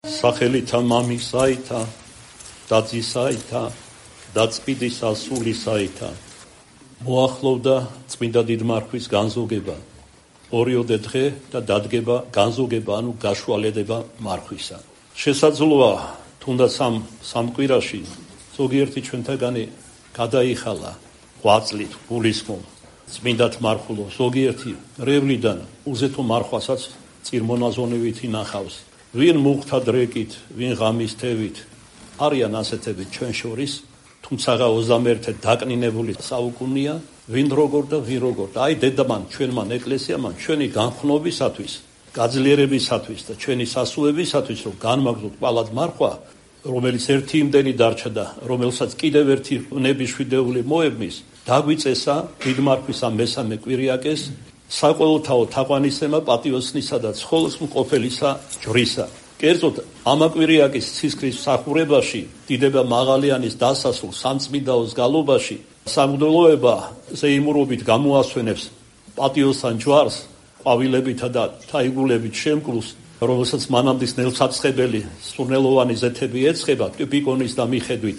სახელითა მამისაითა და ძისაითა და წმინდისა სულისაითა. მოახლოვდა წმინდა დიდმარხვის განზოგება, ორიოდე დღე და დადგება განზოგება, ანუ გაშუალედება მარხვისა. შესაძლოა თუნდაც სამ კვირაში ზოგიერთი ჩვენთაგანი გადაიხალა 8 წლით გულისხმობ წმინდათ მარხულო, ზოგიერთი რევლიდან უზეთო მარხვასაც წირმონაზონივით ინახავს. ვინ მუხთა დრეკით, ვინ ღამის თევით, არიან ასეთები ჩვენ შორის, თუმცა 21 დაკნინებული საუკუნეა, ვინ როგორ და ვინ როგორ. აი დედამან ჩვენმან ეკლესიამან ჩვენი განხნობისათვის, გაძლიერებისათვის და ჩვენი სასუებისათვის, რომ განმაგზოთ კვალად მარხვა, რომელიც ერთი იმდენი დარჩა და რომელსაც კიდევ ერთი ნებიშვიდეული მოებმის, დაგვიწესა დიდმარხვის ამ მესამე კვირიაკეს საყოველთაო თაყვანისცემა პატიოსნისა და ცხოლოს მყოფელისა ჯვრისა. კერძოდ ამაკვირიაკის ცისკრის მსახურებაში, დიდება მაღალიანის დასასრულ სამწმინდაოს გალობაში, სამღვდელოება ზეიმურობით გამოასვენებს პატიოსან ჯვარს, ყვავილებითა და თაიგულებით შემკრულს, რომელსაც მანამდის ნელსაწყებელი სურნელოვანი ზეთები ეცხება ტიპიკონის და მიხედვით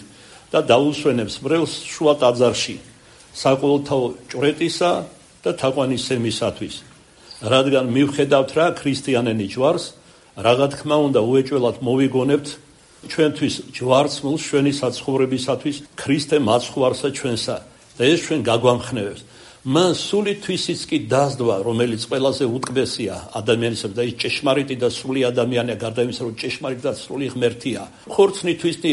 და დაუსვენებს მრევლს შუა ტაძარში, საყოველთაო ჭვრეტისა და თაყვანისცემისათვის. რადგან მივხედავთ რა ქრისტიანენი ჯვარს, რაღა თქმა უნდა უეჭველად მოვიგონებთ ჩვენთვის ჯვარცმულს ჩვენი საცხოვრებისათვის ქრისტე მაცხვარსა ჩვენსა და ეს ჩვენ გაგვამხნევებს. მან სული თვისიც კი დასდვა, რომელიც ყველაზე უტკბესია ადამიანისათვის და ის ჭეშმარიტი და სრული ადამიანია, გარდა იმისა, რომ ჭეშმარიტი და სრული ღმერთია. ხორცნი თვისნი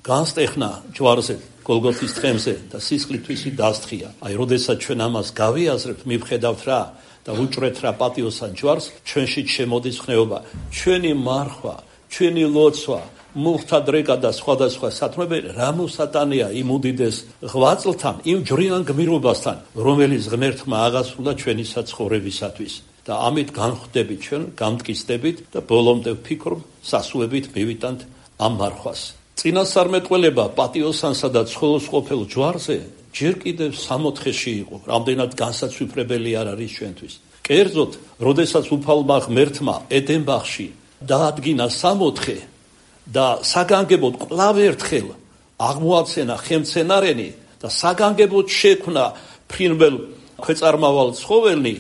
განსტეხნა ჯვარზე გოლგოთის თხემზე და სისხლი თვისი დასთხია. აი, როდესაც ჩვენ ამას გავიაზრებთ, მივხედავთ რა და უჭრეთ რა პატიოსან ჯვარს, ჩვენში შემოდის ხნეობა. ჩვენი მარხვა, ჩვენი ლოცვა, მუხთა დრეკა და სხვადასხვა სათნოები რა მოსატანია იმ უდიდეს ღვაწლთან, იმ ჯვრიან გმირობასთან, რომელიც ღმერთმა აღასრულა ჩვენი საცხოვრებისათვის. და ამით განხვდებით ჩვენ, გამტკიცდებით და ბოლომდე ვფიქრობ, სასუებით მივიტანთ ამ მარხვას. წინასწარმეტყველება პატიოსანსა და ცხოლოს ყოფილ ჯვარზე ჯერ კიდევ 64-ში იყო, რამდენად განსაცვიფრებელი არ არის ჩვენთვის. კერძოდ, როდესაც უფალმა ღმერთმა ედენბახში დაადგინა 64 და საგანგებოდ კვლავ ერთხელ აღმოაცენა ხელმცენარენი და საგანგებოდ შექმნა ფრინველ ქვეწარმავალ ცხოველნი,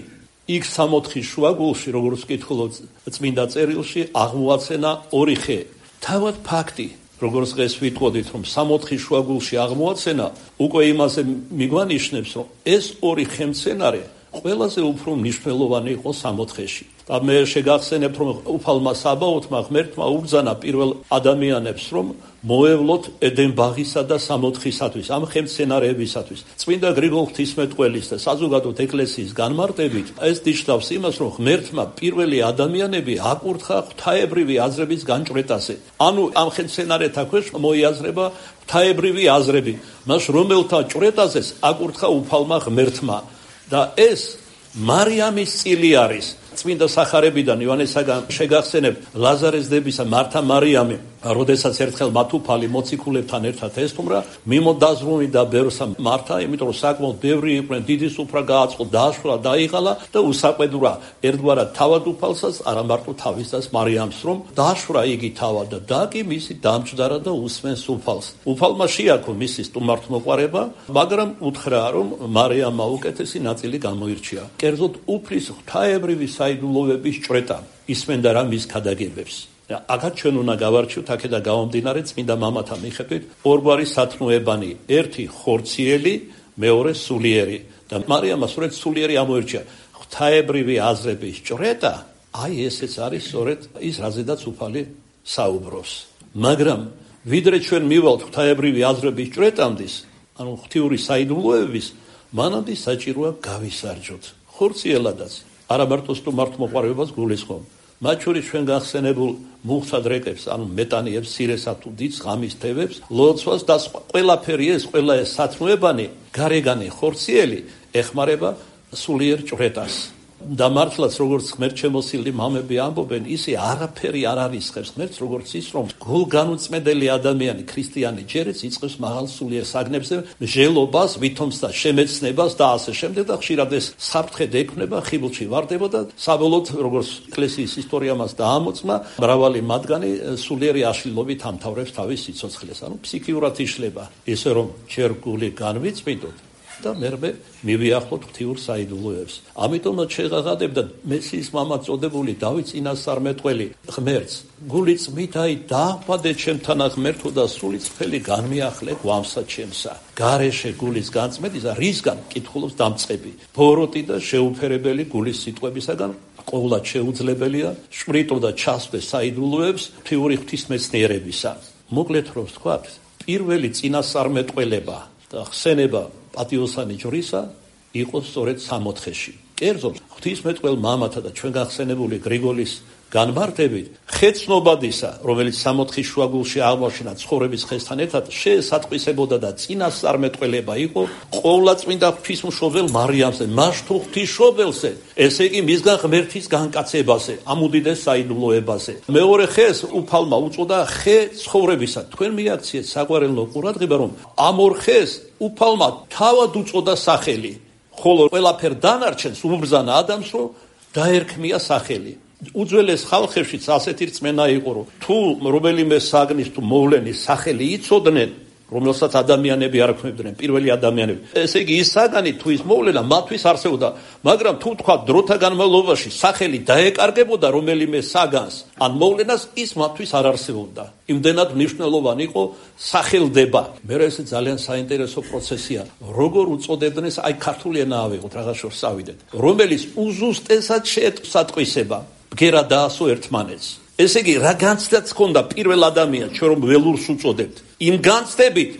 იქ 64 შუაგულში, როგორც კითხულობ წმინდა წერილში, აღმოაცენა 2 ხე. თავად ფაქტი, როგორც დღეს ვიტყოდით, რომ 64 შუაგულში აღმოაცენა, უკვე იმაზე მიგვანიშნებს, რომ ეს 2 ხელმცენარე ყველაზე უფრო მნიშვნელოვანი იყო 64-ში. და მე შეგახსენებთ, რომ უფალმა საბაოთმა ღმერთმა უბრძანა პირველ ადამიანებს, რომ მოევლოთ ედენბაღისა და 64-ისათვის, ამ ხელმცენარეებისათვის. წმინდა გრიგოლ ღვთისმეტყველის და საზოგადოდ ეკლესიის განმარტებით, ეს ნიშნავს იმას, რომ ღმერთმა პირველი ადამიანები აკურთხა ღვთაებრივი აზრების განჭვრეტაზე. ანუ ამ ხელმცენარეთა ქვეშ მოიაზრება ღვთაებრივი აზრები, მას რომელთა ჭვრეტაზეც აკურთხა უფალმა ღმერთმა. და ეს მარიამის წილი არის. წმინდა სახარებიდან ივანესაგან შეგახსენებთ ლაზარეს დებისა მართა მარიამი, როდესაც ერთხელ მათ უფალი მოციქულებთან ერთად ესტუმრა, მიმოდაზრუნდა ბევრსა მართა, იმიტომ რომ საკმაოდ ბევრი იყვნენ, დიდი სუფრა გააწყო, დააშვრა, დაიღალა და უსაყვედურა ერთგვარად თავად უფალსაც, არა მარტო თავისას მარიამს, რომ დააშვრა იგი თავად და კი მისი დამჯდარა და უსმენს უფალს. უფალმა შეაქო მისი სტუმართმოყვარება, მაგრამ უთხრა, რომ მარიამმა უკეთესი ნაწილი გამოირჩია. კერძოდ უფლის ღვთაებრივი საიდუმლოების ჭვრეტა ისმენდა რა მის ქადაგებებს. აქაც ჩვენ უნდა გავარჩიოთ აქედან გამომდინარე წმინდა მამათა მიხედვით ორგვარი სათნოებანი, ერთი ხორციელი, მეორე სულიერი და მარიამმა სწორედ სულიერი ამოირჩია. ღვთაებრივი აზრების ჭვრეტა, აი ესეც არის სწორედ ის, რაზედაც უფალი საუბრობს. მაგრამ ვიდრე ჩვენ მივალთ ღვთაებრივი აზრების ჭვრეტამდის, ანუ ღვთიური საიდუმლოების, მანამდე საჭიროა გავისარჯოთ ხორციელადაც, არა მარტო სტუმართმოყვარეობას გულისხმობ. მათ შორის ჩვენ გახსენებულ მუხთა დრეკებს, ანუ მეტანიებს, სირესა თუ დიდს, ღამის თევებს, ლოცვას და ყველაფერი ეს, ყველა ეს სათნოებანი, გარეგანი ხორციელი ეხმარება სულიერ ჭვრეტას. და მართლაც როგორც ღმერთშემოსილი მამები ამბობენ, ისე არაფერი არ არისხებს ღმერთს, როგორც ის, რომ გულგანუწმედელი ადამიანი, ქრისტიანი ჯერიც იწყებს მაღალ სულიერ საგნებზე მსჯელობას, ვითომს და შემეცნებას და ასე შემდეგ და ხშირად ეს საფრთხედ ექმნება, ხიბლში ვარდება და საბოლოოდ როგორც ეკლესიის ისტორია მას დაამოწმა, მრავალი მათგანი სულიერი აშლილობით ამთავრებს თავის სიცოცხლეს, ანუ ფსიქიურად იშლება, ისე რომ ჯერ გული განვიწმინდოთ და მერმე მივიახლოთ ღვთიურ საიდუმლოებს. ამიტომაც შეღაღადებდა მესიის მამა წოდებული დავით წინასწარმეტყველი ღმერთს, გული წმითაი დაახვადე ჩემთანა ღმერთო და სული წფელი განმიახლე გვამსა ჩემსა. გარეშე გულის განწმენდისა რისგან კითხულობს დამწყები, ბოროტი და შეუფერებელი გულის სიტყვებისაგან ყოვლად შეუძლებელია შვრიტო და ჩასვე საიდუმლოებს ღვთიური ღვთისმეცნიერებისა. მოკლედ რომ ვთქვათ, პირველი წინასწარმეტყველება და ხსენება პატიოსანი ჯვრისა იყო სწორედ სამოთხეში. კერძოდ, ღვთისმეტყველ მამათა და ჩვენ გახსენებული გრიგოლის განმარტებით, ხეცნობადისა, რომელიც სამოთხის შუაგულში აღმოჩნდა ცხოვრების ხესთან ერთად, შეესატყვისებოდა და წინასწარმეტყველება იყო ყოვლადწმინდა ღვთისმშობელ მარიამზე, მას თუ ღვთისმშობელზე, ესე იგი მისგან ღმერთის განკაცებაზე, ამ უდიდეს საიდუმლოებაზე. მეორე ხეს უფალმა უწოდა ხე ცხოვრებისა. თქვენ მიაქციეთ საყვარელო ყურადღება, რომ ამ ორ ხეს უფალმა თავად უწოდა სახელი, ხოლო ყველაფერ დანარჩენს უმბრძანა ადამიანს რომ დაერქმია სახელი. უძველეს ხალხებშიც ასეთი რწმენა იყო, რომ თუ რომელიმე საგნის თუ მოვლენის სახელი იცოდნენ, რომელსაც ადამიანები არ ქმნებდნენ, პირველი ადამიანები. ესე იგი ის საგანი თუ ის მოვლენა მათთვის არსებობდა, მაგრამ თუ თქვა დროთა განმავლობაში სახელი დაეკარგებოდა რომელიმე საგანს ან მოვლენას, ის მათთვის არ არსებობდა. იმდენად მნიშვნელოვანი იყო სახელდება. მე ეს ძალიან საინტერესო პროცესია. როგორ უწოდებდნენ, აი ქართული ენა ავიღოთ, რაღაც შორს ავიდეთ, რომელიც უზუსტესად შეეტყვისება ბგერა დაასო ერთმანეთს. ესე იგი, რა განცდაც ჰქონდა პირველ ადამიანს, ჩვენ რომ ველურს უწოდებთ, იმ განცდებით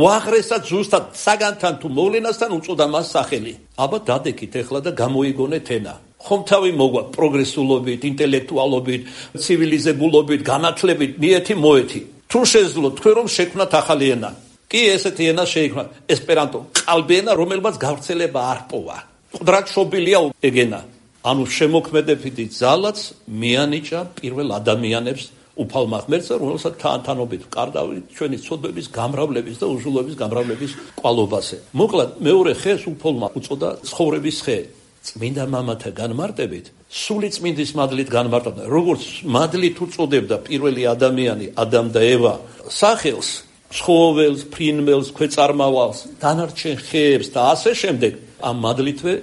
უაღრესად ზუსტად საგანთან თუ მოვლენასთან უწოდა მას სახელი. აბა დადეკით ეხლა და გამოიგონეთ ენა. ხომ თავი მოგვა პროგრესულობით, ინტელექტუალობით, ცივილიზებულობით, განათლებით, მიეთი მოეთი. თუ შეძლოთ თქვენ რომ შექმნათ ახალი ენა. კი ესეთი ენა შეიქმნა, ესპერანტო, ყალბი ენა, რომელმაც გავრცელება არ პოვა. მყდრად შობილია ეგენა. ანუ შემოქმედებითი ძალაც მიანიჭა პირველ ადამიანებს უფალმა ღმერთს, რომელსაც თანთანობით ვკარდავით ჩვენი ცოდვების გამრავლების და უზრუნველობის გამრავლების კვალობაზე. მოკლედ მეორე ხეს უფალმა უწოდა ცხოვრების ხე. წმინდა მამათა განმარტებით, სული წმინდის მადლით განმარტავდა, როგორც მადლით უწოდებდა პირველი ადამიანი, ადამ და ევა, სახელს, ცხოველს, ფრინველს, ქვეწარმავალს, დანარჩენ ხეებს და ასე შემდეგ, ამ მადლითვე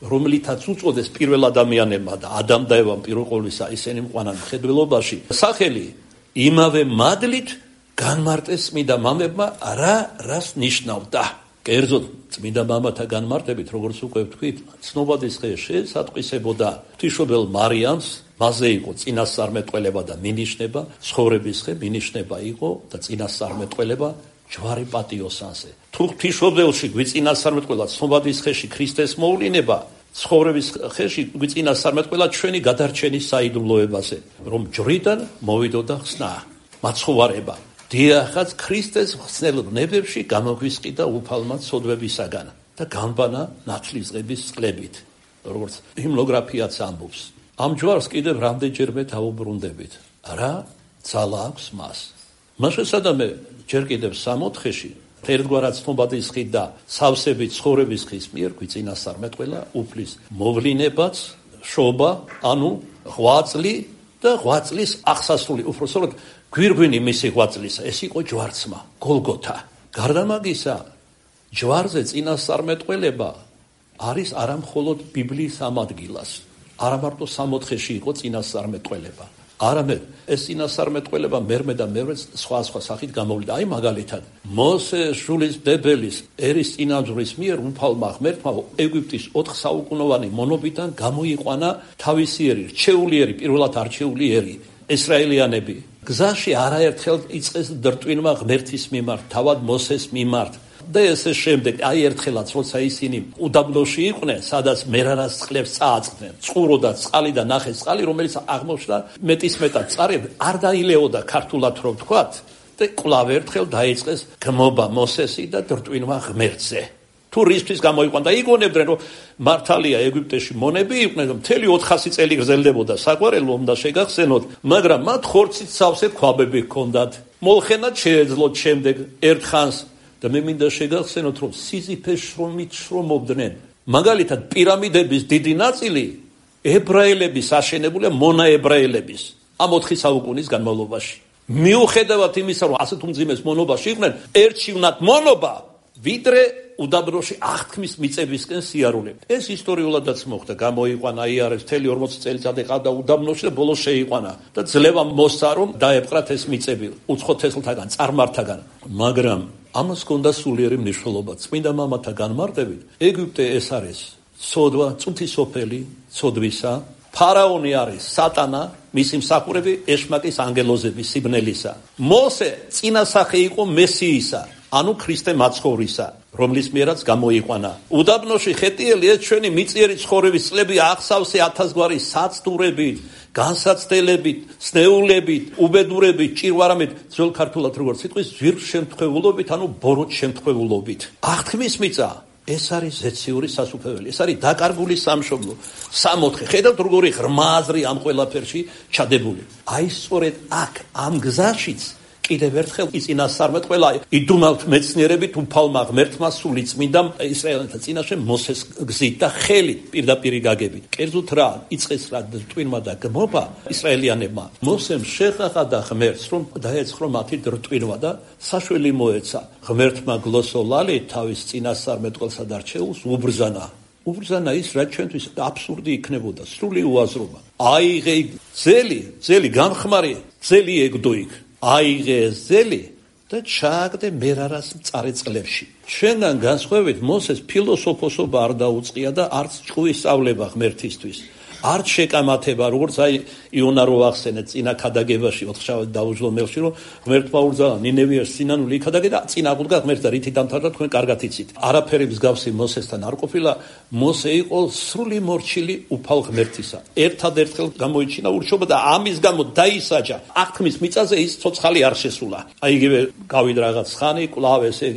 რომლითაც უწოდეს პირველ ადამიანებმა და ადამ და ევამ პირველ ყოვლისა ისინი მყვანან მხედველობაში, სახელი იმავე მადლით განმარტეს წმინდა მამებმა რას ნიშნავდა. კერძოდ წმინდა მამათა განმარტებით, როგორც უკვე ვთქვით, ცნობადის ხე შეესატყვისებოდა ღვთისმშობელ მარიამს, მასზე იყო წინასწარმეტყველება და მინიშნება, ცხოვრების ხე მინიშნება იყო და წინასწარმეტყველება ჯვარი პატიოსანზე. თუ ღვთისმშობელში გვიწინასწარმეტყველა ცნობადის ხეში ქრისტეს მოვლინება, ცხოვრების ხეში გვიწინასწარმეტყველა ჩვენი გადარჩენის საიდუმლოებაზე, რომ ჯვრიდან მოვიდოდა ხსნა, მაცხოვარება. დიახაც ქრისტეს ხსნელ ნებებში გამოგვისყიდა უფალმა ცოდვებისაგან და განბანა ნათლისღების წყლებით, როგორც ჰიმნოგრაფიაც ამბობს. ამ ჯვარს კიდევ რამდენჯერმე დავუბრუნდებით. რა ძალა აქვს მას. მას შესაძამე ჯერ კიდევ სამოთხეში ერთგვარად ცნობადის ხით და სავსებით ცხოვრების ხის მიერ გვიწინასწარმეტყველა უფლის მოვლინებაც, შობა, ანუ ღვაწლი და ღვაწლის აღსასრული, უпроსტოდ გვირგვინი მისი ღვაწლისა, ეს იყო ჯვარცმა, გოლგოთა. გარდა მაგისა, ჯვარზე წინასწარმეტყველება არის არა მხოლოდ ბიბლიის ამ ადგილას, არა მარტო სამოთხეში იყო წინასწარმეტყველება. არამედ ეს წინასწარმეტყველება მერმე და მერმე სხვა სახით გამოვლიდა. აი მაგალითად, მოსეს შვილისმდებელის ერის წინამძღვრის მიერ უფალმა ღმერთმა ეგვიპტის 4 საუკუნოვანი მონობიდან გამოიყვანა თავისიერი, რჩეულიერი, პირველად არჩეული ერი, ესრაელიანები. გზაში არაერთხელ იწყეს დრტვინმა ღმერთის მიმართ, თავად მოსეს მიმართ. და ესე შემდეგ, აი ერთხელაც, როცა ისინი უდაბნოში იყვნენ, სადაც მერარას წყლებს წააწყდნენ, წყურო და წყალი და ნახეს წყალი, რომელიც აღმოჩნდა მეტისმეტად წყარი არ დაილეოდა ქართულად რომ ვთქვათ, და კვლავ ერთხელ დაიწყეს გმობა მოსესი და დრტვინმა ღმერთზე. თუ რისთვის გამოიყვან და იგონებდნენ რომ მართალია ეგვიპტეში მონები იყვნენ რომ მთელი 400 წელი გრძელდებოდა საყვარელო უნდა შეგახსენოთ მაგრამ მათ ხორცით სავსე ქვაბები ჰქონდათ molxenat შეეძლოთ შემდეგ ერთხანს და მე მინდა შეგახსენოთ რომ სიზიფეს შრომით შრომობდნენ მაგალითად პირამიდების დიდი ნაწილი ებრაელების აშენებულია მონაებრაელების ამ 4 საუკუნის განმავლობაში მიუხედავად იმისა რომ ასეთ უმძიმეს მონობაში იყვნენ ერჩივნად მონობა ვიდრე უდაბნოში აღთქმის მიწებისკენ სიარულებით. ეს ისტორიულადაც მოხდა, გამოიყვანა იარეს მთელი 40 წელიწადი ყავდა უდაბნოში და ბოლოს შეიყვანა და ძლევა მოსცა რომ დაეპყრათ ეს მიწები უცხო თესლთაგან, წარმართაგან. მაგრამ ამას ჰქონდა სულიერი მნიშვნელობა. წმინდა მამათა განმარტებით, ეგვიპტე ეს არის ცოდვა, წუთი სოფელი, ცოდვისა, ფარაონი არის სატანა, მისი მსახურები ეშმაკის ანგელოზები სიბნელისა. მოსე წინასახე იყო მესიისა, ანუ ქრისტე მაცხოვრისა, რომლის მიერაც გამოიყვანა. უდაბნოში ხეტიელი ეს ჩვენი მიწიერი ცხოვრების წლები აღსავსე 1000 გვარი საცდურებით, განსაცდელებით, სნეულებით, უბედურებით, ჭირვარამით, ძველ ქართულად როგორც სიტყვის ზვირშემთხვეულობით, ანუ ბოროტ შემთხვეულობით. აღთქმის მიწა ეს არის ზეციური სასუფეველი, ეს არის დაკარგული სამშობლო. 64 ხედავთ როგორი ღრმა აზრი ამ ყველაფერში ჩადებული. აი სწორედ აქ ამ გზაშიც კიდევ ერთხელ იწინასწარმეტყველა იდუმალთ მეცნიერებით უფალმა ღმერთმა სული წმინდა ისრაელთა წინაშე მოსეს გზით და ხელით პირდაპირ გაგებით. კერძოდ რა იწყეს რა რტვინმა და გმობა ისრაელიანებმა. მოსემ შეხახა და ღმერთს რომ დაეცხრა მათი რტვინვა და საშველი მოეცა. ღმერთმა გლოსოლალი თავის წინასწარმეტყველსა და რჩეულს უბრძანა. უბრძანა ის რაც ჩვენთვის აბსურდი იქნებოდა, სრული უაზრობა. აიღე ძელი გამხმარი ძელი ეგდო იქ. აიღე ძელი და ჩააგდე მერარას მწარე წყლებში. ჩვენგან განსხვავებით მოსეს ფილოსოფოსობა არ დაუწყია და არც ჭკუის სწავლება ღმერთისთვის. არც შეკამათება, როგორც აი იონა რო ახსენეთ წინა ქადაგებაში 4 დაუჯლო მელში რომ ღმერთმა უბრძანა ნინევიას სინანული იქადაგე და წინა აღუდგა ღმერთს და რითი დამთავრდა თქვენ კარგად იცით. არაფერი მსგავსი მოსესთან არ ყოფილა, მოსე იყო სრული მორჩილი უფალ ღმერთისა. ერთადერთხელ გამოიჩინა ურჩობა და ამის გამო დაისაჯა. აღთქმის მიწაზე ის ცოცხალი არ შესულა. აი იგივე გავიდა რაღაც ხანი, კვლავ ესე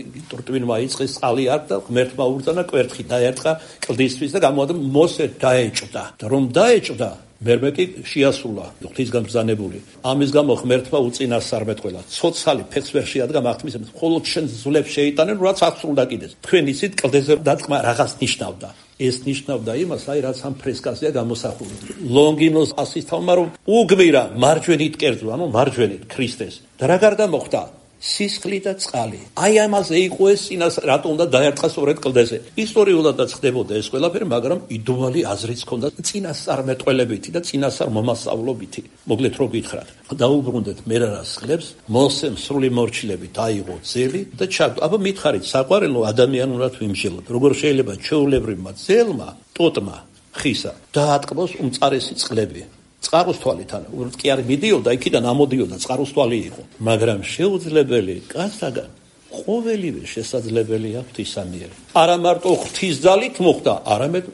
რტვინმა იწყეს წყალი არ და ღმერთმა უბრძანა კვერთხი დაერტყა კლდისთვის და გამოადა მოსე დაეჭდა. და რომ დაეჭდა მერმე კი შეასულა ღვთისგან ბრძანებული. ამის გამო ღმერთმა უწინასწარმეტყველა. ცოცხალი ფეხს ვერ შეადგა აღთქმის მიწაზე. მხოლოდ შენ ძლებს შეიტანენ, რაც აღსრულდა კიდეს. თქვენ იცით კლდეზე დატყმა რაღაც ნიშნავდა. ეს ნიშნავდა იმას, აი რაც ამ ფრესკაზეა გამოსახული. ლონგინოს ასისთავმა რომ უგმირა მარჯვენით კერძო, ანუ მარჯვენით ქრისტეს. და რა გარდა მოხდა? სისხლი და წყალი. აი ამაზე იყო ეს წინას რატო უნდა დაერტყა სწორედ კლდეზე. ისტორიულადაც ხდებოდა ეს ყველაფერი, მაგრამ იდუმალი აზრიც ჰქონდა წინასწარმეტყველებითი და წინასწარ მომასწავლობითი. მოგლეთ რო გითხრათ. დაუბრუნდეთ მერარას წყლებს, მოსემ სრული მორჩილებით აიღო ძელი და ჩაგდო. აბა მითხარით, საყვარელო ადამიანურად ვიმსჯელოთ. როგორ შეიძლება ჩვეულებრივმა ძელმა, ტოტმა, ხისა დაატკბოს უმწარესი წყლები. წყაროს თვალით, ანუ კი არ მიდიოდა, იქიდან ამოდიოდა, წყაროს თვალი იყო. მაგრამ შეუძლებელი კაცთაგან ყოველივე შესაძლებელია ღვთისამიერ. არა მარტო ღვთისძალით მოხდა, არამედ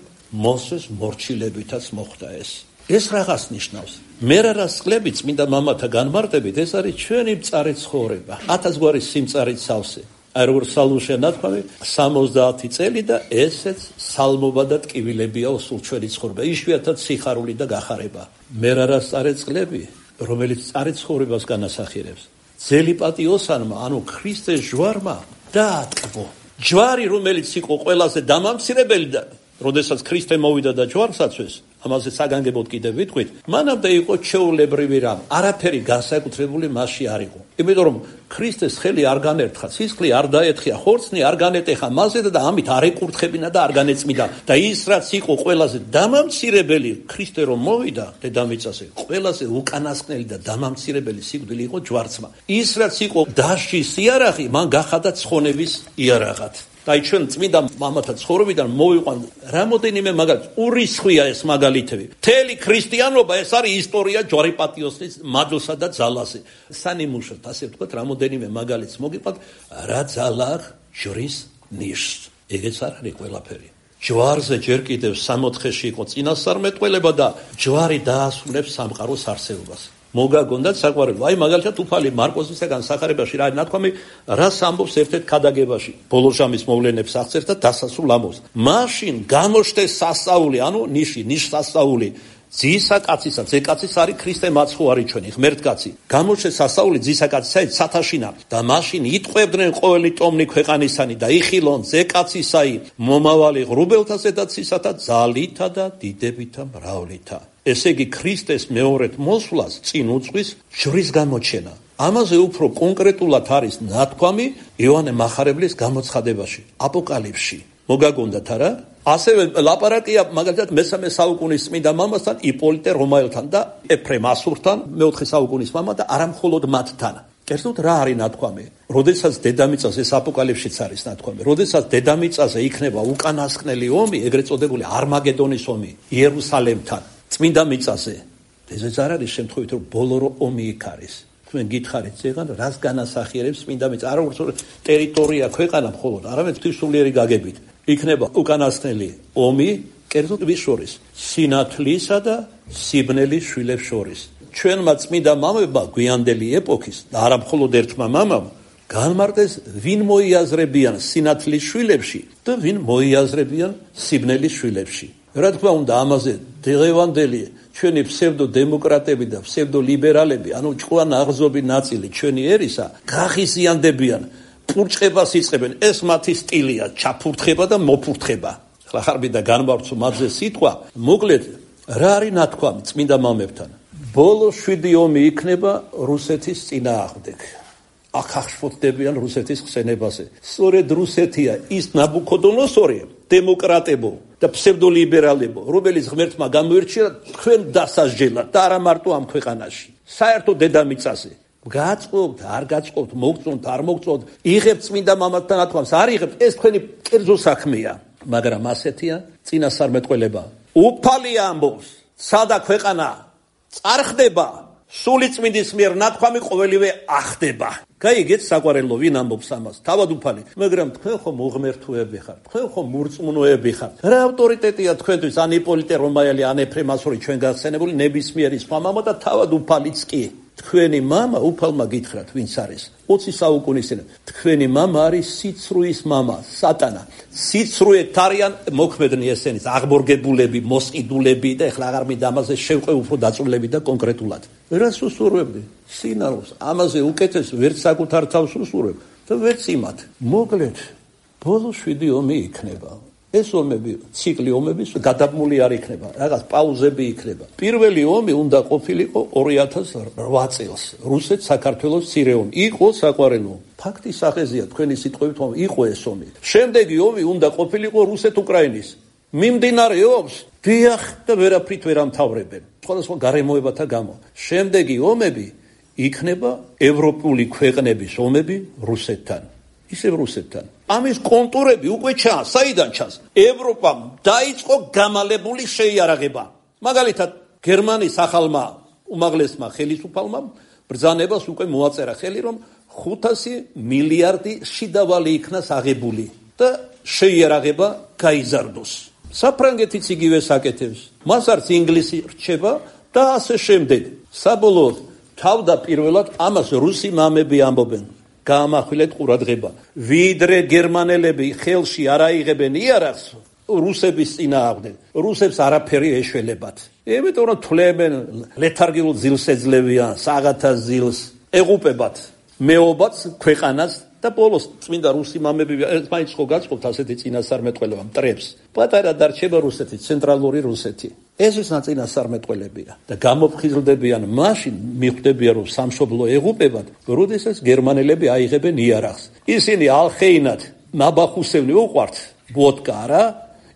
მოსეს მორჩილებითაც მოხდა ეს. ეს რაღაც ნიშნავს. მერარას წყლები წმინდა მამათა განმარტებით, ეს არის ჩვენი მწარე ცხოვრება. 1000 გვარი სიმწარით სავსე. აი როგორც სალმუშია ნათქვამი 70 წელი და ესეც სალმობა და ტკივილებია ოსულ ჩვენი ცხოვრება. იშვიათად სიხარული და გახარება. მერარას მწარე წყლები, რომელიც მწარე ცხოვრებას განასახიერებს. ძელი პატიოსანმა, ანუ ქრისტეს ჯვარმა დაატკბო. ჯვარი, რომელიც იყო ყველაზე დამამცირებელი და როდესაც ქრისტე მოვიდა და ჯვარს აცვეს, ამაზე საგანგებოდ კიდევ ვიტყვით, მანამდე იყო ჩვეულებრივი რამ, არაფერი განსაკუთრებული მასში არ იყო. იმიტომ რომ ქრისტეს ხელი არ განერთხა, სისხლი არ დაეთხია, ხორცნი არ განეტეხა მასზე და ამით არ ეკურთხებინა და არ განეწმიდა. და ის რაც იყო ყველაზე დამამცირებელი, ქრისტე რომ მოვიდა დედამიწაზე, ყველაზე უკანასკნელი და დამამცირებელი სიკვდილი იყო ჯვარცმა. ის რაც იყო დასჯის იარაღი, მან გახადა ცხონების იარაღად. და ჩვენ წმინდა მამათა ცხოვრებიდან მოვიყვან რამოდენიმე მაგალითი, ურისხვია ეს მაგალითები. მთელი ქრისტიანობა ეს არის ისტორია ჯვარი პატიოსნის მადლსა და ძალაზე. სანიმუშოდ ასე ვთქვათ, რამოდენიმე მაგალითს მოგიყვანთ, რა ძალა ჯვრის ნიშს. ეგეც არ არის ყველაფერი. ჯვარზე ჯერ კიდევ 64-ში იყო წინასწარმეტყველება და ჯვარი დაასრულებს სამყაროს არსებობას. მოგაგონდათ საყვარელო. აი მაგალითად უფალი მარკოზისაგან სახარებაში რა არის ნათქვამი, რას ამბობს ერთ-ერთ ქადაგებაში. ბოლოჟამის მოვლენებს აღწერს და დასასრულ ამბობს. მაშინ გამოჩნდეს სასწაული, ანუ ნიშ სასწაული. ძისა კაცისა, ძე კაცის არის ქრისტე მაცხოვარი ჩვენი, ღმერთკაცი. გამოჩნდეს სასწაული ძისა კაცისა ცათაშინა და მაშინ იტყვევდნენ ყოველი ტომნი ქვეყანისანი და იხილონ ძე კაცისაი მომავალი ღრუბელთა ზედაცისა და ძალითა და დიდებითა მრავლითა. ესე იგი ქრისტეს მეორედ მოსვლას წინ უძღვის ჯვრის გამოჩენა. ამაზე უფრო კონკრეტულად არის ნათქვამი იოანე მახარებლის გამოცხადებაში, აპოკალიფსში. მოგაგონდათ არა? ასევე ლაპარაკია მაგალითად მესამე საუკუნის წმინდა მამასთან იპოლიტე რომაელთან და ეფრემ ასურთან მეოთხე საუკუნის მამა და არა მხოლოდ მათთან. კერძოდ რა არის ნათქვამი? როდესაც დედამიწაზე ეს აპოკალიფსშიც არის ნათქვამი. როდესაც დედამიწაზე იქნება უკანასკნელი ომი, ეგრეთ წოდებული არმაგედონის ომი იერუსალემთან, წმინდა მიწაზე. ესეც არ არის შემთხვევით რომ ბოლო ომი იქ არის. თქვენ გითხარით ზეგან რას განასახიერებს წმინდა მიწა? არა უბრალოდ ტერიტორია ქვეყანა მხოლოდ, არამედ ღვთისმსხლიერი გაგებით. იქნება უკანასკნელი ომი, კერძოდ ვის შორის? სინათლისა და სიბნელის შვილებს შორის. ჩვენმა წმინდა მამებმა გვიანდელი ეპოქის და არა მხოლოდ ერთმა მამამ განმარტეს ვინ მოიაზრებიან სინათლის შვილებში და ვინ მოიაზრებიან სიბნელის შვილებში. რა თქმა უნდა ამაზე დღევანდელი ჩვენი ფსევდო-დემოკრატები და ფსევდო-ლიბერალები, ანუ ჭკვიან აღზრდილი ნაწილი ჩვენი ერისა, გაღიზიანდებიან, პურჭებას იწყებენ. ეს მათი სტილია, ჩაფურთხება და მოფურთხება. ახლა ხარბი და განმარცო მათზე სიტყვა, მოკლედ რა არის ნათქვამი წმინდა მამებთან? ბოლო 7 ომი იქნება რუსეთის წინააღმდეგ. აქ აღშფოთდებიან რუსეთის ხსენებაზე. სწორედ რუსეთია ის ნაბუქოდონოსორი, დემოკრატებო და ფსევდოლიბერალებო, რომელიც ღმერთმა გამოირჩია თქვენ დასასჯელად და არა მარტო ამ ქვეყანაში, საერთოდ დედამიწაზე. გაწყობთ, არ გაწყობთ, მოგწონთ, არ მოგწონთ, იღებთ წმინდა მამათა ნათქვამს, არ იღებთ, ეს თქვენი კერძო საქმეა, მაგრამ ასეთია წინასწარმეტყველება. უფალი ამბობს, სადა ქვეყანა წარხდება, სული წმინდის მიერ ნათქვამი ყოველივე ახდება. გაიგეთ საყვარელო, ვინ ამბობს ამას? თავად უფალი. მაგრამ თქვენ ხომ უღმერთოები ხართ, თქვენ ხომ მურწმუნოები ხართ. რა ავტორიტეტია თქვენთვის ან იპოლიტე რომაელი, ან ეფრემ ასური ჩვენ გახსენებული ნებისმიერი სხვა მამა და თავად უფალიც კი. თქვენი მამა უფალმა გითხრათ ვინც არის 20 საუკუნის წინ. თქვენი მამა არის სიცრუის მამა, სატანა. სიცრუეთ არიან მოქმედნი ესენიც, აღბორგებულები, მოსყიდულები და ეხლა აღარ მინდა ამაზე შევყვე უფრო დაწვრილებით და კონკრეტულად. რას უსურვებდი? სინარულს. ამაზე უკეთეს ვერც საკუთარ თავს უსურვებ და ვერც იმათ. მოკლედ, ბოლო 7 ომი იქნება. ეს ომები, ციკლი ომების გადაბმული არ იქნება, რაღაც პაუზები იქნება. პირველი ომი უნდა ყოფილიყო 2008 წელს, რუსეთ-საქართველოს მცირე ომი. იყო საყვარელო. ფაქტის სახეზეა თქვენი სიტყვებით, იყო ეს ომი. შემდეგი ომი უნდა ყოფილიყო რუსეთ-უკრაინის. მიმდინარეობს, დიახ და ვერაფრით ვერ ამთავრებენ. სხვადასხვა გარემოებათა გამო. შემდეგი ომები იქნება ევროპული ქვეყნების ომები რუსეთთან. ისევ რუსეთთან. ამის კონტურები უკვე ჩანს, საიდან ჩანს? ევროპამ დაიწყო გამალებული შეიარაღება. მაგალითად, გერმანიის ახალმა უმაღლესმა ხელისუფალმა ბრძანებას უკვე მოაწერა ხელი, რომ 500 მილიარდი შიდავალი იქნას აღებული და შეიარაღება გაიზარდოს. საფრანგეთიც იგივე საკეთებს. მას არც ინგლისი რჩება და ასე შემდეგ. საბოლოოდ თავდაპირველად ამას რუსი მამები ამბობენ. გაამახვილეთ ყურადღება. ვიდრე გერმანელები ხელში არ აიღებენ იარაღს რუსების წინააღმდეგ, რუსებს არაფერი ეშველებათ. იმიტომ რომ თვლებენ ლეთარგიულ ძილს ეძლებიან, საღათას ძილს ეღუპებათ, მეობაც ქვეყანას და ბოლოს წმინდა რუსი მამები ერთმანეთს ხო გაწყობთ ასეთი წინასწარმეტყველება მტრებს. პატარა დარჩება რუსეთი, ცენტრალური რუსეთი. ეს ის წინასწარმეტყველებია და გამოფხიზლდებიან მაშინ მიხვდებიან რომ სამშობლო ეღუპებათ, როდესაც გერმანელები აიღებენ იარაღს. ისინი ალხეინად ნაბახუსევნი უყვართ ვოდკა არა,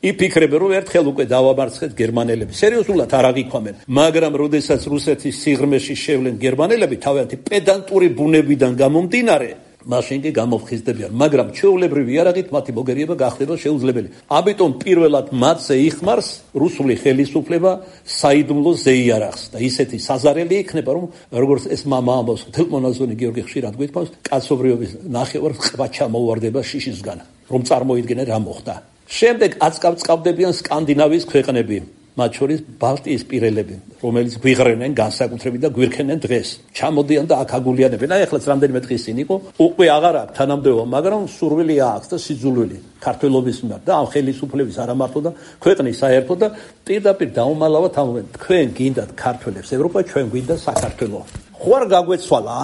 იფიქრებენ რომ ერთხელ უკვე დავამარცხეთ გერმანელები. სერიოზულად არ აღიქვამენ, მაგრამ როდესაც რუსეთის სიღრმეში შევლენ გერმანელები თავიანთი პედანტური ბუნებიდან გამომდინარე, მაშინ კი გამოფხიზდებიან, მაგრამ ჩვეულებრივი იარაღით მათი მოგერიება გახდება შეუძლებელი. ამიტომ პირველად მათზე იხმარს რუსული ხელისუფლება საიდუმლო ზეიარაღს და ისეთი საზარელი იქნება, რომ როგორც ეს მამა ამბობს, თელმონაზონი გიორგი ხშირად გვითხოვს, კაცობრიობის ნახევარ ყბა ჩამოუვარდება შიშისგან, რომ წარმოიდგინე რა მოხდა. შემდეგ აწკავწყავდებიან სკანდინავიის ქვეყნები. მათ შორის ბალტიის პირელები, რომელიც გვიღრენენ განსაკუთრებით და გვირქენენ დღეს. ჩამოდიან და აქ აგულიანებენ. აი ახლაც რამდენიმე დღის წინ იყო, უკვე აღარ აქვს თანამდებობა, მაგრამ სურვილი აქვს და სიძულვილი ქართველობის მიმართ და ამ ხელისუფლების არა მარტო და ქვეყნის საერთო და პირდაპირ დაუმალავად ამბობენ, თქვენ გინდათ ქართველებს ევროპა, ჩვენ გვინდა საქართველო. ხო არ გაგვეცვალა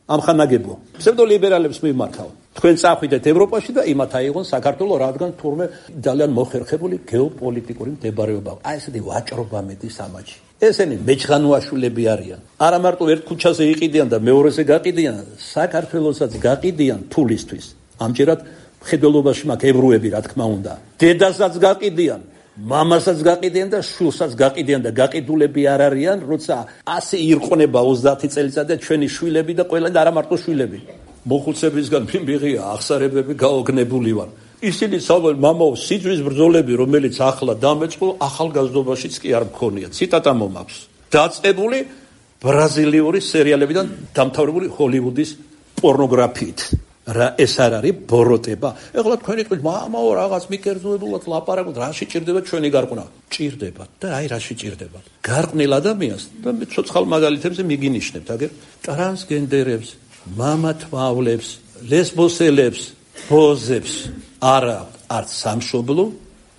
ამ ხანაგებო ფსევდოლიბერალებს მიმართავ. თქვენ წახვიდეთ ევროპაში და იმათ აიღონ საქართველო, რადგან თურმე ძალიან მოხერხებული გეოპოლიტიკური მდებარეობა. აი ესეთი ვაჭრობა მედის ამაჩი. ესენი მეჩხანუაშვილები არიან. არა მარტო ერთ ქუჩაზე იყიდიან და მეორეზე გაყიდიან, საქართველოსაც გაყიდიან ფულისთვის. ამჯერად მხედველობაში მაქვს ებრუები, რა თქმა უნდა. დედასაც გაყიდიან, მამასაც გაყიდიან და შვილსაც გაყიდიან და გაყიდულები არ არიან, როცა ასე ირყნება 30 წელიწადი და ჩვენი შვილები და ყველა და არა მარტო შვილები. მოხუცებისგან მიმიღია აღსარებები გაოგნებული ვარ. ისინი საუბრობენ, მამაო, სიძვის ბრძოლები, რომელიც ახლა დამეწყო, ახალგაზრდობაშიც კი არ მქონია. ციტატა მომაქვს. დაწყებული ბრაზილიური სერიალებიდან დამთავრებული ჰოლივუდის პორნოგრაფიით. რა ეს არ არის ბოროტება? ეხლა თქვენი თქვით, მამაო, რაღაც მიკერძოებულად ლაპარაკობთ, რა შეჭირდება ჩვენი გარყვნა? ჭირდებათ და აი რა შეჭირდებათ. გარყვნილ ადამიანს და ცოცხალ მაგალითებზე მიგინიშნებთ, აგერ ტრანსგენდერებს, მამათმავლებს, ლესბოსელებს, ბოზებს არა არც სამშობლო,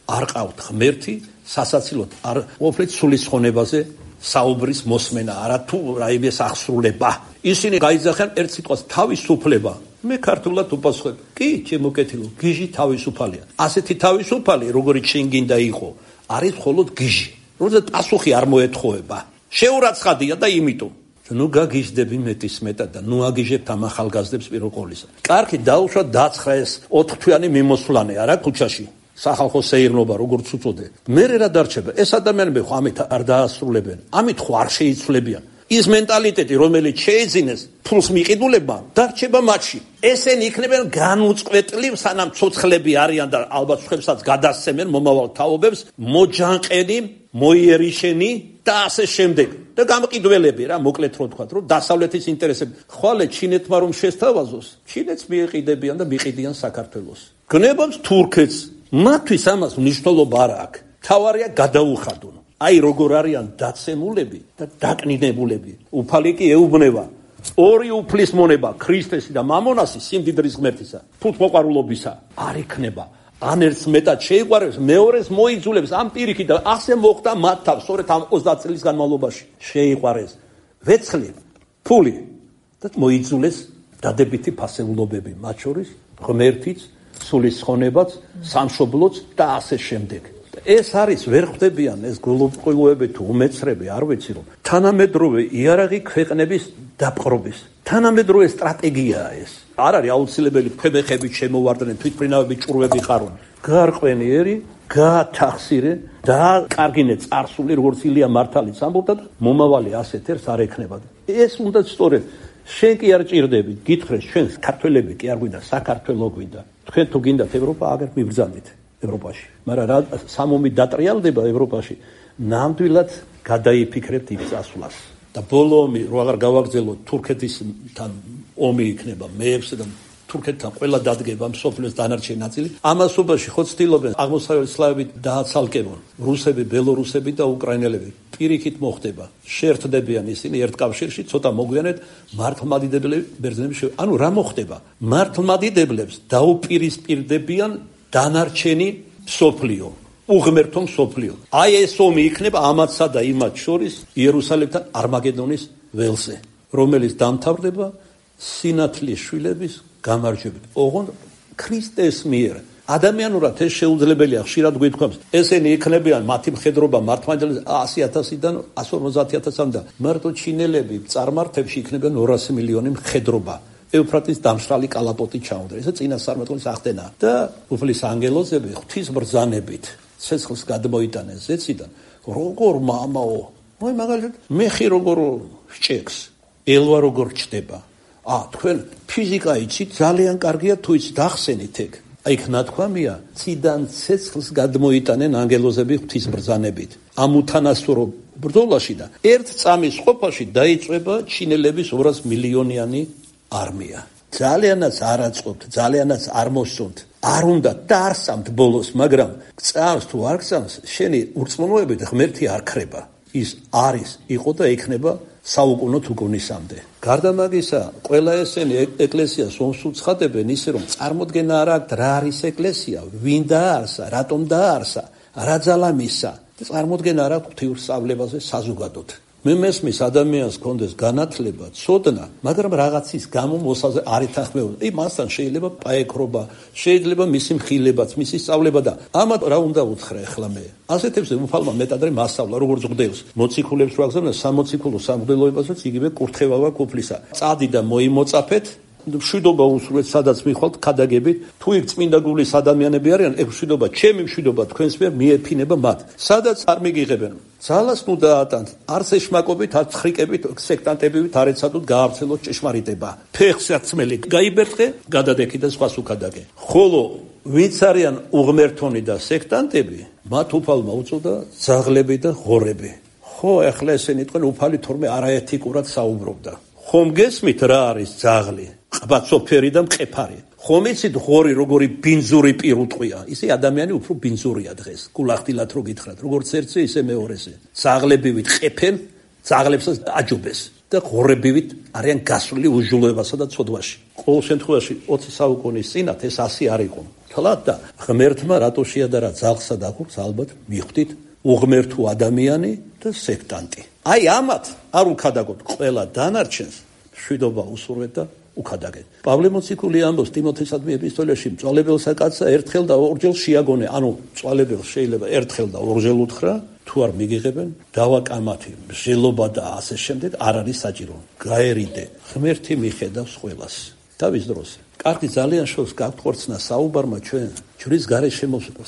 არ ყავთ ღმერთი, სასაცილოდ არ ყოფილით სულისხონებაზე საუბრის მოსმენა, არა თუ რაიმეს აღსრულება. ისინი გაიძახიან ერთ სიტყვას თავისუფლება. მე ქართულად უპასუხებ, კი, ჩემო კეთილო, გიჟი თავისუფალია. ასეთი თავისუფალი, როგორიც შენ გინდა იყო, არის მხოლოდ გიჟი. როცა პასუხი არ მოეთხოვება. შეურაცხადია და იმიტომ ნუ გაგიჟდები მეტის მეტად და ნუ აგიჟებთ ამ ახალგაზრდებს პირველ ყოვლისა. კარგი, დაუშვა დაცხრა ეს 4 თვიანი მიმოსვლანე არა ქუჩაში. სახალხო სეირნობა როგორც უწოდე. მე რა დარჩება? ეს ადამიანები ხო ამით არ დაასრულებენ. ამით ხო არ შეიცვლებიან. ის მენტალიტეტი, რომელიც შეეძინეს ფულს მიყიდულებმა, დარჩება მათში. ესენი იქნებიან განუწყვეტლი, სანამ ცოცხლები არიან და ალბათ სხვებსაც გადასცემენ მომავალ თაობებს, მოჯანყენი, მოიერიშენი და ასე შემდეგ. და გამყიდველები რა, მოკლედ რო თქვა, რომ დასავლეთის ინტერესები. ხვალე ჩინეთმა რომ შესთავაზოს, ჩინეთს მიეყიდებიან და მიყიდიან საქართველოს. გნებობს თურქეთს. მათთვის ამას მნიშვნელობა არ აქვს. თავარია გადაუხადონ. აი როგორ არიან დაცემულები და დაკნინებულები. უფალი კი ეუბნება. ორი უფლის მონება, ქრისტესი და მამონასი სიმდიდრის ღმერთისა, ფუთმოყვარულობისა არ იქნება. ან ერთს მეტად შეიყვარებს, მეორეს მოიძულებს ამ პირიქით და ასე მოხდა მათ თავს, სწორედ ამ 30 წლის განმავლობაში. შეიყვარეს ვეცლი, ფული და მოიძულეს დადებითი ფასეულობები, მათ შორის ღმერთიც, სულისხონებაც, სამშობლოც და ასე შემდეგ. ეს არის ვერ ხვდებიან ეს გულუყურები თუ უმეცრები, არ ვიცი რომ თანამედროვე იარაღი ქვეყნების დაპყრობის თანამედროვე სტრატეგიაა ეს. არ არის აუცილებელი ქვებეხებით შემოვარდნენ, თვითმფრინავები ჭურვები ხარონ. გარყვენიერი, გაათახსირე და კარგინე წარსული, როგორც ილია მართალიც ამბობდა და მომავალი ასეთ ერთს არ ექნება. ეს უნდა სწორედ შენ კი არ ჭირდები, გითხრეს ჩვენ ქართველები კი არ გვინდა, საქართველო გვინდა. თქვენ თუ გინდათ ევროპა, აგერ მიბრძანდით ევროპაში. მაგრამ რა სამომი დატრიალდება ევროპაში, ნამდვილად გადაიფიქრებთ ის წასვლას. და ბოლო ომი რო აღარ გავაგრძელოთ, თურქეთისთან ომი იქნება მეექვსე და თურქეთთან ყველა დადგება მსოფლიოს დანარჩენი ნაწილი. ამასობაში ხო ცდილობენ აღმოსავლეთ სლავებით დააცალკებონ რუსები, ბელორუსები და უკრაინელები. პირიქით მოხდება. შეერთდებიან ისინი ერთ კავშირში, ცოტა მოგვიანებით მართლმადიდებლები ბერძნები ანუ რა მოხდება? მართლმადიდებლებს დაუპირისპირდებიან დანარჩენი მსოფლიო, უღმერთო მსოფლიო. აი ეს ომი იქნება ამათსა და იმათ შორის იერუსალიმთან არმაგედონის ველზე, რომელიც დამთავრდება სინათლის შვილების გამარჯვებით. ოღონდ ქრისტეს მიერ. ადამიანურად ეს შეუძლებელია, ხშირად გვითხოვს. ესენი იქნებიან მათი მხედრობა მართლმადიდებლების 100,000-დან 150,000-მდე და მარტო ჩინელები წარმართებში იქნებიან 200 მილიონი მხედრობა. ევფრატის დამშრალი კალაპოტი ჩაუნდა. ეს წინასწარმეტყველის ახდენა და უფლის ანგელოზები ღვთის ბრძანებით ცეცხლს გადმოიტანეს ზეციდან. როგორ მამაო, მოი მაგალითად მეხი როგორ შეჭექს, ელვა როგორ ჩდება. თქვენ ფიზიკა იცით, ძალიან კარგია თუ იცით, ახსენით ეგ. იქ ნათქვამია, ციდან ცეცხლს გადმოიტანენ ანგელოზები ღვთის ბრძანებით. ამ უთანასწორო ბრძოლაში და ერთ წამის ყოფაში დაიწვება ჩინელების 200 მილიონიანი არმია. ძალიანაც არ აწყობთ, ძალიანაც არ მოსწონთ. არ უნდა დაარსამთ ბოლოს, მაგრამ წამს თუ არ გწამს, შენი ურწმუნოებით ღმერთი არ ქრება. ის არის, იყო და იქნება საუკუნო თუკუნისამდე. გარდა მაგისა, ყველა ესენი ეკლესიას ომს უცხადებენ ისე, რომ წარმოდგენა არ აქვთ რა არის ეკლესია, ვინ დაარსა, რატომ დაარსა, რა ძალა მისცა. წარმოდგენა არ აქვთ ღვთიურსწავლებაზე საზოგადოდ. მე მესმის ადამიანს კონდეს განათლება, ცოდნა, მაგრამ რაღაცის გამო მოსაზე არ ეთანხმებოდა. მასთან შეიძლება პაექრობა, შეიძლება მისი მხილებაც, მისი სწავლება და ამათ რა უნდა უთხრა ახლა მე. ასეთებზე უფალმა მეტადრე მასწავლა, როგორც მღვდელს. მოციქულებს რო აგზავნა სამოციქულო სამღვდელოებასაც იგივე კურთხევაა ყოფლისა. წადი და მოიმოწაფეთ მშვიდობა უსურვეთ, სადაც მიხვალთ ქადაგებით, თუ იქ წმინდა გულის ადამიანები არიან, ეგ მშვიდობა, ჩემი მშვიდობა თქვენს მიერ მიეფინება მათ. სადაც არ მიგიღებენ. ძალას ნუ დაატანთ, არც ეშმაკობით, არც ხრიკებით, სექტანტებით არ ეცადოთ გაავრცელოთ ჭეშმარიტება. ფეხსაცმელი გაიბერტყე, გადადექი და სხვას უკადაგე. ხოლო ვინც არიან უღმერთონი და სექტანტები, მათ უფალმა უწოდა ძაღლები და ღორები. ხო, ახლა ესენი თქვენ უფალი თორმე არაეთიკურად საუბრობდა. ხომ გესმით რა არის ძაღლი? ყბაცოფერი და მყეფარი. ხომ იცით ღორი როგორი ბინძური პირუტყვია? ისე ადამიანი უფრო ბინძურია დღეს. გულახდილად რო გითხრათ, როგორც ერთზე, ისე მეორეზე. ძაღლებივით ყეფენ, ძაღლებსაც აჯობეს და ღორებივით არიან გასული უჟულოებასა და ცოდვაში. ყოველ შემთხვევაში 20 საუკუნის წინათ ეს ასე არ იყო. თლად და ღმერთმა რატო შეადარა ძაღლსა და ღორს, ალბათ მიხვდით უღმერთო ადამიანი და სექტანტი. აი ამათ არ უკადაგოთ ყველა დანარჩენს, მშვიდობა უსურვეთ და უკადაგეთ. პავლე მოციქული ამბობს ტიმოთესადმი ეპისტოლეში, მწვალებელსა კაცსა ერთხელ და ორჯერ შეაგონე, ანუ მწვალებელს შეიძლება ერთხელ და ორჯერ უთხრა, თუ არ მიგიღებენ, დავაკამათი, მსჯელობა და ასე შემდეგ არ არის საჭირო. გაერიდე, ღმერთი მიხედავს ყველას. თავის დროს. კარგი ძალიან შორს გაგვხორცნა საუბარმა ჩვენ ჯვრის გარეშე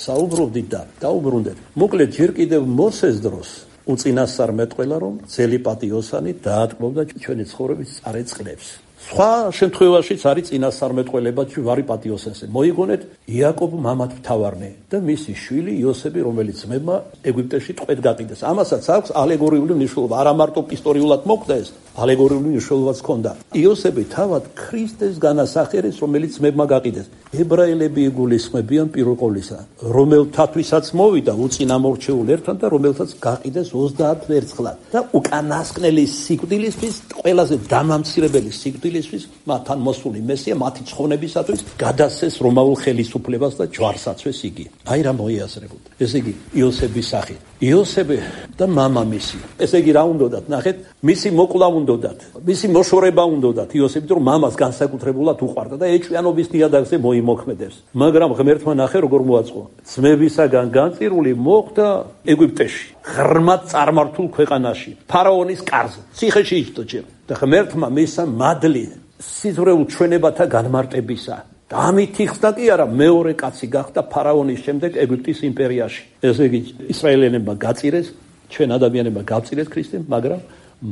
საუბრობდით და დაუბრუნდეთ. მოკლედ ჯერ კიდევ მოსეს დროს უწინასწარმეტყველა რომ ძელი პატიოსანი დაატყბობდა ჩვენი ცხოვრების წარეწყლებს. სხვა შემთხვევაშიც არის წინასწარმეტყველება ჯვარი პატიოსანზე. მოიგონეთ იაკობ მამად მთავარნე და მისი შვილი იოსები, რომელიც ძმებმა ეგვიპტეში ტყვედ გაყიდეს. ამასაც აქვს ალეგორიული მნიშვნელობა. არა მარტო ისტორიულად მოხდა ეს, ალეგორიული მნიშვნელობაც ჰქონდა. იოსები თავად ქრისტეს განასახიერებს, რომელიც ძმებმა გაყიდეს. ებრაელები იგულისხმებიან პირველ ყოვლისა, რომელთათვისაც მოვიდა უწინამორჩეულ ერთად და რომელთაც გაყიდეს 30 ვერცხლად და უკანასკნელი სიკვდილისთვის, ყველაზე დამამცირებელი სიკვდილისთვის, მათთან მოსული მესია მათი ცხონებისათვის გადასცეს რომაულ ხელისუფლებას და ჯვარსაცვეს იგი. აი რა მოიაზრებოდა. ესე იგი იოსების სახით. იოსები და მამამისი. ესე იგი რა უნდათ, ნახეთ, მისი მოკლა უნდათ, მისი მოშორება უნდათ იოსები, რომ მამას განსაკუთრებულად უყვარდა და ეჭვიანობის ნიადაგზე მოიმოქმედებს. მაგრამ ღმერთმა ნახე როგორ მოაწყო. ძმებისაგან განწირული მოხდა ეგვიპტეში, ღრმად წარმართულ ქვეყანაში, ფარაონის კარზე, ციხეში იჯდა ჯერ. და ღმერთმა მისცა მადლი სიზღვრეულ ჩვენებათა განმარტებისა. და ამით იხსნა კი არა, მეორე კაცი გახდა ფარაონის შემდეგ ეგვიპტის იმპერიაში. ესე იგი ისრაელელებმა გაწირეს, ჩვენ ადამიანებმა გავწირეს ქრისტემ, მაგრამ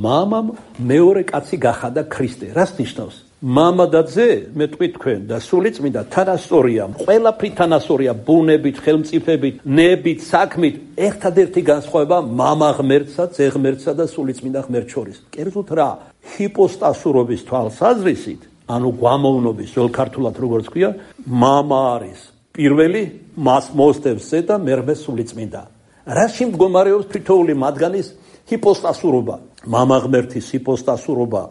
მამამ მეორე კაცი გახადა ქრისტე. რას ნიშნავს? მამა და ძე, მე თქვი თქვენ და სულიწმინდა თანასწორია, ყველაფრით თანასწორია, ბუნებით, ხელმწიფებით, ნებით, საქმით. ერთადერთი განსხვავება მამა ღმერთსა, ძე ღმერთსა და სულიწმინდა ღმერთ შორის. კერძოდ რა? ჰიპოსტასურობის თვალსაზრისით, ანუ გვამოვნობის, ძველ ქართულად როგორც ქვია, მამა არის პირველი, მას მოსდევს ძე და მერმე სულიწმინდა. რაში მდგომარეობს თითოეული მათგანის ჰიპოსტასურობა? მამა ღმერთის ჰიპოსტასურობა,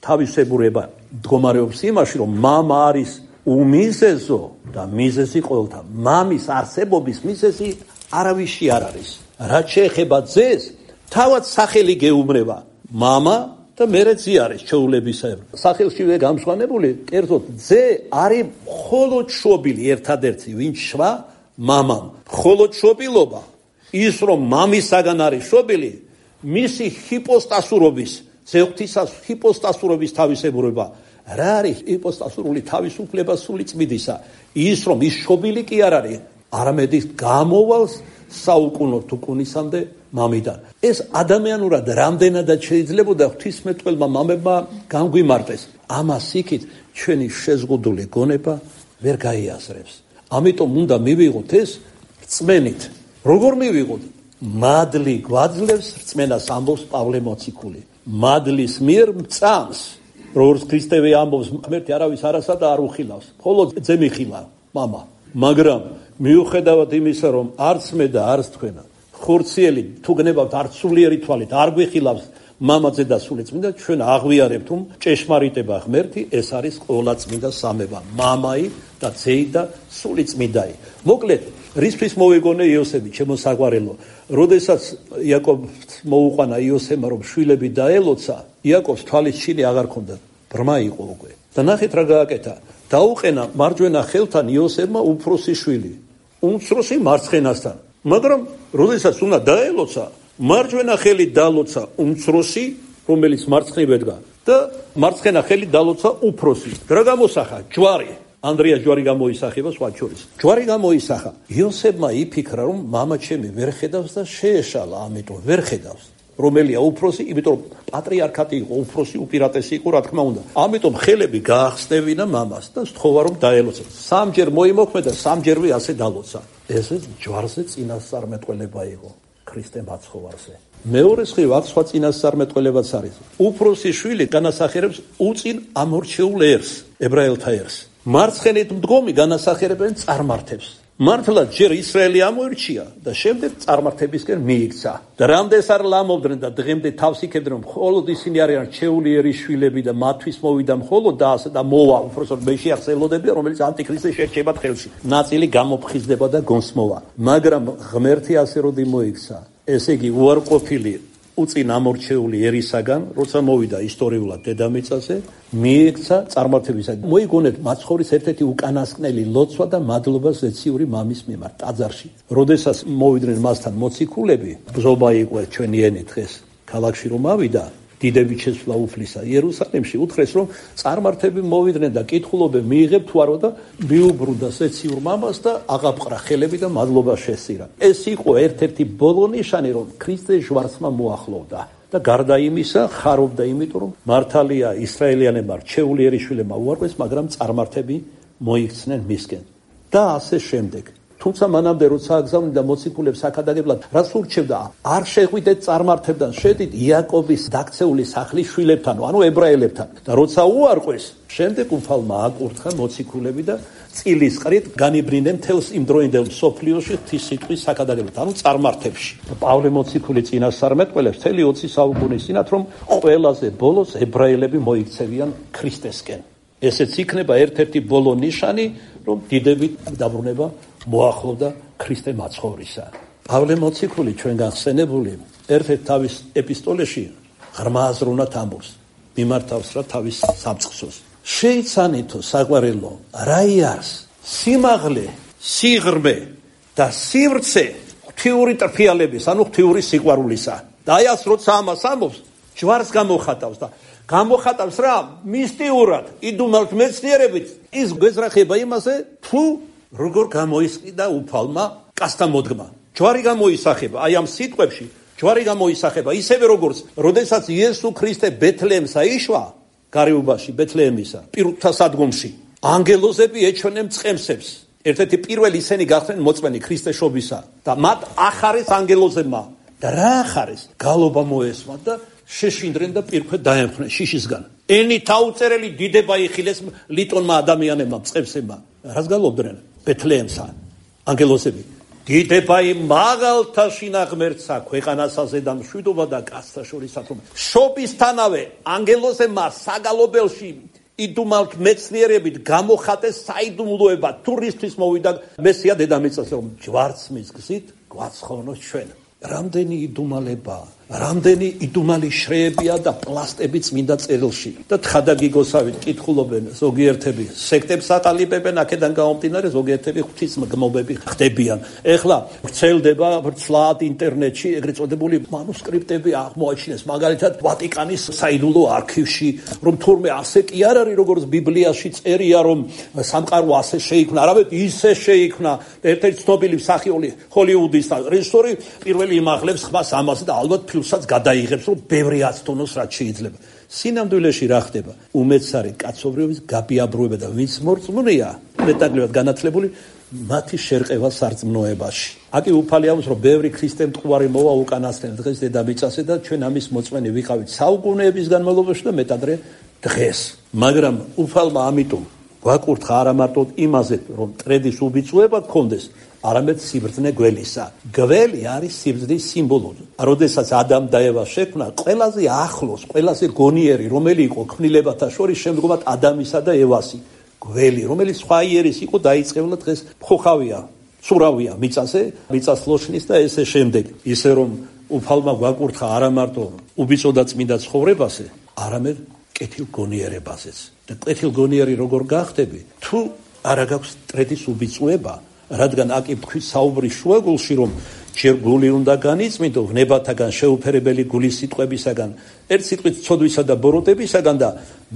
თავისებურება მდგომარეობს იმაში, რომ მამა არის უმიზეზო და მიზეზი ყოველთა. მამის არსებობის მიზეზი არავისი არ არის. რაც შეეხება ძეს, თავად სახელი გეუბნება მამა და მერე ძე არის ჩვეულებისებრ. სახელშივე გამშვანებული, კერძოდ ძე არის მხოლოდ შობილი, ერთადერთი, ვინც შვა მამამ. მხოლოდ შობილობა, ის რომ მამისაგან არის შობილი, მისი ჰიპოსტასურობის, ზეღვთისას ჰიპოსტასურობის თავისებურება. რა არის ჰიპოსტასურული თავისუფლება სულიწმიდისა? ის რომ ის შობილი კი არ არის, არამედ ის გამოვალს საუკუნო თუკუნისამდე მამიდან. ეს ადამიანურად რამდენადაც შეიძლებოდა ღვთისმეტყველმა მამებმა განგვიმარტეს. ამას იქით ჩვენი შეზღუდული გონება ვერ გაიაზრებს. ამიტომ უნდა მივიღოთ ეს რწმენით. როგორ მივიღოთ? მადლი გვაძლევს რწმენას, ამბობს პავლე მოციქული. მადლის მიერ მწამს, როგორც ქრისტე ამბობს, ღმერთი არავის არასადა არ უხილავს, მხოლოდ ძე მიხილა, მამა. მაგრამ მიუხედავად იმისა, რომ არც მე და არც თქვენ ხორციელი თუ გნებავთ არც სულიერი თვალით არ გვიხილავს მამაძე და სულიწმინდა, ჩვენ აღვიარებთ, რომ ჭეშმარიტება ღმერთი ეს არის ყოვლადწმინდა სამება, მამაი და ძეი და სულიწმინდაი. მოკლედ, რისთვის მოვიგონე იოსები, ჩემო საყვარელო, როდესაც იაკობს მოუყვანა იოსემმა, რომ შვილები დაელოცა, იაკობს თვალის ჩინი აღარ ქონდა, ბრმა იყო უკვე. და ნახეთ რა გააკეთა. დაუყენა მარჯვენა ხელთან იოსებმა უფროსი შვილი, უმცროსი მარცხენასთან. მაგრამ როდესაც უნდა დაელოცა, მარჯვენა ხელი დალოცა უმცროსი, რომელიც მარცხნივ ედგა და მარცხენა ხელი დალოცა უფროსი. რა გამოსახა? ჯვარი. ანდრია ჯვარი გამოისახება სხვა შორის. ჯვარი გამოისახა. იოსებმა იფიქრა, რომ მამა ჩემი ვერ ხედავს და შეეშალა, ამიტომ ვერ ხედავს. რომელია უფროსი, იმიტომ პატრიარქატი იყო, უფროსი უპირატესი იყო, რა თქმა უნდა. ამიტომ ხელები გაახსნევინა მამას და სთხოვა რომ დაელოცა. სამჯერ მოიმოქმედა, სამჯერვე ასე დალოცა. ესე ჯვარზე წინასწარმეტყველება იყო. ქრისტე მაცხოვარზე. მეორე მხრივ აქ სხვა წინასწარმეტყველებაც არის. უფროსი შვილი განასახიერებს უწინ ამორჩეულ ერს, ებრაელთა ერს. მარცხენით მდგომი განასახიერებენ წარმართებს. მართლა ჯერ ისრაელი ამოირჩია და შემდეგ წარმართებისკენ მიიქცა. და რამდენს არ ლამობდნენ და დღემდე თავს იქებდნენ, რომ მხოლოდ ისინი არიან რჩეულიერი შვილები და მათთვის მოვიდა მხოლოდ და ასე და მოვა უფროსად მეშიახს ელოდებიან, რომელიც ანტიქრისტე შერჩებათ ხელში. ნაწილი გამოფხიზდება და გონსმოვა. მაგრამ ღმერთი ასე როდი მოიქცა, ესე იგი უარყოფილი უწინ ამორჩეული ერისაგან, როცა მოვიდა ისტორიულად დედამიწაზე, მიექცა წარმართებისაგან. მოიგონეთ მაცხოვრის ერთ-ერთი უკანასკნელი ლოცვა და მადლობა ზეციური მამის მიმართ ტაძარში. როდესაც მოვიდნენ მასთან მოციქულები, ბრძოლა იყო ჩვენი ენით დღეს. ქალაქში რომ ავიდა, დიდები შესვლა უფლისა იერუსალიმში, უთხრეს რომ წარმართები მოვიდნენ და კითხულობენ მიიღებთ თუ არა და მიუბრუნდა ზეციურ მამას და აღაპყრა ხელები და მადლობა შესწირა. ეს იყო ერთ-ერთი ბოლო ნიშანი, რომ ქრისტეს ჟვარცმა მოახლოვდა და გარდა იმისა ხარობდა, იმიტომ რომ მართალია ისრაელიანებმა რჩეულიერი შვილებმა უარყვეს, მაგრამ წარმართები მოიქცნენ მისკენ და ასე შემდეგ. თუმცა მანამდე როცა აგზავნიდა და მოციქულებს აქადაგებლად რას ურჩევდა, არ შეღვიდეთ წარმართებთან, შედით იაკობის დაქცეული სახლის შვილებთან, ანუ ებრაელებთან. და როცა უარყვეს, შემდეგ უფალმა აკურთხა მოციქულები და წილის ყრით განიბრინდნენ მთელს იმ დროინდელ მსოფლიოში ღვთის სიტყვის აქადაგებლად, ანუ წარმართებში. პავლე მოციქული წინასწარმეტყველებს მთელი 20 საუკუნის წინათ, რომ ყველაზე ბოლოს ებრაელები მოიქცევიან ქრისტესკენ. ესეც იქნება ერთ-ერთი ბოლო ნიშანი, რომ დიდებით დაბრუნება მოახლოვდა ქრისტე მაცხოვრისა. პავლე მოციქული ჩვენგან ხსენებული ერთ-ერთ თავის ეპისტოლეში ღრმა აზროვნად ამბობს, მიმართავს რა თავის სამწყსოს. შეიცანითო საყვარელო, რა იარს სიმაღლე, სიღრმე და სივრცე ღვთიური ტრფიალების, ანუ ღვთიური სიყვარულისა. და აი ას როცა ამას ამბობს, ჯვარს გამოხატავს და გამოხატავს რა მისტიურად, იდუმალთ მეცნიერებით, ის გვეზრახება იმაზე, თუ როგორ გამოისყიდა უფალმა კაცთა მოდგმა. ჯვარი გამოისახება, აი ამ სიტყვებში ჯვარი გამოისახება, ისევე როგორც როდესაც იესო ქრისტე ბეთლეემს აიშვა, გარეუბაში ბეთლეემისა, პირუთა სადგომში, ანგელოზები ეჩვენენ მწყემსებს. ერთ-ერთი პირველი ისინი გახდნენ მოწმენი ქრისტეშობისა და მათ ახარეს ანგელოზებმა. და რა ახარეს? გალობა მოესმა და შეშინდნენ და პირქვე დაემხნენ შიშისგან. ენით აუწერელი დიდება იხილეს ლიტონმა ადამიანებმა, მწყემსებმა. რას გალობდნენ? ბეთლეემსა ანგელოზები. დიდება იმ მაღალთა შინაღმერთსა, ქვეყანასაზე და მშვიდობა და კაცთა შორისათვე. შობისთანავე ანგელოზებმა საგალობელში იდუმალთ მეცნიერებით გამოხატეს საიდუმლოება, თურისთვის მოვიდა მესია დედამიწაზე, რომ ჯვარცმის გზით გვაცხოვნოს ჩვენ. რამდენი იდუმალება, რამდენი იდუმალი შრეებია და პლასტები წმინდა წერილში. და თხადაგიგოსავით კითხულობენ ზოგიერთები, სექტებს ატალიბებენ, აქედან გამომდინარე ზოგიერთები ღვთისმგმობები ხდებიან. ეხლა ვრცელდება ვრცლად ინტერნეტში ეგრეთ წოდებული მანუსკრიპტები აღმოაჩინეს, მაგალითად ვატიკანის საიდუმლო არქივში, რომ თურმე ასე კი არ არის, როგორც ბიბლიაში წერია, რომ სამყარო ასე შეიქმნა, არამედ ისე შეიქმნა. ერთ-ერთი ცნობილი მსახიობი ჰოლივუდის რეჟისორი პირველი იმაღლებს ხმას ამაზე და ალბათ ფილმსაც გადაიღებს, რომ ბევრი აცდონოს რაც შეიძლება. სინამდვილეში რა ხდება? უმეცარი კაცობრიობის გაბიაბრუება და ვინც მორწმუნეა, მეტად განათლებული, მათი შერყევა სარწმუნოებაში. აკი უფალი ამბობს, რომ ბევრი ქრისტე მტყუარი მოვა უკანასკნელ დღეს დედამიწაზე და ჩვენ ამის მოწმენი ვიყავით საუკუნეების განმავლობაში და მეტადრე დღეს. მაგრამ უფალმა ამიტომ გვაკურთხა არა მარტო იმაზე, რომ მტრედის უბიწოება გქონდეს, არამედ სიბრძნე გველისა. გველი არის სიბრძნის სიმბოლო. როდესაც ადამ და ევა შექმნა, ყველაზე ახლოს, ყველაზე გონიერი, რომელი იყო ქმნილებათა შორის შემდგომად ადამისა და ევასი. გველი, რომელიც სხვა იერის იყო დაიწყებლა დღეს მხოხავია, ცურავია მიწაზე, მიწას ლოშნის და ესე შემდეგ. ისე რომ უფალმა გვაკურთხა არა მარტო უბიწო და წმინდა ცხოვრებაზე, არამედ კეთილგონიერებაზეც. და კეთილგონიერი როგორ გახდები? თუ არა გაქვს მტრედის უბიწოება, რადგან აკი თქვი საუბრის შუაგულში, რომ ჯერ გული უნდა განიწმინდო ვნებათაგან შეუფერებელი გულის სიტყვებისაგან, ერთ სიტყვით ცოდვისა და ბოროტებისაგან და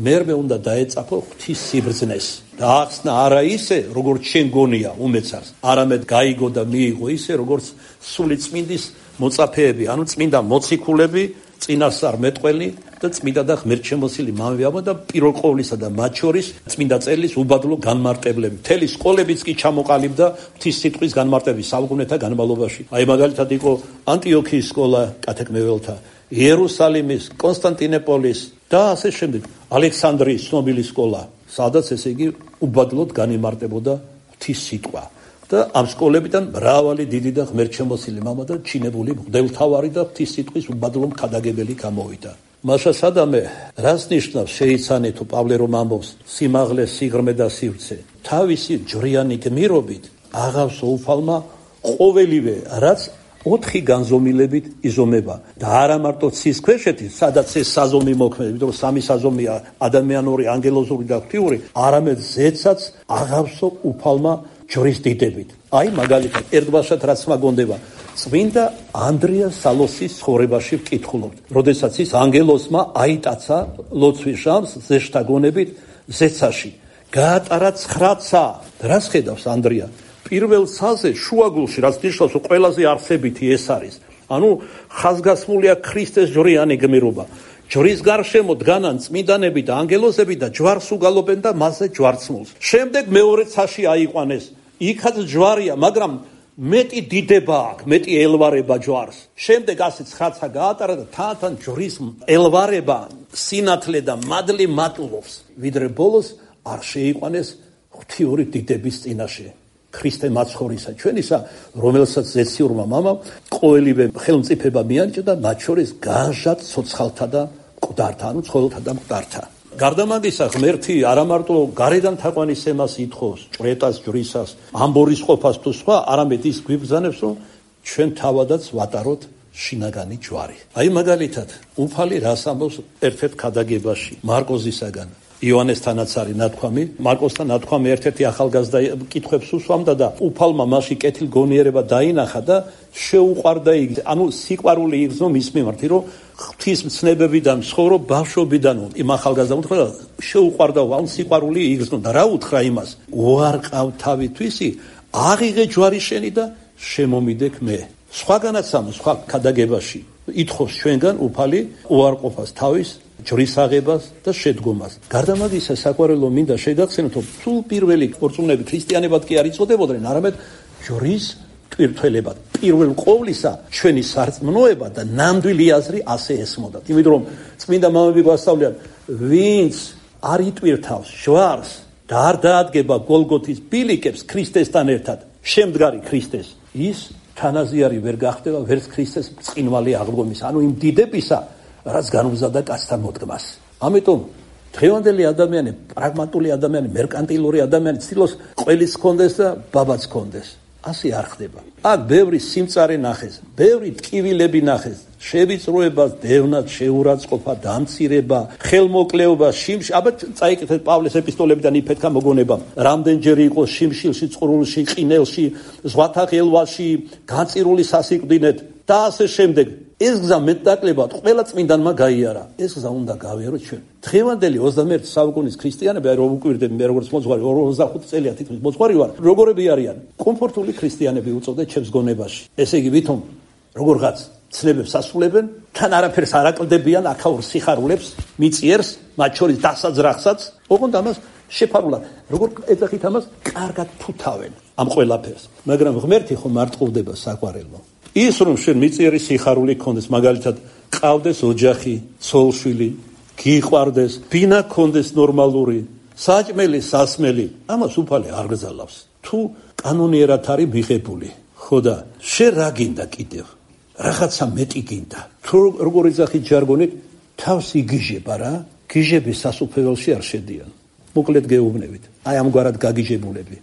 მერმე უნდა დაეწაფო ღვთის სიბრძნეს. და ახსნა არა ისე, როგორც შენ გონია უმეცარს, არამედ გაიგო და მიიღო ისე, როგორც სული წმინდის მოწაფეები, ანუ წმინდა მოციქულები, წინასწარ მეტყველი და წმინდა და ღმერთშემოსილი მამებია და პირველ ყოვლისა და მათ შორის წმინდა წერილის უბადლო განმარტებლები. მთელი სკოლებიც კი ჩამოყალიბდა ღვთის სიტყვის განმარტების საუკუნეთა განმავლობაში. აი მაგალითად იყო ანტიოქიის სკოლა კათეკმეველთა, იერუსალიმის, კონსტანტინოპოლის და ასე შემდეგ. ალექსანდრიის ცნობილი სკოლა, სადაც ესე იგი უბადლოდ განიმარტებოდა ღვთის სიტყვა. და ამ სკოლებიდან მრავალი დიდი და ღმერთშემოსილი მამა და ჩინებული მღვდელმთავარი და ღვთის სიტყვის უბადლო მქადაგებელი გამოვიდა. მაშა სადამე რას ნიშნავს შეიცანე თუ პავლე რომ ამბობს სიმაღლე, სიღრმე და სივრცე. თავისი ჯვრიანი გმირობით აღავს უფალმა ყოველივე, რაც 4 განზომილებით იზომება და არა მარტო ცის ქვეშეთი, სადაც ეს საზომი მოქმედებს, იმიტომ რომ 3 საზომია ადამიანური, ანგელოზური და ღვთიური, არამედ ზეცაც აღავსო უფალმა ჯვრის დიდებით. აი მაგალითად ერთბაშად რაც მაგონდება წმინდა ანდრია სალოსის ცხოვრებაში ვკითხულობთ, როდესაც ის ანგელოზმა აიტაცა ლოცვის ჟამს ზეშთა გონებით ზეცაში. გაატარა 9 ცა. რას ხედავს ანდრია? პირველ ცაზე შუაგულში, რაც ნიშნავს რომ ყველაზე არსებითი ეს არის. ანუ ხაზგასმულია ქრისტეს ჯვრიანი გმირობა. ჯვრის გარშემო დგანან წმინდანები და ანგელოზები და ჯვარს უგალობენ და მასზე ჯვარცმულს. შემდეგ მეორე ცაში აიყვანეს. იქაც ჯვარია, მაგრამ მეტი დიდება აქვს, მეტი ელვარება ჯვარს. შემდეგ ასე 9 ცა გაატარა და თან ჯვრის ელვარება, სინათლე და მადლი მატულობს, ვიდრე ბოლოს არ შეიყვანეს ღვთიური დიდების წინაშე. ქრისტე მაცხოვრისა ჩვენისა, რომელსაც ზეციურმა მამამ ყოველივე ხელმწიფება მიანიჭა და მათ შორის განჟად ცოცხალთა და მკვდართა, ანუ ცხოველთა და მკვდართა. გარდა მაგისა, ღმერთი არა მარტო გარედან თაყვანისცემას ითხოვს, ჭვრეტას, ჯვრისას, ამბორის ყოფას თუ სხვა, არამედ ის გვიბრძანებს, რომ ჩვენ თავადაც ვატაროთ შინაგანი ჯვარი. აი მაგალითად, უფალი რას ამბობს ერთ-ერთ ქადაგებაში, მარკოზისაგან. იონესთანაც არის ნათქვამი, მარკოსთან ნათქვამი ერთ-ერთი ახალგაზრდა კითხვებს უსვამდა და უფალმა მასში კეთილგონიერება დაინახა და შეუყვარდა იგი, ანუ სიყვარული იგრძნო მის მიმართ, რომ ღვთის მცნებებიდან ცხოვრო ბავშვობიდან იმ ახალგაზრდამ უთხრა შეუყვარდა, ანუ სიყვარული იგრძნო და რა უთხრა იმას? უარყავ თავითვისი, აღიღე ჯვარი შენი და შემომიდექ მე. სხვაგანაც სხვა ქადაგებაში ითხოვს ჩვენგან უფალი უარყოფას თავის ჯვრის აღებას და შედგომას. გარდა მაგისა, საყვარელო მინდა შეგახსენოთ, რომ თუ პირველი ორწმუნეები ქრისტიანებად კი არ იწოდებოდნენ, არამედ ჯვრის ტვირთველებად. პირველ ყოვლისა ჩვენი სარწმუნოება და ნამდვილი აზრი ასე ესმოდათ. იმიტომ რომ წმინდა მამები გვასწავლიან, ვინც არ იტვირთავს ჯვარს და არ დაადგება გოლგოთის ბილიკებს ქრისტესთან ერთად, შემდგარი ქრისტეს, ის თანაზიარი ვერ გახდება ვერც ქრისტეს ბრწყინვალე აღდგომის, ანუ იმ დიდებისა, რაც განუზადა კაცთან მოდგმას. ამიტომ დღევანდელი ადამიანი, პრაგმატული ადამიანი, მერკანტილური ადამიანი ცდილობს ყველის ჰქონდეს და ბაბაც ჰქონდეს. ასე არ ხდება. აქ ბევრი სიმწარე ნახეს, ბევრი ტკივილები ნახეს, შევიწროება, დევნად, შეურაცხყოფა, დამცირება, ხელმოკლეობა, შიმში. აბა წაიკითხეთ პავლეს ეპისტოლებიდან იფეთქა მოგონება. რამდენჯერ იყო შიმშილში, წყრულში, ყინელში, ზღვათა ღელვაში, განწირული სასიკვდინეთ და ასე შემდეგ. ეს გზა მეტნაკლებად ყველა წმინდანმა გაიარა. ეს გზა უნდა გავიაროთ ჩვენ. დღევანდელი 21 საუკუნის ქრისტიანები, რომ უკვირდები მე როგორც მოძღვარი 25 წელია თითქმის მოძღვარი ვარ, როგორები არიან? კომფორტული ქრისტიანები უწოდეთ ჩემს გონებაში. ესე იგი ვითომ როგორღაც ცნებებს ასრულებენ, თან არაფერს არ აკლდებიან აქაურ სიხარულებს, მიწიერს, მათ შორის დასაძრახსაც, ოღონდ ამას შეფარულად, როგორ ეძახით ამას, კარგად ფუთავენ ამ ყველაფერს. მაგრამ ღმერთი ხომ არ ტყუდება საყვარელო. ის რომ შენ მიწიერი სიხარული გქონდეს, მაგალითად, ყავდეს ოჯახი, ცოლ-შვილი, გიყვარდეს, ბინა გქონდეს ნორმალური, საჭმელი, სასმელი, ამას უფალი არ გზალავს. თუ კანონიერად არის მიღებული, ხო და შენ რა გინდა კიდევ? რაღაცა მეტი გინდა. თუ როგორი ძახით ჟარგონით თავს იგიჟება რა, გიჟები სასუფეველში არ შედიან. მოკლედ გეუბნებით. აი ამგვარად გაგიჟებულები.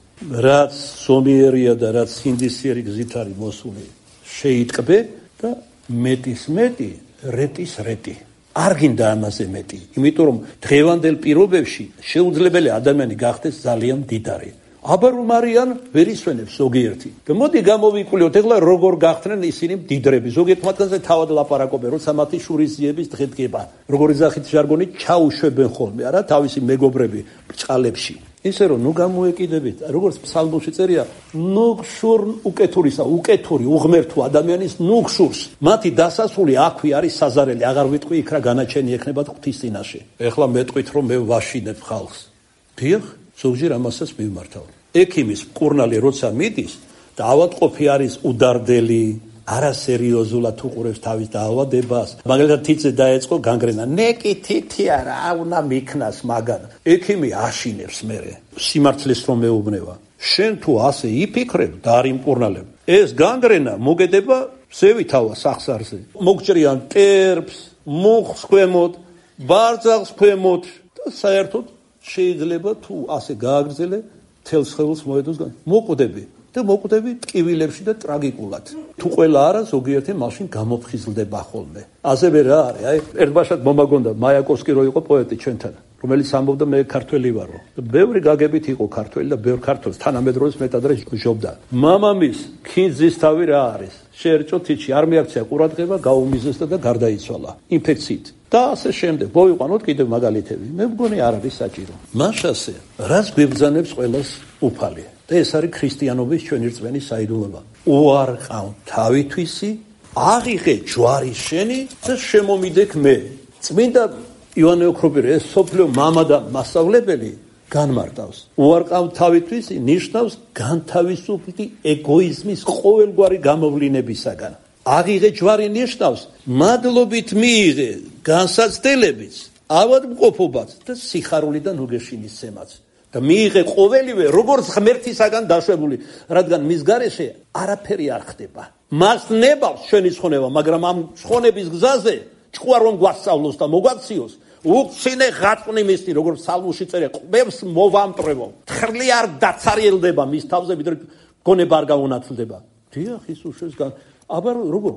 რაც სომიერია და რაც სინდისიერი გზით არის მოსული, შეიტკბე და მეტის მეტი, რეტის რეტი. არ გინდა ამაზე მეტი, იმიტომ რომ დღევანდელ პირობებში შეუძლებელი ადამიანი გახდეს ძალიან მდიდარი. აბა რომ არიან ვერ ისვენებს ზოგიერთი. და მოდი გამოვიკვლიოთ ეხლა როგორ გახდნენ ისინი მდიდრები. ზოგიერთ მათგანზე თავად ლაპარაკობენ, როცა მათი შურისძიების დღე დგება. როგორი ძახით ჟარგონით ჩაუშვებენ ხოლმე არა თავისი მეგობრები ბრჭყალებში. ისე რომ ნუ გამოეკიდებით, როგორც ფსალმოში წერია, ნუ გშურ უკეთურისა, უკეთური უღმერთო ადამიანის ნუ გშურს. მათი დასასრული აქვე არის საზარელი, აღარ ვიტყვი იქ რა განაჩენი ექნებათ ღვთის წინაშე. ეხლა მეტყვით რომ მე ვაშინებ ხალხს. დიახ, ზოგჯერ ამასაც მივმართავ. ექიმის მკურნალი როცა მიდის და ავადმყოფი არის უდარდელი, არასერიოზულად უყურებს თავის დაავადებას, მაგალითად თითზე დაეწყო განგრენა, ნეკი თითი არა, უნდა მიქნას მაგან. ექიმი აშინებს მერე, სიმართლეს რომ მეუბნება. შენ თუ ასე იფიქრებ და არ იმკურნალებ, ეს განგრენა მოგედება ზევითავა სახსარზე. მოგჭრიან ტერფს, მუხს ქვემოთ, ბარძალს ქვემოთ და საერთოდ შეიძლება თუ ასე გააგრძელე თელს ხელს მოედოს გან. მოკვდები და მოკვდები ტკივილებში და ტრაგიკულად. თუ ყველა არა, ზოგიერთი მაშინ გამოფხიზლდება ხოლმე. ასევე რა არის? აი, ერთბაშად მომაგონდა მაიაკოვსკი რო იყო პოეტი ჩვენთან, რომელიც ამბობდა მე ქართველი ვარო. ბევრი გაგებით იყო ქართველი და ბევრ ქართველს თანამედროვეს მეტადრე ჟობდა. მამამის ქინძის თავი რა არის? შეერჭო თითში, არ მიაქცია ყურადღება, გაუმიზესდა და გარდაიცვალა ინფექციით. და ასე შემდეგ. მოვიყვანოთ კიდევ მაგალითები. მე მგონი არ არის საჭირო. მაშასე, რაც გვებრძანებს ყველას უფალი. და ეს არის ქრისტიანობის ჩვენი რწმენის საიდუმლოება. უარყავ თავითვისი, აღიღე ჯვარი შენი და შემომიდექ მე. წმინდა ივანე ოქროპირი, ეს სოფლიო მამა და მასწავლებელი განმარტავს. უარყავ თავითვისი ნიშნავს განთავისუფლდი ეგოიზმის ყოველგვარი გამოვლინებისაგან. აღიღე ჯვარი ნიშნავს მადლობით მიიღე განსაცდელებიც, ავადმყოფობაც და სიხარულიდან უგეშინისცემაც. და მიიღე ყოველივე როგორც ღმერთისაგან დაშვებული, რადგან მის გარეშე არაფერი არ ხდება. მას ნებავს ჩვენი ცხონება, მაგრამ ამ ცხონების გზაზე ჭკუა რომ გვასწავლოს და მოგვაქციოს, უცინე ღაწვნი მისნი, როგორც ფსალმში წერია, ყბებს მოვამტრევო. თხრლი არ დაცარიელდება მის თავზე, ვიდრე გონება არ გაუნათლდება. დიახ, ისუშეს აბა როგორ?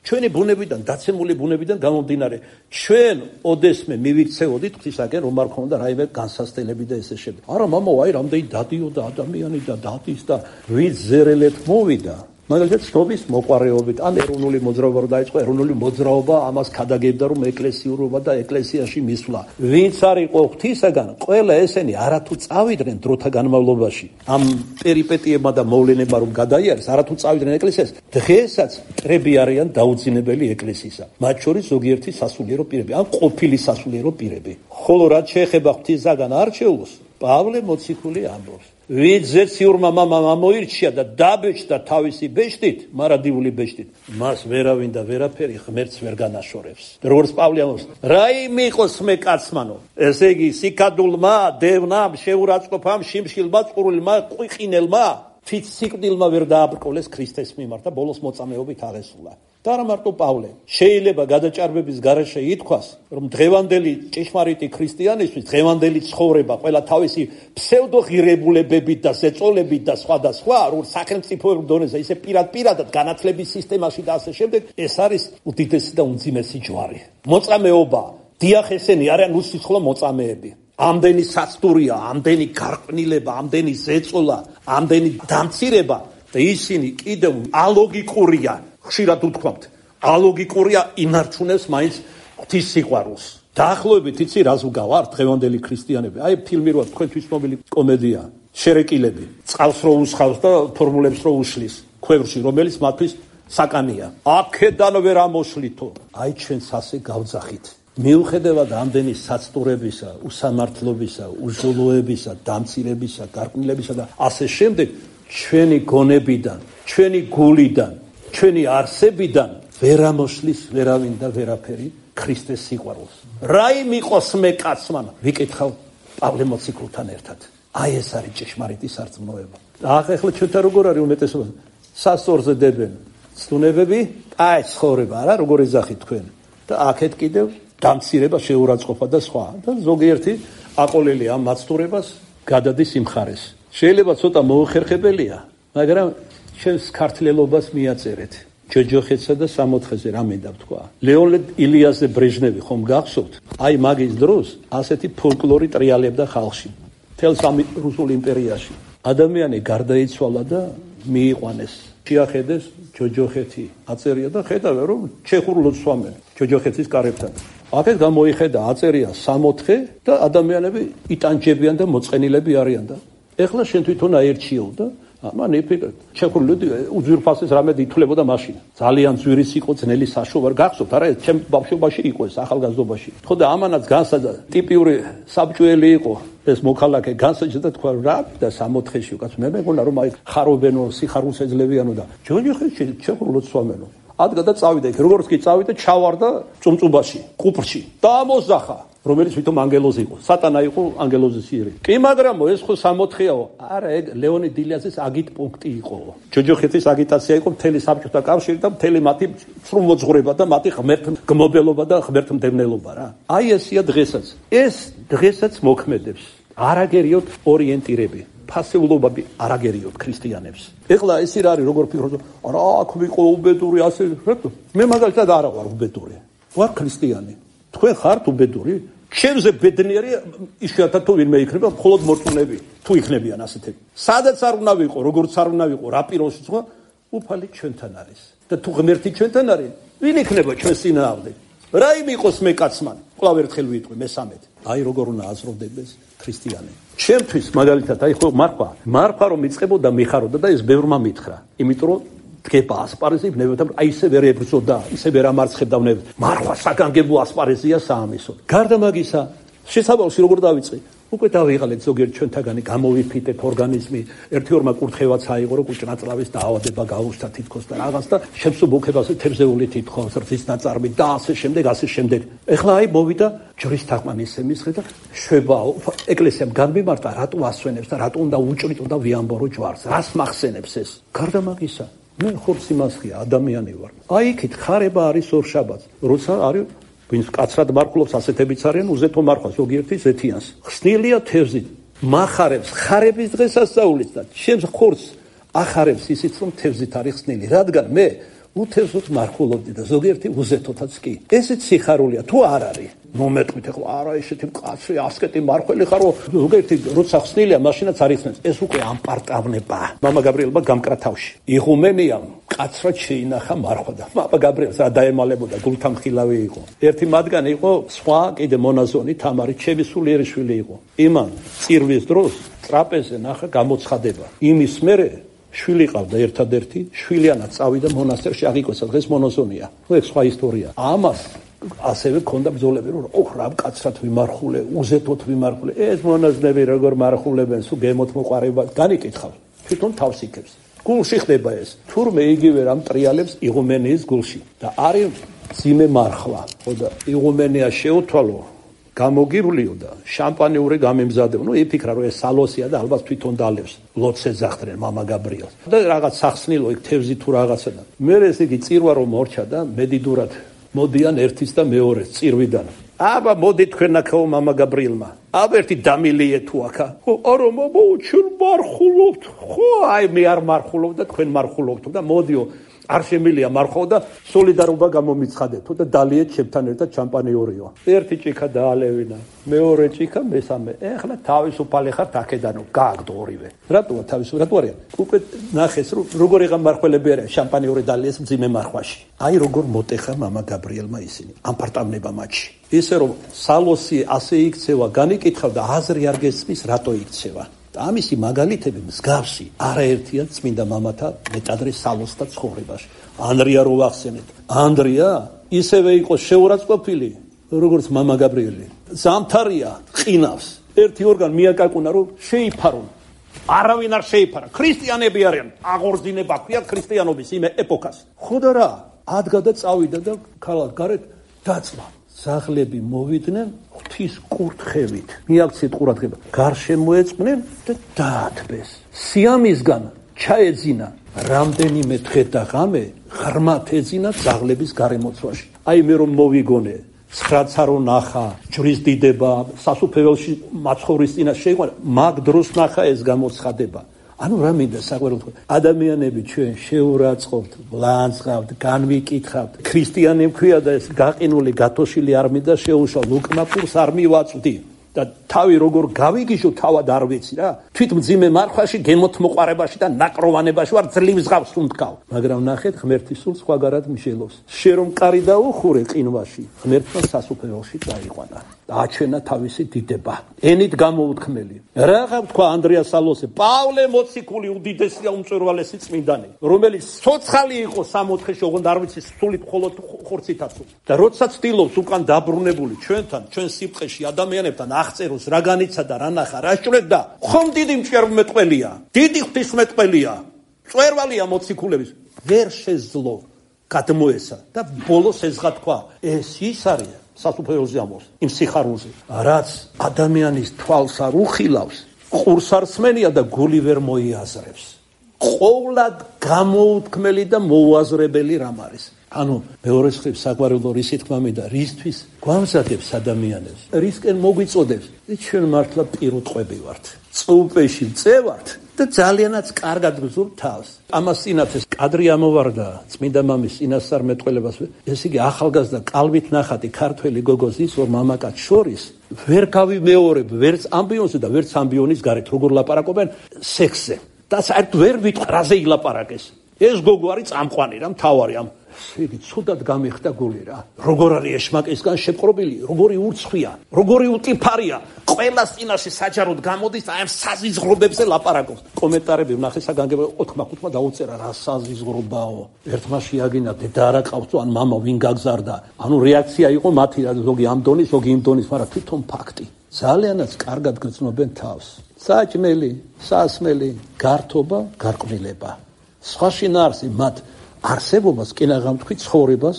ჩვენი ბუნებიდან, დაცემული ბუნებიდან გამომდინარე, ჩვენ ოდესმე მივიქცეოდით ღვთისაგან, რომ არ ქონდა რაიმე განსასწრებელი და ესე შემდეგ. არა, მამა, აი რამდენი დადიოდა ადამიანი და დადის და ვით ზერელეთ მოვიდა. მაგალითად, ცნობის მოყარეობით, ან ეროვნული მოძრაობა რო დაიწყო, ეროვნული მოძრაობა ამას ქადაგებდა, რომ ეკლესიურობა და ეკლესიაში მისვლა. ვინც არ იყო ღვთისაგან, ყველა ესენი არათუ წავიდნენ დროთა განმავლობაში. ამ პერიპეტიებმა და მოვლენებმა რომ გადაიარეს, არათუ წავიდნენ ეკლესიას, დღესაც მტრები არიან დაუძინებელი ეკლესიისა. მათ შორის ზოგიერთი სასულიერო პირები, ან ყოფილი სასულიერო პირები. ხოლო რაც შეეხება ღვთისაგან არჩეულს, პავლე მოციქული ამბობს. ვინც ზეციურმა მამამ ამოირჩია და დაბეჭდა თავისი ბეჭდით, მარადიული ბეჭდით, მას ვერავინ და ვერაფერი ღმერთს ვერ განაშორებს. როგორც პავლე ამბობს, რაიმე იყოს მე კაცმანო, ესე იგი სიკადულმა, დევნამ, შეურაცხყოფამ, შიმშილმა, წყურულმა, ყიყინელმა, თვით სიკვდილმა ვერ დააბრკოლეს ქრისტეს მიმართ და ბოლოს მოწამეობით აღესრულა. და არა მარტო პავლე, შეიძლება გადაჭარბების გარეშე ითქვას, რომ დღევანდელი ჭეშმარიტი ქრისტიანისთვის, დღევანდელი ცხოვრება ყველა თავისი ფსევდოღირებულებებით და ზეწოლებით და სხვა, რომ სახელმწიფოებრივ დონეზე ისე პირადად განათლების სისტემაში და ასე შემდეგ, ეს არის უდიდესი და უმძიმესი ჯვარი. მოწამეობა, დიახ, ესენი არიან უსიცხოვლო მოწამეები. ამდენი საცდურია, ამდენი გარყვნილება, ამდენი ზეწოლა, ამდენი დამცირება და ისინი კიდევ ალოგიკურია. ხშირად უთქვამთ, ალოგიკურია ინარჩუნებს მაინც ღვთის სიყვარულს. დაახლოებით იცი რას ვგავართ დღევანდელი ქრისტიანები? აი ფილმი როა თქვენთვის მობილი კომედია, შერეკილები, წყალს რო უსხავს და ფორმულებს რო უშლის, ქვევრში, რომელიც მათთვის საკანია. აქედან ვერ ამოშლითო. აი ჩვენც ასე გავძახით. მიუხედავად ამდენი საცდურებისა, უსამართლობისა, უზოლოებისა, დამცირებისა, გარყვნილებისა და ასე შემდეგ, ჩვენი გონებიდან, ჩვენი გულიდან, ჩვენი არსებიდან ვერ ამოშლის ვერავინ და ვერაფერი ქრისტეს სიყვარულს. რაიმ იყოს მე კაცმან, ვიკითხავ პავლე მოციქულთან ერთად. აი ეს არის ჭეშმარიტი სარწმუნოება. ახლა ჩვენთან როგორ არის უმეტესობა? სასწორზე დებენ ცნებები, აი ცხოვრება არა, როგორ ეძახით თქვენ. და აქეთ კიდევ დამცირება, შეურაცხყოფა და სხვა. და ზოგიერთი აყოლელი ამ მაცდურებას გადადის იმ ხარეს. შეიძლება ცოტა მოუხერხებელია, მაგრამ ჩვენს ქართლელობას მიაწერეთ. ჯოჯოხეთსა და სამოთხეზე რა მინდა ვთქვა. ლეონიდ ილიაზე ბრეჟნევი ხომ გახსოვთ? აი მაგის დროს ასეთი ფოლკლორი ტრიალებდა ხალხში. მთელ რუსულ იმპერიაში. ადამიანი გარდაიცვალა და მიიყვანეს. შეახედეს ჯოჯოხეთი აწერია და ხედავენ რომ ჩეხურ ლოცვამენ ჯოჯოხეთის კარებთან. აქეთ გამოიხედა აწერია სამოთხე და ადამიანები იტანჯებიან და მოწყენილები არიან და ეხლა შენ თვითონ აერჩიო და მან იფიქრე ჩეხური ლოდი უძვირფასეს რამედ ითვლებოდა მაშინ. ძალიან ძვირის იყო ძნელი საშოვარ გახსოვთ არა ეს ჩემ ბავშვობაში იყო ეს ახალგაზრდობაში. ხო და ამანაც განსაჯდა ტიპიური საბჭოელი იყო ეს მოქალაქე განსაჯდა თქვა რა და სამოთხეში უკაც მე მეგონა რომ აი ხარობენო სიხარულს ეძლებიანო და ჯოჯოხეთში ჩეხურ ლოცვამენო. ადგა და წავიდა იქ როგორც კი წავიდა ჩავარდა წუმწუბაში კუპრში და ამოზახა რომელიც თვითონ ანგელოზი იყო სატანა იყო ანგელოზის იერი კი მაგრამ ეს ხო სამოთხეაო არა ეგ ლეონიდ ილიაზის აგიტ პუნქტი იყო ჯოჯოხეთის აგიტაცია იყო მთელი საბჭოთა კავშირი და მთელი მათი სრულმოძღვრება და მათი ღმერთმგმობელობა და ღმერთმდევნელობა რა აი ესია დღესაც ეს დღესაც მოქმედებს არაგერიოთ ორიენტირები ფასეულობები არაგერიოთ ქრისტიანებს. ეხლა ეს არის როგორ ფიქრობთ? არა, აქ ვიყო უბედური ასე. მე მაგალითად არა ვარ უბედური. ვარ ქრისტიანი. თქვენ ხართ უბედური? ჩემზე ბედნიერი იშვიათად თუ ვინმე იქნება, მხოლოდ მორწმუნეები თუ იქნებიან ასეთები. სადაც არ უნდა ვიყო, როგორც არ უნდა ვიყო, რა პიროსი სხვა, უფალი ჩვენთან არის. და თუ ღმერთი ჩვენთან არის, ვინ იქნება ჩვენს წინააღმდეგ? რა იმ იყოს მე კაცმან? კვლავ ერთხელ ვიტყვი მესამედ. აი როგორ უნდა აზროვდეს ქრისტიანი. ჩემთვის მაგალითად აი ხო მარხვა რომ მიწყებოდა მიხაროდა და ეს ბევრმა მითხრა იმიტომ რომ დგება ასპარეზი ნებებთან აი ისე ვერ ებრძოდა ისე ვერ ამარცხებდა ნებებს მარხვა საგანგებო ასპარეზია საამისო გარდა მაგისა შესაძლოა როგორ დავიწყე უკვე დავიღალეთ ზოგიერთ ჩვენთაგანი გამოვიფიტეთ ორგანიზმი ერთი ორმა კურთხევაც აიღო რომ კუჭნაწლავის დაავადება გაუჩნდა თითქოს და რაღაც და შემსუბუქებაზე თევზეული თითქოს რძის ნაწარმი და ასე შემდეგ ეხლა აი მოვიდა ჯვრის თაყვანის ემისხე და შვება ეკლესიამ განმიმარტა რატო ასვენებს და რატო უნდა უჭრიტო და ვიამბორო ჯვარს რას მახსენებს ეს გარდა მაგისა მე ხორცი მასხია ადამიანი ვარ აი იქით ხარება არის ორშაბათს როცა არის ვინც კაცრად მარხულობს ასეთებიც არიან უზეთო მარხვა ზოგიერთი ზეთიანს ხსნილია თევზით מחარებს ხარების დღესასწაულით და ჩემს ხორცს ახარებს ისიც რომ თევზით არის ხსნილი რადგან მე უთევზოთ მარხულობდი და ზოგიერთი უზეთოთაც კი ესეც სიხარულია თუ არ არის მომეტყვით ახლა არა ესეთი მკაცრი ასკეტი მარხველი ხარო ზოგიერთი როცა ხსნილია მაშინაც არ იხსნებს ეს უკვე ამპარტავნება მამა გაბრიელმა გამკრა თავში იღუმენიამ კაცრად შეინახა მარხვა და მამა გაბრიელს რა დაემალებოდა გულთამხილავი იყო ერთი მათგანი იყო სხვა კიდე მონაზონი თამარი ჩემი სულიერი შვილი იყო იმან წირვის დროს ტრაპეზზე ნახა გამოცხადება იმის მერე შვილი ყავდა ერთადერთი შვილიანად წავიდა მონასტერში აღიკვეცა დღეს მონაზონია ეს სხვა ისტორია ამას ასევე ქონდა ბრძოლები რომ რა მკაცრად ვიმარხულე უზეთოთ ვიმარხულე ეს მონაზნები როგორ მარხულებენ სულ გემოთ მოყარება განიკითხავ თვითონ თავს იქებს გულში ხდება ეს თურმე იგივე რამ ტრიალებს იღუმენიის გულში და არის ძიმე მარხვა ხო და იღუმენია შეუთვალო გამოგირულიო და შამპანიური გამემზადეო ნუ იფიქრა რომ ეს სალოსია და ალბათ თვითონ დალევს ლოცე ზახდნენ მამა გაბრიელს და რაღაც სახსნილო იქ თევზი თუ რაღაცა და მე ეს იგი წირვა რომ მორჩა და მედიდურად მოდიან ერთის და მეორეს წირვიდან აბა მოდი თქვენ აქაო მამა გაბრიელმა აბა ერთი დამილიე თუ აქა ხო არა მამა ჩვენ მარხულობთ ხო აი მე არ მარხულობ და თქვენ მარხულობთ და მოდიო არ შემილია მარხო და სოლიდარობა გამომიცხადეთო და დალიეთ ჩემთან ერთად შამპანიორიო ერთი ჭიქა დაალევინა მეორე ჭიქა მესამე ეხლა თავისუფალი ხართ აქედანო გააგდო ორივე რატოა თავისუფალი რატო არიან უკვე ნახეს რომ როგორ იღა მარხველები არიან შამპანიორი დალიეს მძიმე მარხვაში აი როგორ მოტეხა მამა გაბრიელმა ისინი ამპარტავნება მათში ისე რომ სალოსი ასე იქცევა განიკითხავ და აზრი არ გესმის რატო იქცევა ამისი მაგალითები მსგავსი არაერთია წმინდა მამათა მეტადრე სალოსთა ცხოვრებაში. ანდრია რო ვახსენეთ. ანდრია ისევე იყო შეურაცხყოფილი, როგორც მამა გაბრიელი. ზამთარია ყინავს. ერთი ორგან მიაკაკუნა რომ შეიფარონ. არავინ არ შეიფარა. ქრისტიანები არიან. აღორძინება ქვია ქრისტიანობის იმ ეპოქას. ხო და რა? ადგა და წავიდა და ქალაქ გარეთ დაწვა. ძაღლები მოვიდნენ ღვთის კურთხევით, მიაქციეთ ყურადღება, გარშემო მოეწყნენ და დაათბეს. სიამისგან ჩაეძინა რამდენიმე დღე და ღამე ღრმად ეძინა ძაღლების გარემოცვაში. აი მე რომ მოვიგონე, ცხრაცა რო ნახა, ჯვრის დიდება, სასუფეველში მაცხოვრის წინაშე შეიყვანა, მაგ დროს ნახა ეს გამოცხადება. ანუ რა მინდა საყვარელო ადამიანები ჩვენ შეურაცხყოფთ, ვლანძღავთ, განვიკითხავთ. ქრისტიანი მქვია და ეს გაყინული გათოშილი არ მინდა შეუშალ, უკმაფურს არ მივაწვდი. და თავი როგორ გავიგიშო თავად არ ვიცი რა. თვით მძიმე მარხვაში, გემოთმოყარებაში და ნაკროვანებაში ვარ ძლივს ღავს უნთქავ. მაგრამ ნახეთ, ღმერთის სულ სხვაგარად მიშელოს. შენ რომ კარი დაუხურე ყინვაში, ღმერთმა სასუფეველში წაიყვანა. აჩვენა თავისი დიდება. ენით გამოუთქმელი. რაღა თქვა ანდრია სალოსე, პავლე მოციქული უდიდესია უმწვერვალესი წმინდანი, რომელიც ცოცხალი იყო 64-ში, ოღონდ არ ვიცი სულით მხოლოდ ხორცითაც. და როცა ცდილობს უკან დაბრუნებული ჩვენთან, ჩვენ სიბრტყეში ადამიანებთან აღწეროს რა განიცა და რა ნახა, რა შჭრდა, ხომ დიდი მჭერმეტყველია, დიდი ღვთისმეტყველია, მწვერვალია მოციქულების, ვერ შეძლო გადმოესა და ბოლოს ეზღა თქვა, ეს ის არის სასუფეველზე ამბობს, იმ სიხარულზე, რაც ადამიანის თვალს არ უხილავს, ყურს არ სმენია და გული ვერ მოიაზრებს. ყოვლად გამოუთქმელი და მოუაზრებელი რამ არის. ანუ მეორე მხრივ საყვარელო რისი თქმა მინდა, რისთვის გვამზადებს ადამიანებს, რისკენ მოგვიწოდებს, ჩვენ მართლა პირუტყვები ვართ, წუპეში წევართ და ძალიანაც კარგად გზურთ თავს. ამას წინათეს კადრი ამოვარდა წმინდა მამის წინასწარმეტყველებას, ესე იგი ახალგაზრდა კალვით ნახატი ქართველი გოგოზის ორ მამაკაც შორის ვერ გავიმეორებ ვერც ამბიონზე და ვერც ამბიონის გარეთ როგორ ლაპარაკობენ სექსზე. და საერთოდ ვერ ვიტყვი რაზე ილაპარაკეს. ეს გოგო არის წამყვანი რა, მთავარი ამ იგი ცუდად გამიხდა გული რა. როგორ არის ეშმაკისგან შეპყრობილი, როგორი ურცხვია, როგორი უტიფარია. ყველას წინაშე საჯაროდ გამოდის და აი ამ საზიზღრობებზე ლაპარაკობს. კომენტარები ვნახე საგანგებო 4-5 დაუწერა რა საზიზღრობაო. ერთმა შეაგინა დედა არა ყავს ან მამა ვინ გაგზარდა. ანუ რეაქცია იყო მათი რა, ზოგი ამ დონის, ზოგი იმ დონის, მაგრამ თვითონ ფაქტი. ძალიანაც კარგად გრძნობენ თავს. საჭმელი, სასმელი, გართობა, გარყვნილება. სხვა შინაარსი მათ არსებობას კინაღამთქვი ცხოვრებას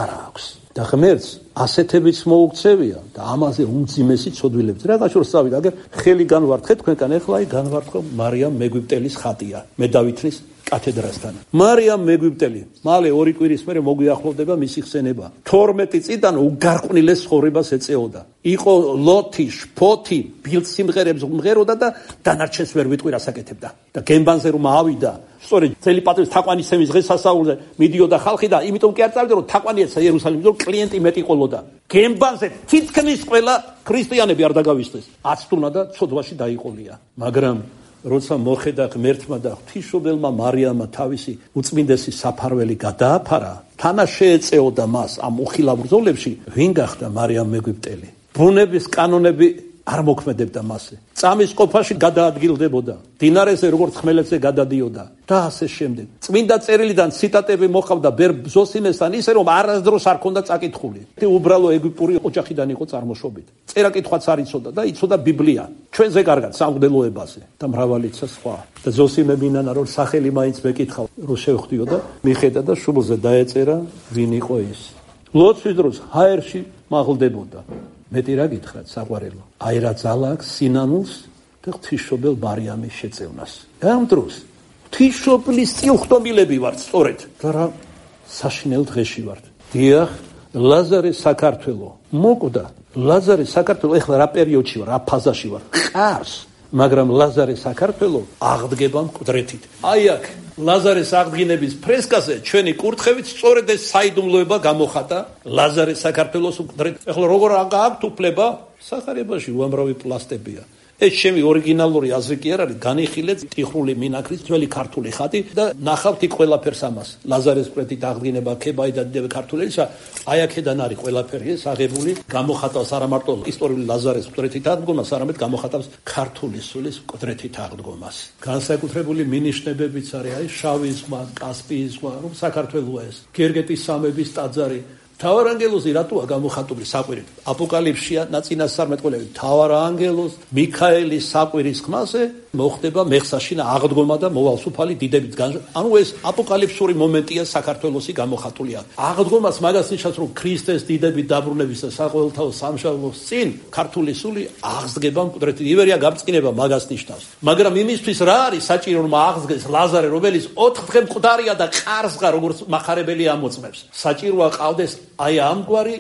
არ აქვს. და ღმერთს ასეთებიც მოუქცევია და ამაზე უმძიმესი ცოდვილებს. რა გაშორს წავიდა, აგერ ხელი განვართხეთ თქვენკან, ეხლა აი განვართხო მარიამ მეგვიპტელის ხატია, მე დავითნის კათედრასთან. მარიამ მეგვიპტელი, მალე 2 კვირის მერე მოგვიახლოვდება მისი ხსენება. 12 წიდან უგარყვნილეს ცხოვრებას ეწეოდა. იყო ლოთი, შფოთი, ბილდსიმღერებს უმღეროდა და დანარჩენს ვერ ვიტყვი რას აკეთებდა. და გემბანზე რომ ავიდა, სწორედ წელი პატრის თაყვანისცემის დღესასწაულზე მიდიოდა ხალხი და იმიტომ კი არ წავიდა რომ თაყვანი ეცა იერუსალიმში, რომ კლიენტი მეტი ყოლოდა. გემბანზე თითქმის ყველა ქრისტიანები არ დაგავიწყდეს. აცტუნა და ცოდვაში დაიყოლია. მაგრამ როცა მოხედა ღმერთმა და ღვთისმშობელმა მარიამმა თავისი უწმინდესი საფარველი გადააფარა, თანა შეეწეოდა მას ამ უხილავ ბრძოლებში, ვინ გახდა მარიამ მეგვიპტელი. ბუნების კანონები არ მოქმედებდა მასზე. წამის ყოფაში გადაადგილდებოდა, დინარეზე როგორც ხმელეთზე გადადიოდა და ასე შემდეგ. წმინდა წერილიდან ციტატები მოყავდა ბერ ზოსიმესთან ისე რომ არასდროს არ ქონდა წაკითხული. უბრალო ეგვიპტური ოჯახიდან იყო წარმოშობით. წერა-კითხვაც არ იცოდა და იცოდა ბიბლია. ჩვენზე კარგად სამღვდელოებაზე და მრავალიცა სხვა. და ზოსიმე მინანა რომ სახელი მაინც მეკითხავ, რო შევხვდიო და მიხედა და შუბლზე დაეწერა ვინ იყო ის. ლოცვის დროს ჰაერში მაღლდებოდა. მეტი რა გითხრათ საყვარელო, აი რა ძალა აქვს სინანულს და ღვთისმშობელ მარიამის შეწევნას. ამ დროს ღვთისმშობლის წილხდომილები ვართ სწორედ და რა საშინელ დღეში ვართ. დიახ, ლაზარე საქართველო მოკვდა. ლაზარე საქართველო ეხლა რა პერიოდში ვარ, რა ფაზაში ვარ, ყარს, მაგრამ ლაზარე საქართველო აღდგება მკვდრეთით. აი აქ ლაზარეს აღდგინების ფრესკაზე ჩვენი კურთხევით სწორედ ეს საიდუმლოება გამოხატა ლაზარე საქართველოს მკვდრეთ. ეხლა როგორ აქვს უფლება? სახარებაში უამრავი პლასტებია. ეს ჩემი ორიგინალური აზრი კი არ არის, განიხილეთ ტიხრული მინაქრის ძველი ქართული ხატი და ნახავთ იქ ყველაფერს ამას. ლაზარეს მკვდრეთით აღდგინება, ქებაი და დიდები ქართველისა, აი აქედან არის ყველაფერი ეს აღებული, გამოხატავს არა მარტო ისტორიული ლაზარეს მკვდრეთით აღდგომას, არამედ გამოხატავს ქართული სულის მკვდრეთით აღდგომას. განსაკუთრებული მინიშნებებიც არის, აი შავი ზღვა, კასპიის ზღვა, რომ საქართველოა ეს, გერგეტის სამების ტაძარი. თავარანგელოზი რატოა გამოხატული საყვირით? აპოკალიფსია ნაწინასწარმეტყველები თავარანგელოზ მიქაელის საყვირის ხმაზე მოხდება მეხსაშინა აღდგომა და მოვალს უფალი დიდებით ანუ ეს აპოკალიფსური მომენტია საქართველოსი გამოხატულია. აღდგომას მაგას ნიშნავს, რომ ქრისტეს დიდებით დაბრუნების და საყოველთაო სამშაბლოს წინ ქართული სული აღსდგება მკვდრეთით. ივერია გამწყინება მაგას ნიშნავს. მაგრამ იმისთვის რა არის საჭირო, რომ აღსდგეს ლაზარე, რომელიც 4 დღე მკვდარია და ყარსღა როგორც მახარებელი ამოწმებს. საჭიროა ყავდეს აი ამგვარი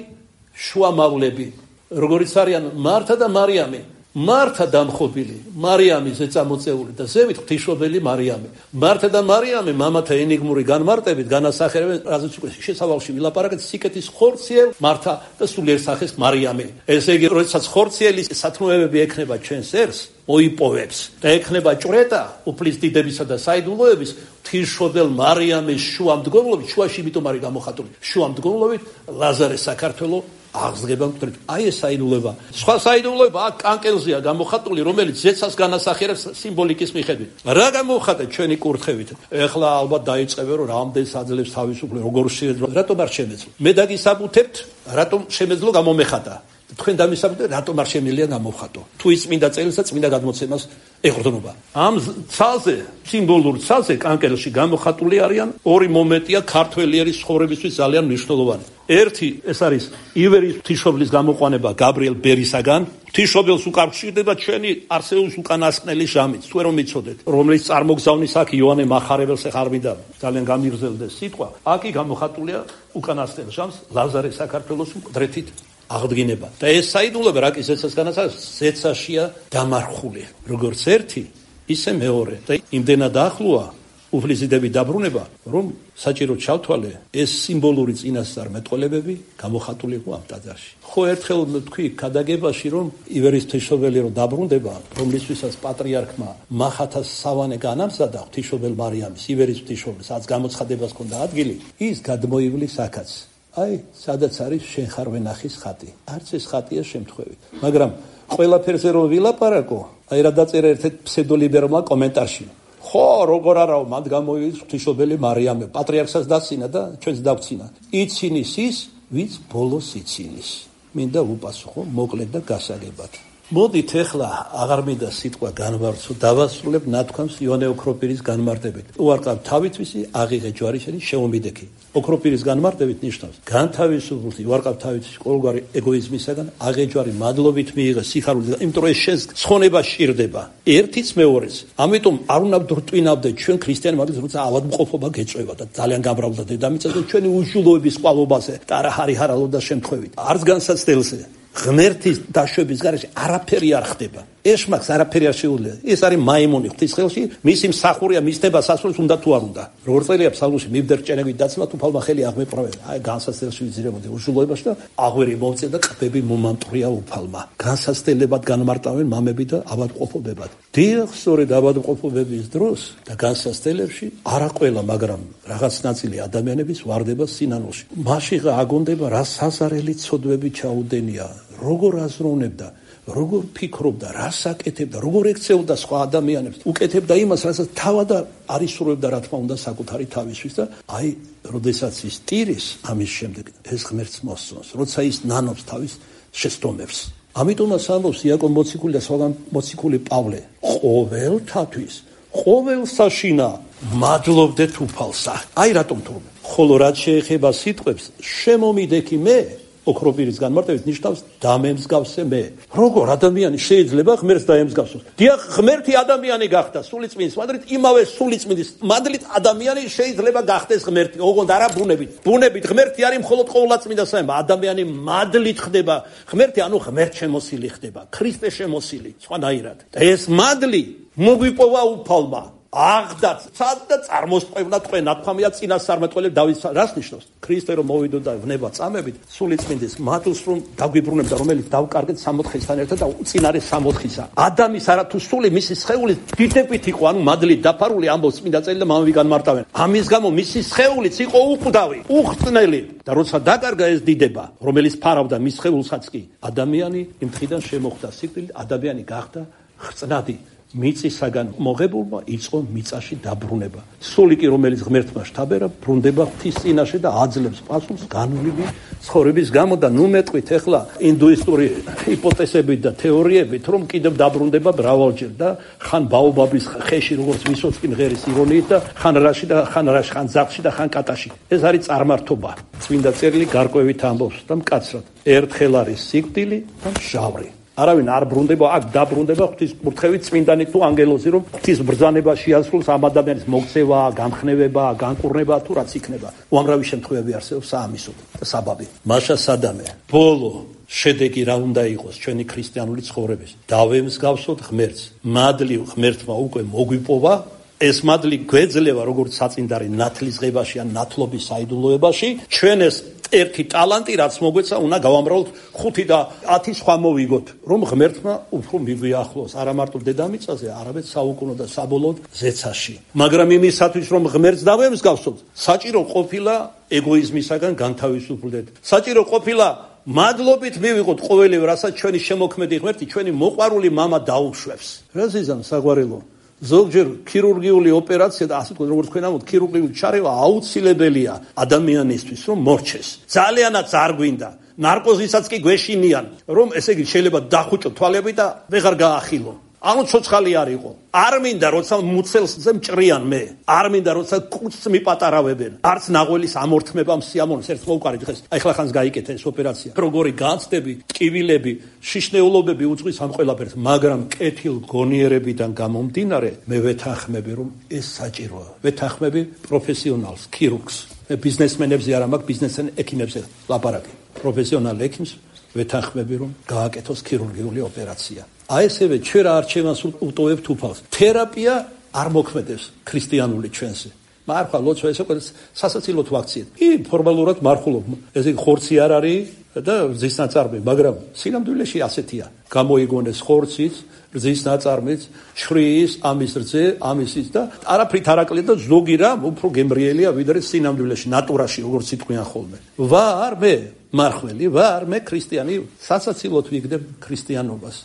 შუამავლები, როგორიც არიან მართა და მარიამი. მართა დამხობილი, მარიამი ზეწამოწეული და ზევით ღვთისმშობელი მარიამი. მართა და მარიამი მამათა ენიგმური განმარტებით განასახიერებენ, რაზეც უკვე შესავალში ვილაპარაკეთ, სიკეთის ხორციელ მართა და სულიერ სახეს მარიამი. ესე იგი, როდესაც ხორციელის სათნოებები ექნება ჩვენს ერს, მოიპოვებს და ექნება ჭვრეტა უფლის დიდებისა და საიდუმლოების ღვთისმშობელ მარიამის შუამდგომლობით, შუაში იმიტომ არის გამოხატული, შუამდგომლობით ლაზარე საქართველო აღსდგება მკვდრით. აი ეს საიდუმლოება. სხვა საიდუმლოება აქ კანკელზეა გამოხატული, რომელიც ზეცას განასახიერებს სიმბოლიკის მიხედვით. რა გამოხატეთ ჩვენი კურთხევით? ეხლა ალბათ დაიწყებენ, რომ რამდენს აძლევს თავისუფლება, როგორ შეიძლება, რატომ არ შემეძლო? მე დაგისაბუთებთ, რატომ შემეძლო გამომეხატა. თქვენ დამისაბუთებთ, რატომ არ შემიძლია გამოვხატო? თუ ის წმინდა წელს და წმინდა გადმოცემას ეყრდნობა. ამ ცალზე, სიმბოლურ ცალზე კანკელში გამოხატული არიან ორი მომენტია ქართველიერის ცხოვრებისთვის ძალიან მნიშვნელოვანი. ერთი ეს არის ივერის ღვთისმშობლის გამოყვანება გაბრიელ ბერისაგან. ღვთისმშობელს უკავშირდება ჩვენი არსეულის უკანასკნელი ჟამით, თუ რომ იცოდეთ, რომელიც წარმოგზავნის აქ იოანე მახარებელს ახ არ მინდა ძალიან გამიგრძელდეს სიტყვა. აქი გამოხატულია უკანასკნელ ჟამს ლაზარე საქართველოს მკვდრეთით აღდგინება. და ეს საიდუმლოება რა კი ზეცას განასახიერებს, ზეცაშია დამარხული. როგორც ერთი, ისე მეორე. და იმდენად ახლოა უფლის დიდების დაბრუნება, რომ საჭირო ჩავთვალე ეს სიმბოლური წინასწარმეტყველებები გამოხატული იყო ამ ტაძარში. ხო ერთხელ თქვი ქადაგებაში, რომ ივერის ღვთისმშობელი რომ დაბრუნდება, რომლისთვისაც პატრიარქმა მახათას სავანე განამზადა ღვთისმშობელ მარიამის, ივერის ღვთისმშობლის, რაც გამოცხადებას ჰქონდა ადგილი, ის გადმოივლის აქაც. აი, სადაც არის შენ ხარ ვენახის ხატი. არც ეს ხატია შემთხვევით. მაგრამ ყველაფერზე რომ ვილაპარაკო, აი რა დაწერა ერთ-ერთ ფსევდოლიბერალმა კომენტარში. ხო, როგორ არაო, მათ გამოივლის ღვთისმშობელი მარიამი, პატრიარქსაც დაცინა და ჩვენც დავცინა. იცინის ის, ვინც ბოლოს იცინის. მინდა უპასუხო მოკლედ და გასაგებად. მოდით ეხლა აღარ მინდა სიტყვა განვარცო, დავასრულებ ნათქვამს იონე ოქროპირის განმარტებით. უარყავ თავითვისი, აღიღე ჯვარისელი, შემომიდექი. ოქროპირის განმარტებით ნიშნავს განთავისუფლდი, უარყავ თავითვისი ყოველგვარი ეგოიზმისაგან, აღეჯვარი მადლობით მიიღე სიხარულით, იმიტომ რომ ეს შენს ცხონება სჭირდება. ერთიც მეორეს. ამიტომ არ უნდა ვდრტვინავდეთ ჩვენ ქრისტიანი მაგის, როცა ავადმყოფობა გეწევა და ძალიან გამრავლდა დედამიწაზე და ჩვენი უშულოების ყვალობაზე და არა ჰარიჰარალოდა შემთხვევით. არც განსაცდელზე. ღმერთის დაშვების გარეშე არაფერი არ ხდება. ეშმაკს არაფერი არ შეუძლია. ეს არის მაიმონი ღვთის ხელში, მისი მსახურია, მისდება სასურს უნდა თუ არ უნდა. როგორ წერია ფსალმოში, მივდერ ჭენებით დაცლა თუ ფალმა ხელი აღმეპრავე. აი განსაცდელში ვიზირებოდი უშულოებაში და აღვერი მომწე და ყბები მომამტვრია უფალმა. განსაცდელებად განმარტავენ მამები და ავადმყოფობებად. დიახ, სწორედ ავადმყოფობების დროს და განსაცდელებში არა ყველა, მაგრამ რაღაც ნაწილი ადამიანების ვარდება სინანულში. მაშიღა აგონდება რა საზარელი ცოდვები ჩაუდენია, როგორ აზროვნებდა, როგორ ფიქრობდა, რას აკეთებდა, როგორ ექცეოდა სხვა ადამიანებს, უკეთებდა იმას, რასაც თავად არ ისურვებდა, რა თქმა უნდა, საკუთარი თავისთვის და აი, როდესაც ის ტირის, ამის შემდეგ ეს ღმერთს მოსწონს, როცა ის ნანობს თავის შეცდომებს. ამიტომაც ამბობს იაკობ მოციქული და სხვაგან მოციქული პავლე, ყოველთათვის, ყოველ საშინა მადლობდეთ უფალსა. აი რატომ თურმე. ხოლო რაც შეეხება სიტყვებს, შემომიდექი მე ოქროპირის განმარტებით ნიშნავს დამემსგავსე მე. როგორ ადამიანი შეიძლება ღმერთს დაემსგავსოს? დიახ, ღმერთი ადამიანი გახდა სულიწმინდის მადლით, იმავე სულიწმინდის მადლით ადამიანი შეიძლება გახდეს ღმერთი. ოღონდ არა ბუნებით. ბუნებით ღმერთი არის მხოლოდ ყოვლადწმინდა საება. ადამიანი მადლით ხდება ღმერთი, ანუ ღმერთშემოსილი ხდება, ქრისტე შემოსილი, სხვანაირად. და ეს მადლი მოგვიპოვა უფალმა. აღდაც და წარმოსწევნა თქვენ ნათქვამია წინასწარმეტყველებს დავის რას ნიშნავს? ქრისტე რომ მოვიდოდა ვნება წამებით სულიწმინდის მადლს რომ დაგვიბრუნებდა, რომელიც დავკარგეთ 64-ისთან ერთად და წინარე 64-ისა. ადამის არათუ სული მისი სხეული დიდებით იყო, ანუ მადლით დაფარული, ამბობს წმინდა წელი და მამები განმარტავენ. ამის გამო მისი სხეულიც იყო უყდავი, უხრწნელი და როცა დაკარგა ეს დიდება, რომელიც ფარავდა მის სხეულსაც კი, ადამიანი იმ დღიდან შემოხვდა სიკვდილით, ადამიანი გახდა ხრწნადი. მიწისაგან მოღებულმა იწყო მიწაში დაბრუნება. სული კი რომელიც ღმერთმა შთაბერა, ბრუნდება ღვთის წინაშე და აძლევს პასუხს განვლილი ცხოვრების გამო და ნუ მეტყვით ახლა ინდუისტური ჰიპოთეზებით და თეორიებით, რომ კიდევ დაბრუნდება მრავალჯერ და ხან ბაობაბის ხეში როგორც ვისოცკი ღერის ირონიით და ხან რაში და ხან ზახში და ხან კატაში. ეს არის წარმართობა. წმინდა წერილი გარკვევით ამბობს და მკაცრად. ერთხელ არის სიკვდილი და მჟავრი. არავინ არ ბრუნდება, აქ დაბრუნდება ღვთის კურთხევით წმინდანი თუ ანგელოზი, რომ ღვთის ბრძანება შეასრულოს ამ ადამიანის მოქცევა, გამხნევება, განკურნება თუ რაც იქნება. უამრავი შემთხვევები არსებობს საამისოდ და საბაბი. მაშა სადამე, ბოლო შედეგი რა უნდა იყოს ჩვენი ქრისტიანული ცხოვრების? დავემსგავსოთ ღმერთს. მადლივ ღმერთმა უკვე მოგვიპოვა. ეს მადლი გვეძლევა როგორც საწინდარი ნათლის ღებაში ან ნათლობის საიდუმლოებაში. ჩვენ ეს ერთი ტალანტი რაც მოგვეცა, უნდა გავამრავლოთ 5 და 10 სხვა მოვიგოთ, რომ ღმერთმა უფრო მიგვიახლოს არა მარტო დედამიწაზე, არამედ საუკუნო და საბოლოოდ ზეცაში. მაგრამ იმისათვის, რომ ღმერთს დავემსგავსოთ, საჭირო ყოფილა ეგოიზმისაგან განთავისუფლდეთ. საჭირო ყოფილა მადლობით მივიღოთ ყოველივე, რასაც ჩვენი შემოქმედი ღმერთი, ჩვენი მოყვარული მამა დაუშვებს. რა ზიზამ საგვარელო? ზოგჯერ ქირურგიული ოპერაცია და ასე როგორც თქვენ ამბობთ, ქირურგიული ჩარევა აუცილებელია ადამიანისთვის, რომ მორჩეს. ძალიანაც არ გვინდა. ნარკოზისაც კი გვეშინიან, რომ ესე იგი შეიძლება დახუჭო თვალები და ვეღარ გაახილო. ანუ ცოცხალი არ იყო. არ მინდა როცა მუცელზე მჭრიან მე. არ მინდა როცა კუცს მიპატარავებენ. არც ნაღველის ამორთმებამ სიამოვნოს ერთ მოვკარი დღეს. აი ხლა ხანს გაიკეთა ეს ოპერაცია. როგორი განცდები, ტკივილები, შიშნეულობები უძღვის ამ ყველაფერს, მაგრამ კეთილ გონიერებიდან გამომდინარე, მე ვეთანხმები, რომ ეს საჭიროა. ვეთანხმები პროფესიონალს, ქირურგს. მე ბიზნესმენებზე არ მაქვს, ბიზნესმენ ექიმებზე ლაპარაკი. პროფესიონალ ექიმს ვეთანხმები, რომ გააკეთოს ქირურგიული ოპერაცია. აი ესევე ჩვენ რა არჩევანს უტოვებთ უფალს. თერაპია არ მოქმედებს ქრისტიანული ჩვენზე. მარხვა ლოცვა ესე ყოლეს სასაცილოდ ვაქციეთ. ფორმალურად მარხულობ. ესე ხორცი არ არის და რძის ნაწარმი, მაგრამ სინამდვილეში ასეთია. გამოიგონეს ხორციც, რძის ნაწარმიც, შვრიის, ამის რძე, ამისიც და არაფრით არაკლია და ზოგი რამ უფრო გემრიელია ვიდრე სინამდვილეში, ნატურაში, როგორც იტყვიან ხოლმე. ვარ მე მარხველი, ვარ მე ქრისტიანი, სასაცილოდ ვიგდებ ქრისტიანობას.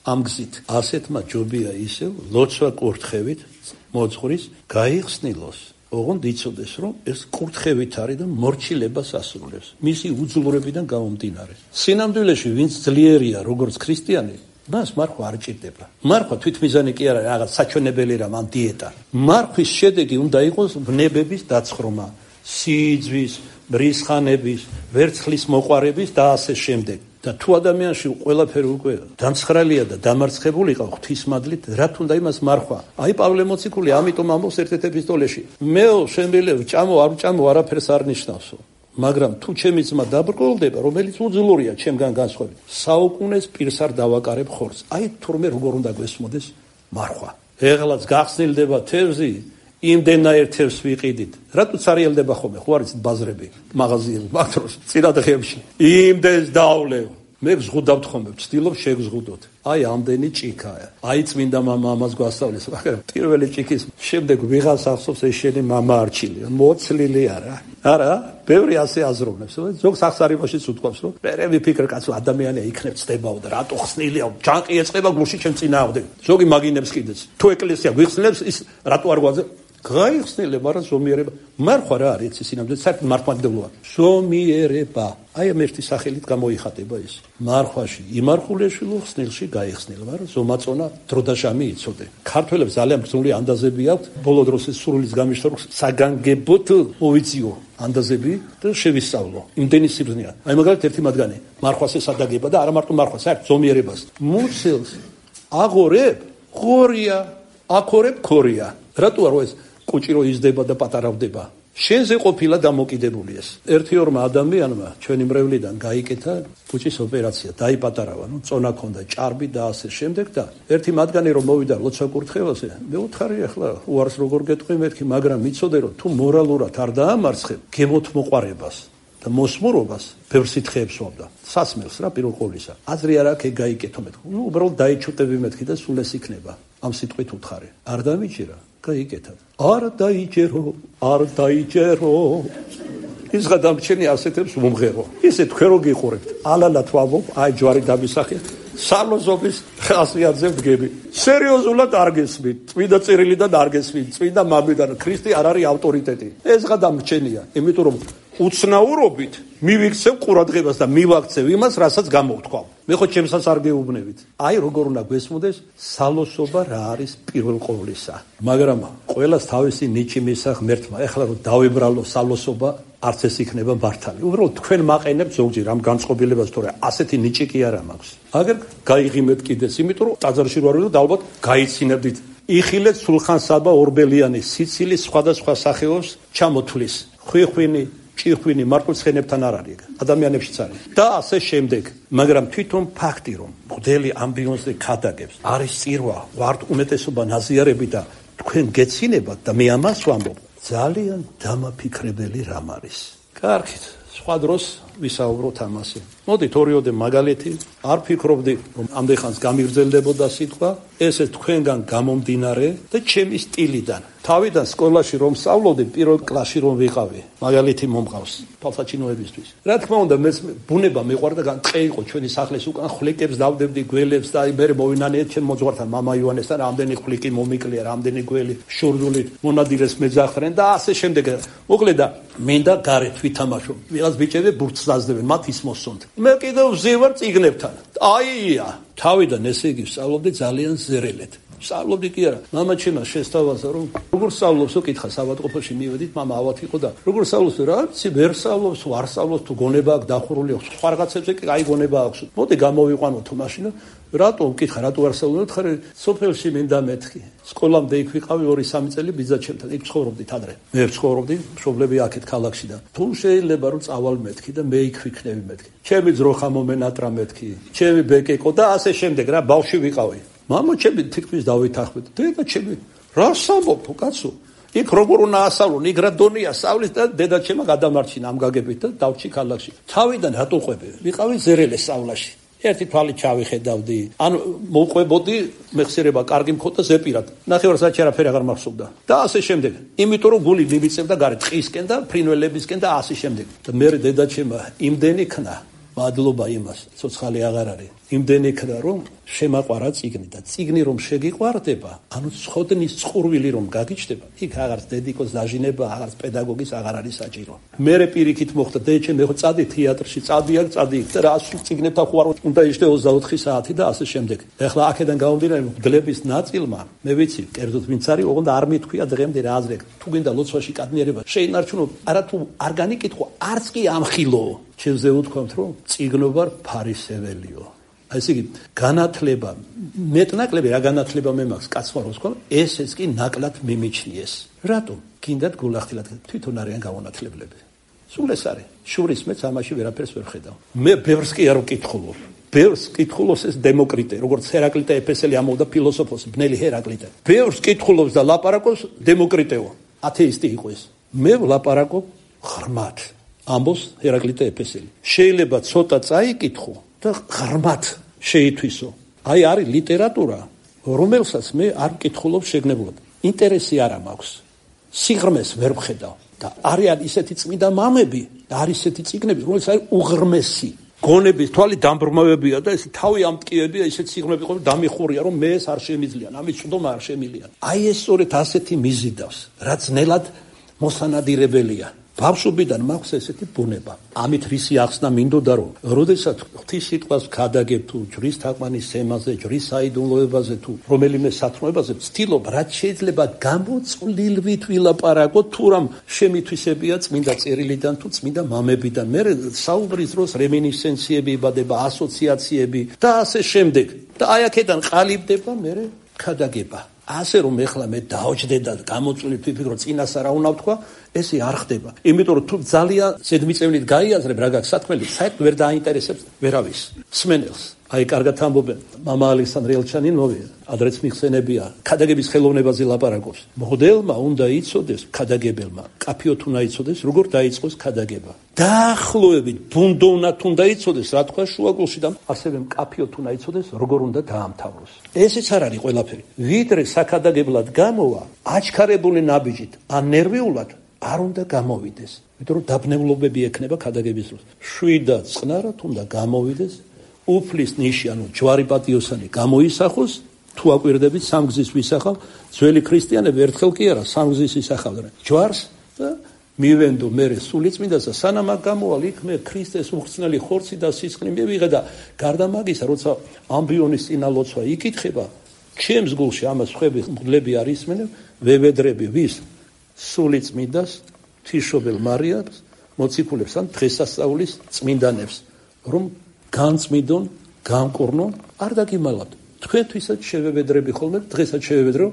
ამ გზით ასეთმა ჯობია ისევ ლოცვა კურთხევით მოძღვრის გაიხსნილოს. ოღონდ იცოდეს, რომ ეს კურთხევით არის და მორჩილებას ასრულებს. მისი უძლურებიდან გამომდინარე. სინამდვილეში ვინც ძლიერია, როგორც ქრისტიანი, მას მარხვა არ ჭირდება. მარხვა თვითმიზანი კი არა, რაღაც საჩვენებელი რამ ან დიეტა. მარხვის შედეგი უნდა იყოს ვნებების დაცხრომა, სიძვის, მრისხანების, ვერცხლის მოყვარების და ასე შემდეგ. და თუ ადამიანში ყველაფერი უკვე დამცხრალია და დამარცხებული იყო ღვთისმადლით, რა თუნდა იმას მარხვა. აი პავლე მოციქული ამიტომ ამბობს ერთ-ერთ ეპისტოლეში. მეო შემიძლია ვჭამო არ ვჭამო არაფერს არ ნიშნავსო. მაგრამ თუ ჩემი ძმა დაბრკოლდება, რომელიც უძლურია ჩემგან განსხვავებით, საუკუნეს პირს არ დავაკარებ ხორცს. აი თურმე როგორ უნდა გვესმოდეს მარხვა. ეხლაც გახსნილდება თევზი, იმდენაერ თევზს ვიყიდით. რატო წარიელდება ხოლმე? ხო არის ბაზრები, მაღაზიები, მაგდროს წინადღებში. იმდენს დავლევ. მე ვზღუდავთ ხოლმე, ვცდილობ შეგზღუდოთ. აი ამდენი ჭიქაა. აი წმინდა მამა ამას გვასწავლეს, მაგრამ პირველი ჭიქის შემდეგ ვიღას ახსოვს ეს შენი მამა არჩილია. მოცლილი არა. არა, ბევრი ასე აზროვნებს. ზოგს აღსარებაშიც უთქვამს, რომ მე ვიფიქრე კაცო ადამიანია იქნებ ცდებაო და რატო ხსნილია? ჯანყი ეწყება გულში ჩემ წინააღმდეგ. ზოგი მაგინებს კიდეც. თუ ეკლესია გვიხსნილებს, ის რატო არ გვაძე? გაიხსნილება, მაგრამ ზომიერება. მარხვა რა არის ეს სინამდვილეში? საერთოდ მართლმადიდებლოა. ზომიერება. აი ამ ერთი სახელით გამოიხატება ის. მარხვაში იმარხულეშვილო ხსნილში გაიხსნილა, მაგრამ ზომაწონა დრო და ჟამი იცოდე. ქართველებს ძალიან ბრძოლი ანდაზები აქვთ. ბოლო დროს ეს სრულის გამიშტორ საგანგებოდ მოვიძიო ანდაზები და შევისწავლო. იმდენი სიბრძნეა. აი მაგალითად ერთი მათგანი მარხვას ესადაგება და არა მარტო მარხვას, საერთოდ ზომიერებას. მუცელს აღორებ ხორია, აქორებ ქორია. რატო არ ეს კუჭი რო იზრდება და პატარავდება? შენზე ყოფილა დამოკიდებული ეს. ერთი-ორმა ადამიანმა ჩვენი მრევლიდან გაიკეთა კუჭის ოპერაცია, დაიპატარავა, წონა ქონდა, ჭარბი და ასე შემდეგ და ერთი მათგანი რომ მოვიდა ლოცვა კურთხევაზე, მე უთხარი ახლა უარს როგორ გეტყვი მეთქი, მაგრამ მიცოდე რომ თუ მორალურად არ დაამარცხებ გემოთ მოყარებას და მოსმურობას, ბევრ სითხეებს ვამდა. სასმელს რა პირველ ყოვლისა. აზრი არ აქვს გაიკეთო მეთქი. უბრალოდ დაიჩუტები მეთქი და სულ ეს იქნება. ამ სიტყვით უთხარი. არ დამიჭირა გაიკეთად. არ დაიჭერო. ის გადამჩენი ასეთებს მომღერო. ისე თქვენ რო გიყურებთ. ალალათ ვამბობ, აი ჯვარი დამისახეთ. სალოსობის ხასიათზე ვდგები. სერიოზულად არ გესმით, წმინდა წერილიდან არ გესმით, წმინდა მამიდან ქრისტე არ არის ავტორიტეტი. ეს გადამრჩენია, იმიტომ რომ უცნაურობით მივიქცევ ყურადღებას და მივაქცევ იმას, რასაც გამოვთქვამ. მე ხო ჩემსაც არ გეუბნებით. აი როგორ უნდა გვესმოდეს სალოსობა რა არის პირველ ყოვლისა. მაგრამ ყველას თავისი ნიჭი მისახ ღმერთმა. ეხლა რომ დავებრალო სალოსობა, არც ეს იქნება მართალი. უბრალოდ თქვენ მაყენებთ ზოგჯერ ამ განწყობილებას, თორე ასეთი ნიჭი კი არა მაქვს. აგერ გაიღიმეთ კიდეც, იმიტომ რომ ტაძარში რო არის და ალბათ გაიცინებდით. იხილეთ სულხან-საბა ორბელიანის სიცილის სხვადასხვა სახეობს ჩამოთვლის. ხვიხვინი, ჭიხვინი მართლმსხენებთან არ არის, ადამიანებშიც არის. და ასე შემდეგ. მაგრამ თვითონ ფაქტი რომ მღვდელი ამბიონზე ქადაგებს, არის წირვა, ვართ უმეტესობა ნაზიარები და თქვენ გეცინებათ და მე ამას ვამბობ. ძალიან დამაფიქრებელი რამ არის. კარგით, სხვა დროს ვისაუბროთ ამაზე. მოდით ორიოდე მაგალითი, არ ფიქრობდი რომ ამდენხანს გამიგრძელდებოდა სიტყვა, ესე თქვენგან გამომდინარე და ჩემი სტილიდან. თავიდან სკოლაში რომ სწავლობდი, პირველ კლასში რომ ვიყავი, მაგალითი მომყავს თვალსაჩინოებისთვის. რა თქმა უნდა, მე ბუნება მეყვარდა, ტყე იყო ჩვენი სახლის უკან, ხვლიკებს დავდებდი, გველებს და მე მოვინანიეთ ჩემ მოძღვართან მამა ივანესთან, რამდენი ხვლიკი მომიკლია, რამდენი გველი შურდულით მონადირეს მეძახდნენ და ასე შემდეგ. მოკლედ და მინდა გარეთ ვითამაშო. ვიღაც ბიჭები ბურთს დაძდებენ, მათ ის მოსონთ. მე კიდევ ვზივარ წიგნებთან. აია, თავიდან ესე იგი ვსწავლობდი ძალიან ზერელეთ. სწავლობდი კი არა. მამა ჩემს შესთავაზა რომ როგორ სწავლობს უკითხა საბადყოფოში მივედით, მამა ავად იყო და როგორ სწავლობს რა ვიცი, ვერ სწავლობს, არ სწავლობს, თუ გონება აქვს დახურული, სხვა რაღაცებზე კი აი გონება აქვს. მოდი გამოვიყვანოთ მაშინა. რატო უკითხა, რატო არ სწავლობთ? ხარ სოფელში მინდა მეთქი. სკოლამდე იქ ვიყავი 2-3 წელი ბიძაჩემთან. იქ ცხოვრობდით ადრე. მე ცხოვრობდი, მშობლები აქეთ ქალაქში და თუ შეიძლება რომ წავალ მეთქი და მე იქ ვიქნები მეთქი. ჩემი ძროხა მომენატრა მეთქი. ჩემი ბეკეკო და ასე შემდეგ რა ბავშვი ვიყავი. მამა ჩემი თითქმის დავითანხმეთ. დედა ჩემი რა სამბობ კაცო? იქ როგორ უნდა ასწავლონ, იქ რა დონია სწავლის და დედა ჩემა გადამარჩინა ამ გაგებით და დავჭი ქალაქში. თავიდან რატო ყვები? ვიყავი ზერელე სწავლაში. ერთი თვალი ჩავიხედავდი. ანუ მოყვებოდი, მეხსიერება კარგი მქონდა ზეპირად. ნახევარსაათი არაფერი აღარ მახსოვდა. და ასე შემდეგ. იმიტომ რომ გული მივიწევდა გარეთ ტყისკენ და ფრინველებისკენ და ასე შემდეგ. და მე დედა ჩემა იმდენი ქნა მადლობა იმას, ცოცხალი აღარ არის. იმდენი ქნა რომ შემაყვარა წიგნი და წიგნი რომ შეგიყვარდება, ანუ ცხოდნის წყურვილი რომ გაგიჩნდება, იქ აღარც დედიკოს დაჟინება, აღარც პედაგოგის აღარ არის საჭირო. მერე პირიქით მოხდა, დედჩემ ეხო წადი თეატრში, წადი აქ, წადი იქ და რა წიგნებთან ხوار უნდა იშდე 24 საათი და ასე შემდეგ. ეხლა აქედან გამომდინარე მგლების ნაწილმა, მე ვიცი, კერძოდ ვინც არის, ოღონდ არ მithქვია დღემდე რა აზრია. თუ გინდა ლოცვაში კადნიერება შეინარჩუნო, არა თუ არ განიკითხო, არც კი ამხილო. ჩემზე უთქვამთ რომ წიგნობა ფარისეველიო. ესე იგი განათლება მეტნაკლები რა განათლება მე მაქვს კაცმა როს ქონ ესეც კი ნაკლად მიმიჩნიეს. რატომ? გინდათ გულახდილად თვითონ არიან გამონათლებლები. სულ ეს არის. შურის მეც ამაში ვერაფერს ვერ ხედავ. მე ბევრს კი არ ვკითხულობ. ბევრს კითხულობს ეს დემოკრიტე, როგორც ჰერაკლიტე ეფესელი ამოვდა ფილოსოფოსი, ბნელი ჰერაკლიტე. ბევრს კითხულობს და ლაპარაკობს დემოკრიტეო. ათეისტი იყო ეს. მე ვლაპარაკობ ღრმად. ამბობს ჰერაკლიტე ეფესელი. შეიძლება ცოტა წაიკითხო და ღრმად შეითვისო. აი არის ლიტერატურა, რომელსაც მე არ ვკითხულობ შეგნებულად. ინტერესი არ მაქვს. სიღრმეს ვერ ვხედავ და არიან ისეთი წმინდა მამები და არის ისეთი წიგნები, რომელიც არის უღრმესი. გონების თვალი დამბრმავებია და ეს თავი ამტკიებია, ისეთ სიღრმეები ყო დამიხურია, რომ მე ეს არ შემიძლიან, ამის წვდომა არ შემიძლიან. აი ეს სწორედ ასეთი მიზიდავს, რაც ნელად მოსანადირებელია. ბავშვობიდან მაქვს ესეთი ბუნება. ამით რისი ახსნა მინდოდა რომ, როდესაც ღვთის სიტყვას ვქადაგებ თუ ჯვრის თაყვანის თემაზე, ჯვრის საიდუმლოებაზე თუ რომელიმე სათნოებაზე, ვცდილობ რაც შეიძლება გამოწვლილვით ვილაპარაკო, თუ რამ შემითვისებია წმინდა წერილიდან თუ წმინდა მამებიდან. მე საუბრის დროს რემინისცენციები იბადება, ასოციაციები და ასე შემდეგ. და აი აქედან ყალიბდება მე ქადაგება. ასე რომ ეხლა მე დაოჯდე და გამოწვლით ვიფიქრო წინას რა უნდა ვთქვა, ესე არ ხდება. იმიტომ რომ თუ ძალიან ზედმიწევნით გაიაზრებ რა გაქვს სათქმელი, საერთოდ ვერ დაინტერესებს ვერავის. სმენელს. აი კარგად ამბობენ, მამა ალექსანდრე ელჩანინოვი, ადრეც მიხსენებია, ქადაგების ხელოვნებაზე ლაპარაკობს. მღვდელმა უნდა იცოდეს, ქადაგებელმა, კაფიოთ უნდა იცოდეს, როგორ დაიწყოს ქადაგება. დაახლოებით ბუნდოვნად უნდა იცოდეს, რა თქვა შუაგულში და ასევე კაფიოთ უნდა იცოდეს, როგორ უნდა დაამთავროს. ესეც არ არის ყველაფერი. ვიდრე საქადაგებლად გამოვა, აჩქარებული ნაბიჯით, ან ნერვიულად არ უნდა გამოვიდეს. იმიტომ რომ დაბნეულობები ექნება ქადაგების დროს. შვიდად წყნარად უნდა გამოვიდეს. უფლის ნიში, ანუ ჯვარი პატიოსანი გამოისახოს, თუ აკვირდებით სამგზის ვისახავ, ძველი ქრისტიანები ერთხელ კი არა სამგზის ისახავდნენ ჯვარს და მივენდო მე სულიწმინდასა, სანამ აქ გამოვალ იქ მე ქრისტეს უხრწნელი ხორცი და სისხლი მივიღე და გარდა მაგისა, როცა ამბიონის წინა ლოცვა იკითხება, ჩემს გულში ამას ხვები მღვდლები არ ისმენენ, ვევედრები ვის სულიწმინდას, ღვთისმშობელ მარიამს, მოციქულებს ან დღესასწაულის წმინდანებს, რომ განწმინდონ, განკურნონ, არ დაგიმალავთ. თქვენთვისაც შევევედრები ხოლმე, დღესაც შევევედრო,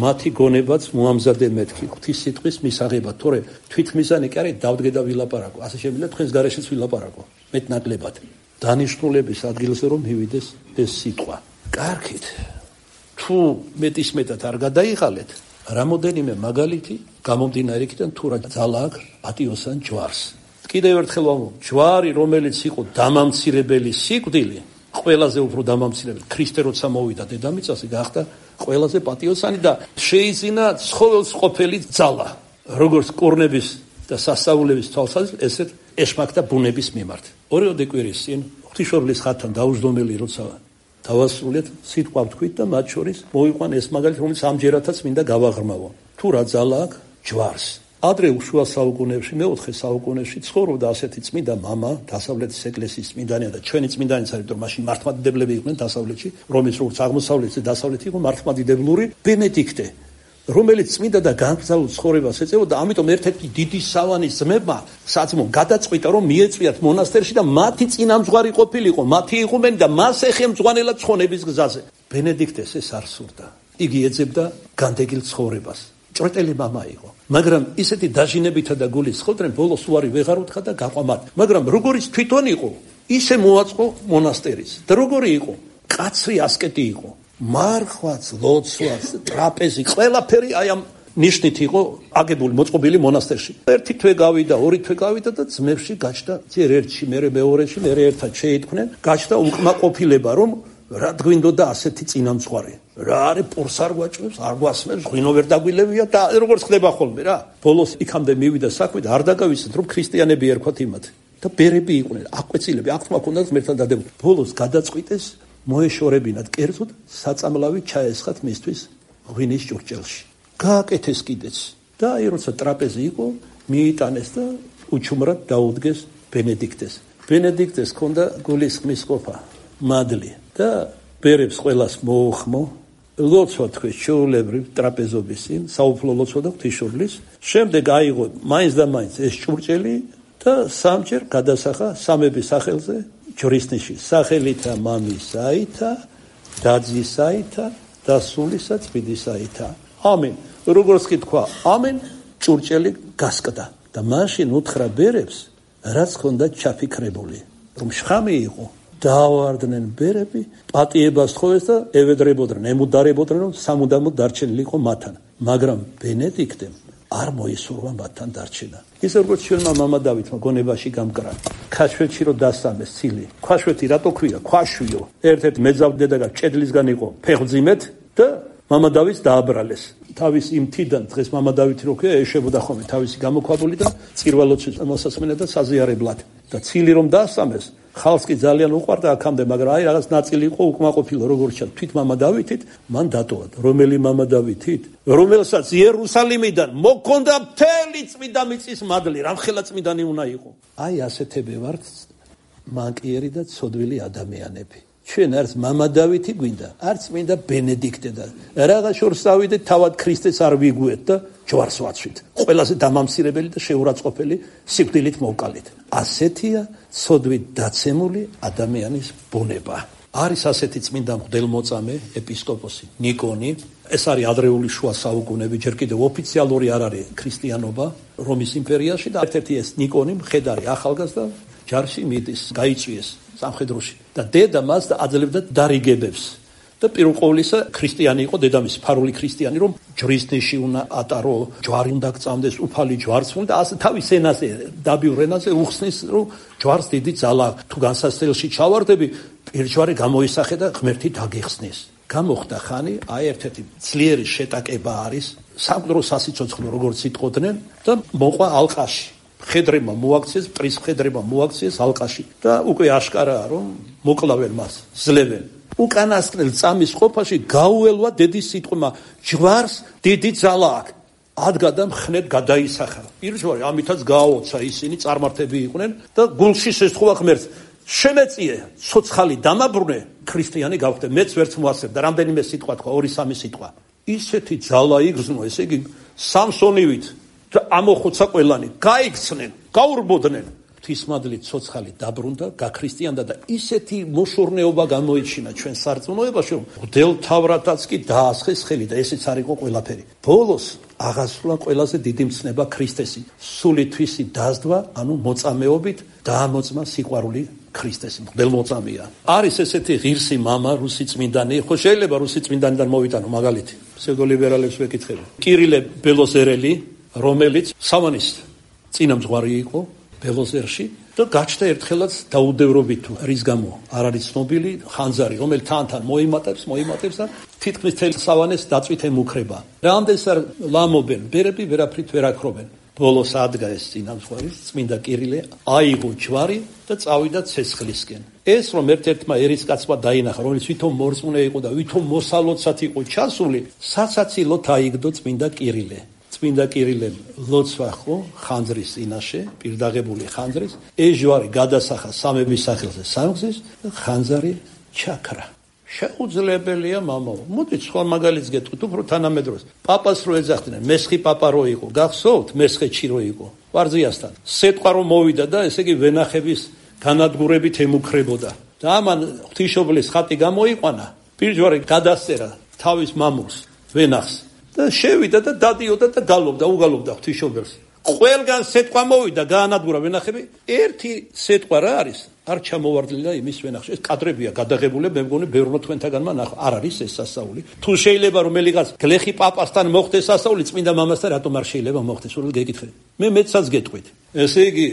მათი გონებაც მოამზადე მეთქი, ღვთის სიტყვის მისაღებად, თორე თვითმიზანი კი არის დავდგე და ვილაპარაკო. ასე შემიძლია თქვენს გარეშეც ვილაპარაკო. მეტნაკლებად. დანიშნულების ადგილზე რომ მივიდეს ეს სიტყვა. კარგით. თუ მეტისმეტად არ გადაიღალეთ, რამოდენიმე მაგალითი გამომდინარე იქიდან თუ რა ძალა აქვს პატიოსან ჯვარს. კიდევ ერთხელ ვამბობ, ჯვარი რომელიც იყო დამამცირებელი სიკვდილი, ყველაზე უფრო დამამცირებელი ქრისტე როცა მოვიდა დედამიწაზე გახდა ყველაზე პატიოსანი და შეიძინა ცხოველს ყოფილი ძალა, როგორც კურნების და სასწაულების თვალსაზრისით, ესეთ ეშმაკთა ბუნების მიმართ. ორიოდე კვირის წინ ღვთისმშობლის ხატთან დაუჯდომელი როცა დავასრულეთ, სიტყვა ვთქვით და მათ შორის მოვიყვან ეს მაგალითი, რომელიც ამჯერადაც მინდა გავაღრმავო. თუ რა ძალა აქვს ჯვარს. ადრე შუა საუკუნეებში, მეოთხე საუკუნეში ცხოვრობდა ასეთი წმინდა მამა, დასავლეთის ეკლესიის წმინდანი და ჩვენი წმინდანიც არის, რომ მაშინ მართლმადიდებლები იყვნენ დასავლეთში, რომის როგორც აღმოსავლეთში და დასავლეთი იყო მართლმადიდებლური ბენედიქტე, რომელიც წმინდა და განკრძალულ ცხოვრებას ეწეოდა, ამიტომ ერთ-ერთი დიდი სავანის ძმებმა საძმომ გადაწყვიტა, რომ მიეწვიათ მონასტერში და მათი წინამძღვარი ყოფილიყო, მათი იღუმენი და მას ეხემძღვანელად ცხონების გზაზე. ბენედიქტეს ეს არ სურდა. იგი ეძებდა განდეგილ ცხოვრებას. ჭრეტელი მამა იყო, მაგრამ ისეთი დაჟინებითა და გულის ხოვდნენ, ბოლოს უარი ვეღარ უთხრა და გაყვამად. მაგრამ როგორიც თვითონ იყო, ისე მოაწყო მონასტერიც. და როგორი იყო? კაცრი ასკეტი იყო. მარხვაც, ლოცვაც, ტრაპეზი, ყველაფერი აი ამ ნიშნით იყო აგებული, მოწყობილი მონასტერში. ერთი თვე გავიდა, ორი თვე გავიდა და ძმებში გაჩნდა, ძერ ერთში, მერე მეორეში, მერე ერთად შეიტყვნენ, გაჩნდა უკმაყოფილება, რომ რა გვინდოდა ასეთი წინამძღვარი. რა არის პურს არ გვაჭრებს, არ გვასმენს, ღვინო ვერ დაგვილევია და როგორც ხდება ხოლმე რა. ბოლოს იქამდე მივიდა საქმე და არ დაგავიწყეთ, რომ ქრისტიანები ერქვათ იმათ და ბერები იყვნენ, აკვეცილები, აღთქმა ქონდათ ღმერთთან დადებულები. ბოლოს გადაწყვიტეს მოეშორებინათ კერძოდ საწამლავი ჩაესხათ მისთვის ღვინის ჭურჭელში. გააკეთეს კიდეც და აი როცა ტრაპეზი იყო, მიიტანეს და უჩუმრად დაუდგეს ბენედიქტეს. ბენედიქტეს ჰქონდა გულისხმის ყოფა, მადლი და ბერებს ყველას მოუხმო, ლოცვა თქვეს ჩვეულებრივ ტრაპეზობის წინ, საუფლო ლოცვა და ღვთისმშობლის. შემდეგ აიღო მაინც და მაინც ეს ჭურჭელი და სამჯერ გადასახა სამების სახელზე ჯვრისნიში, სახელითა მამისაითა, დაძისაითა და სულისა წმინდისაითა. ამენ. როგორც კი თქვა ამენ, ჭურჭელი გასკდა და მაშინ უთხრა ბერებს, რაც ჰქონდა ჩაფიქრებული, რომ შხამი იყო. დაავარდნენ ბერები, პატიებას თხოვეს და ევედრებოდნენ, ემუდარებოდნენ, რომ სამუდამოდ დარჩენილი იყო მათთან. მაგრამ ბენედიქტემ არ მოისურვა მათთან დარჩენა. ისე როგორც ჩვენმა მამა დავითმა გონებაში გამკრა. ქაშვეთში რო დასამეს ცილი. ქაშვეთი რატო ქვია? ქვაშვიო. ერთ-ერთ მეძავდედაგა ჭედლისგან იყო ფეხმძიმეთ და მამა დავითს დააბრალეს. თავის იმ თიდან დღეს მამა დავითი რო ქვია, ეშვებოდა ხოლმე თავისი გამოქვაბული და წირვალოცვის მოსასმენად და საზიარებლად. და ცილი რომ დასამეს, ხალხს კი ძალიან უყვარდა აქამდე, მაგრამ აი რაღაც ნაწილი იყო უკმაყოფილო, როგორც ჩანს, თვით მამა დავითით, მან დატოვა. რომელი მამა დავითით? რომელსაც იერუსალიმიდან მოქონდა მთელი წმინდა მიწის მადლი, რამხელა წმინდანი უნდა იყო. აი ასეთები ვართ მანკიერი და ცოდვილი ადამიანები. ჩვენ არც მამა დავითი გვინდა, არც წმინდა ბენედიქტე და რაღაც შორს დავიდეთ, თავად ქრისტეს არ ვიგუეთ და ჯვარს ვაცვით. ყველაზე დამამცირებელი და შეურაცხყოფელი სიკვდილით მოვკალით. ასეთია ცოდვით დაცემული ადამიანის ბუნება. არის ასეთი წმინდა მღვდელმოწამე ეპისკოპოსი ნიკონი. ეს არის ადრეული შუა საუკუნეები, ჯერ კიდევ ოფიციალური არ არის ქრისტიანობა რომის იმპერიაში და ერთ-ერთი ეს ნიკონი მხედარი ახალგაზრდა ჯარში მიდის, გაიწვიეს სამხედროში და დედა მას აძლევდა დარიგებებს. და პირველ ყოვლისა ქრისტიანი იყო დედამისი, ფარული ქრისტიანი, რომ ჯვრისნიში უნდა ატარო, ჯვარი უნდა გწამდეს, უფალი ჯვარს უნდა და ასე თავის ენაზე, დაბიურ ენაზე უხსნის, რომ ჯვარს დიდი ძალა, თუ განსასწრელში ჩავარდები, პირჯვარი გამოისახე და ღმერთი დაგეხსნის. გამოხდა ხანი, აი ერთ-ერთი ძლიერი შეტაკება არის, სამყარო სასიცოცხლო როგორც იტყოდნენ და მოყვა ალყაში. ხედრებმა მოაქციეს, პრის ხედრებმა მოაქციეს ალყაში და უკვე აშკარაა რომ მოკლავენ მას, ძლევენ. უკანასკნელ წამის ყოფაში გაუელვა დედის სიტყვა, ჯვარს დიდი ძალა აქვს. ადგა და მხნედ გადაისახა. პირველი ამითაც გააოცა ისინი წარმართები იყვნენ და გულში შესთხოვა ღმერთს. შემეწიე, ცოცხალი დამაბრუნე, ქრისტიანი გავხდე. მეც ვერც მოასწრებდა. რამდენიმე სიტყვა თქვა, 2-3 სიტყვა. ისეთი ძალა იგრძნო, ესე იგი სამსონივით და ამოხოცა ყველანი. გაიქცნენ, გაურბოდნენ. ღვთისმადლით ცოცხალი დაბრუნდა, გაქრისტიანდა და ისეთი მოშორნეობა გამოიჩინა ჩვენ სარწმუნოებაში, რომ მღვდელმთავრადაც კი დაასხეს ხელი და ესეც არ იყო ყველაფერი. ბოლოს აღასრულა ყველაზე დიდი მცნება ქრისტესი. სულითვისი დაზდვა, ანუ მოწამეობით დაამოწმა სიყვარული ქრისტესი. მღვდელმოწამეა. არის ესეთი ღირსი მამა, რუსი წმინდანი, ხო შეიძლება რუსი წმინდანიდან მოვიტანო მაგალითი. ფსევდოლიბერალებს ვეკითხები. კირილე ბელოზერელი, რომელიც სამანის წინამძღვარი იყო ბელოზერში და გაჩნდა ერთხელაც დაუდევრობით თუ რის გამო არ არის ცნობილი ხანძარი, რომელიც თან მოიმატებს და თითქმის თელ სავანეს დაწვით ემუქრება. რამდენს არ ლამობენ, ბერები ვერაფრით ვერ აქრობენ. ბოლოს ადგა ეს წინამძღვარი, წმინდა კირილე, აიღო ჯვარი და წავიდა ცეცხლისკენ. ეს რომ ერთ-ერთმა ერისკაცმა დაინახა, რომელიც ვითომ მორწმუნე იყო და ვითომ მოსალოცად იყო ჩასული, საცაცილოდ აიგდო წმინდა კირილე. წმინდა კირილემ ლოცვა ხო ხანძრის წინაშე, პირდაღებული ხანძრის, ეს ჯვარი გადასახა სამების სახელზე სამგზის და ხანძარი ჩაქრა. შეუძლებელია მამაო. მოდით სხვა მაგალითს გეტყვით, უფრო თანამედროვეს. პაპას რო ეძახდნენ, მესხი პაპა რო იყო, გახსოვთ, მესხეთში რო იყო, ვარძიასთან. სეტყვა რომ მოვიდა და ესე იგი ვენახების განადგურებით ემუქრებოდა. და ამან ღვთისმშობლის ხატი გამოიყვანა, პირჯვარი გადასწერა თავის მამულს, ვენახს. და შევიდა და დადიოდა და უგალობდა ღვთისმშობელს. ყველგან სეტყვა მოვიდა, გაანადგურა ვენახები. ერთი სეტყვა რა არის? არ ჩამოვარდნილა იმის ვენახში. ეს კადრებია გადაღებული, მე მგონი ბევრმა თქვენთაგანმა ნახა. არ არის ეს სასაული. თუ შეიძლება რომელიღაც გლეხი პაპასთან მოხდეს სასაული, წმინდა მამასთან რატომ არ შეიძლება მოხდეს? სულ გეკითხე. მე მეცაც გეტყვით. ესე იგი,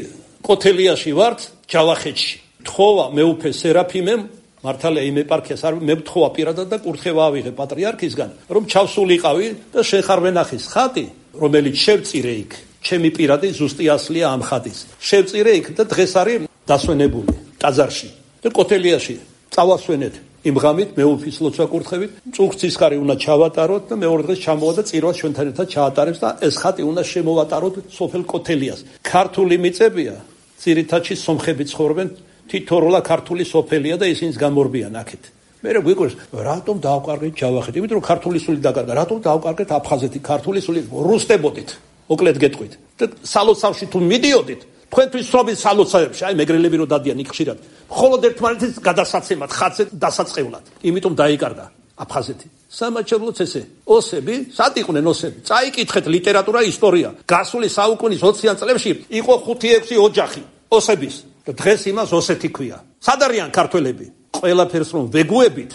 კოთელიაში ვართ, ჯავახეთში. თხოვა მეუფე სერაფიმემ მართალია იმ ეპარქიას არ მე ვთხოვა პირადად და კურთხევა ავიღე პატრიარქისგან, რომ ჩავსულიყავი და შენ ხარ ვენახის ხატი, რომელიც შევწირე იქ. ჩემი პირადი ზუსტი ასლია ამ ხატის. შევწირე იქ და დღეს არის დასვენებული ტაძარში. და კოთელიაში წავასვენეთ. იმ ღამით მეუფის ლოცვა კურთხევით, წუხცისხარი უნდა ჩავატაროთ და მეორე დღეს ჩამოვა და წირვას ჩვენთან ერთად ჩაატარებს და ეს ხატი უნდა შემოვატაროთ სოფელ კოთელიას. ქართული მიწებია, ძირითადში სომხები ცხოვრობენ. თითოროლა ქართული სოფელია და ისინიც გამორბიან აქეთ. მე გვიყვარს, რატომ დავყარგეთ ჯავახეთი? იმიტომ რომ ქართული სული დაკარგა. რატომ დავყარგეთ აფხაზეთი? ქართული სული რუსტებოდით. მოკლედ გეტყვით. და სალოცავში თუ მიდიოდით, თქვენთვის სრობით სალოცავებში, აი მეგრელები რო დადიან იქ ხშირად. მხოლოდ ერთმანეთის გადასაცემად, ხაცზე დასაწყევლად. იმიტომ დაიკარგა აფხაზეთი. სამაჩაბლოც ესე. ოსები, სად იყვნენ ოსები? წაიკითხეთ ლიტერატურა, ისტორია. გასული საუკუნის 20-იან წლებში იყო 5-6 ოჯახი ოსების. და დღეს იმას ოსეთი ქვია. სად არიან ქართველები? ყველაფერს რომ ვეგუებით,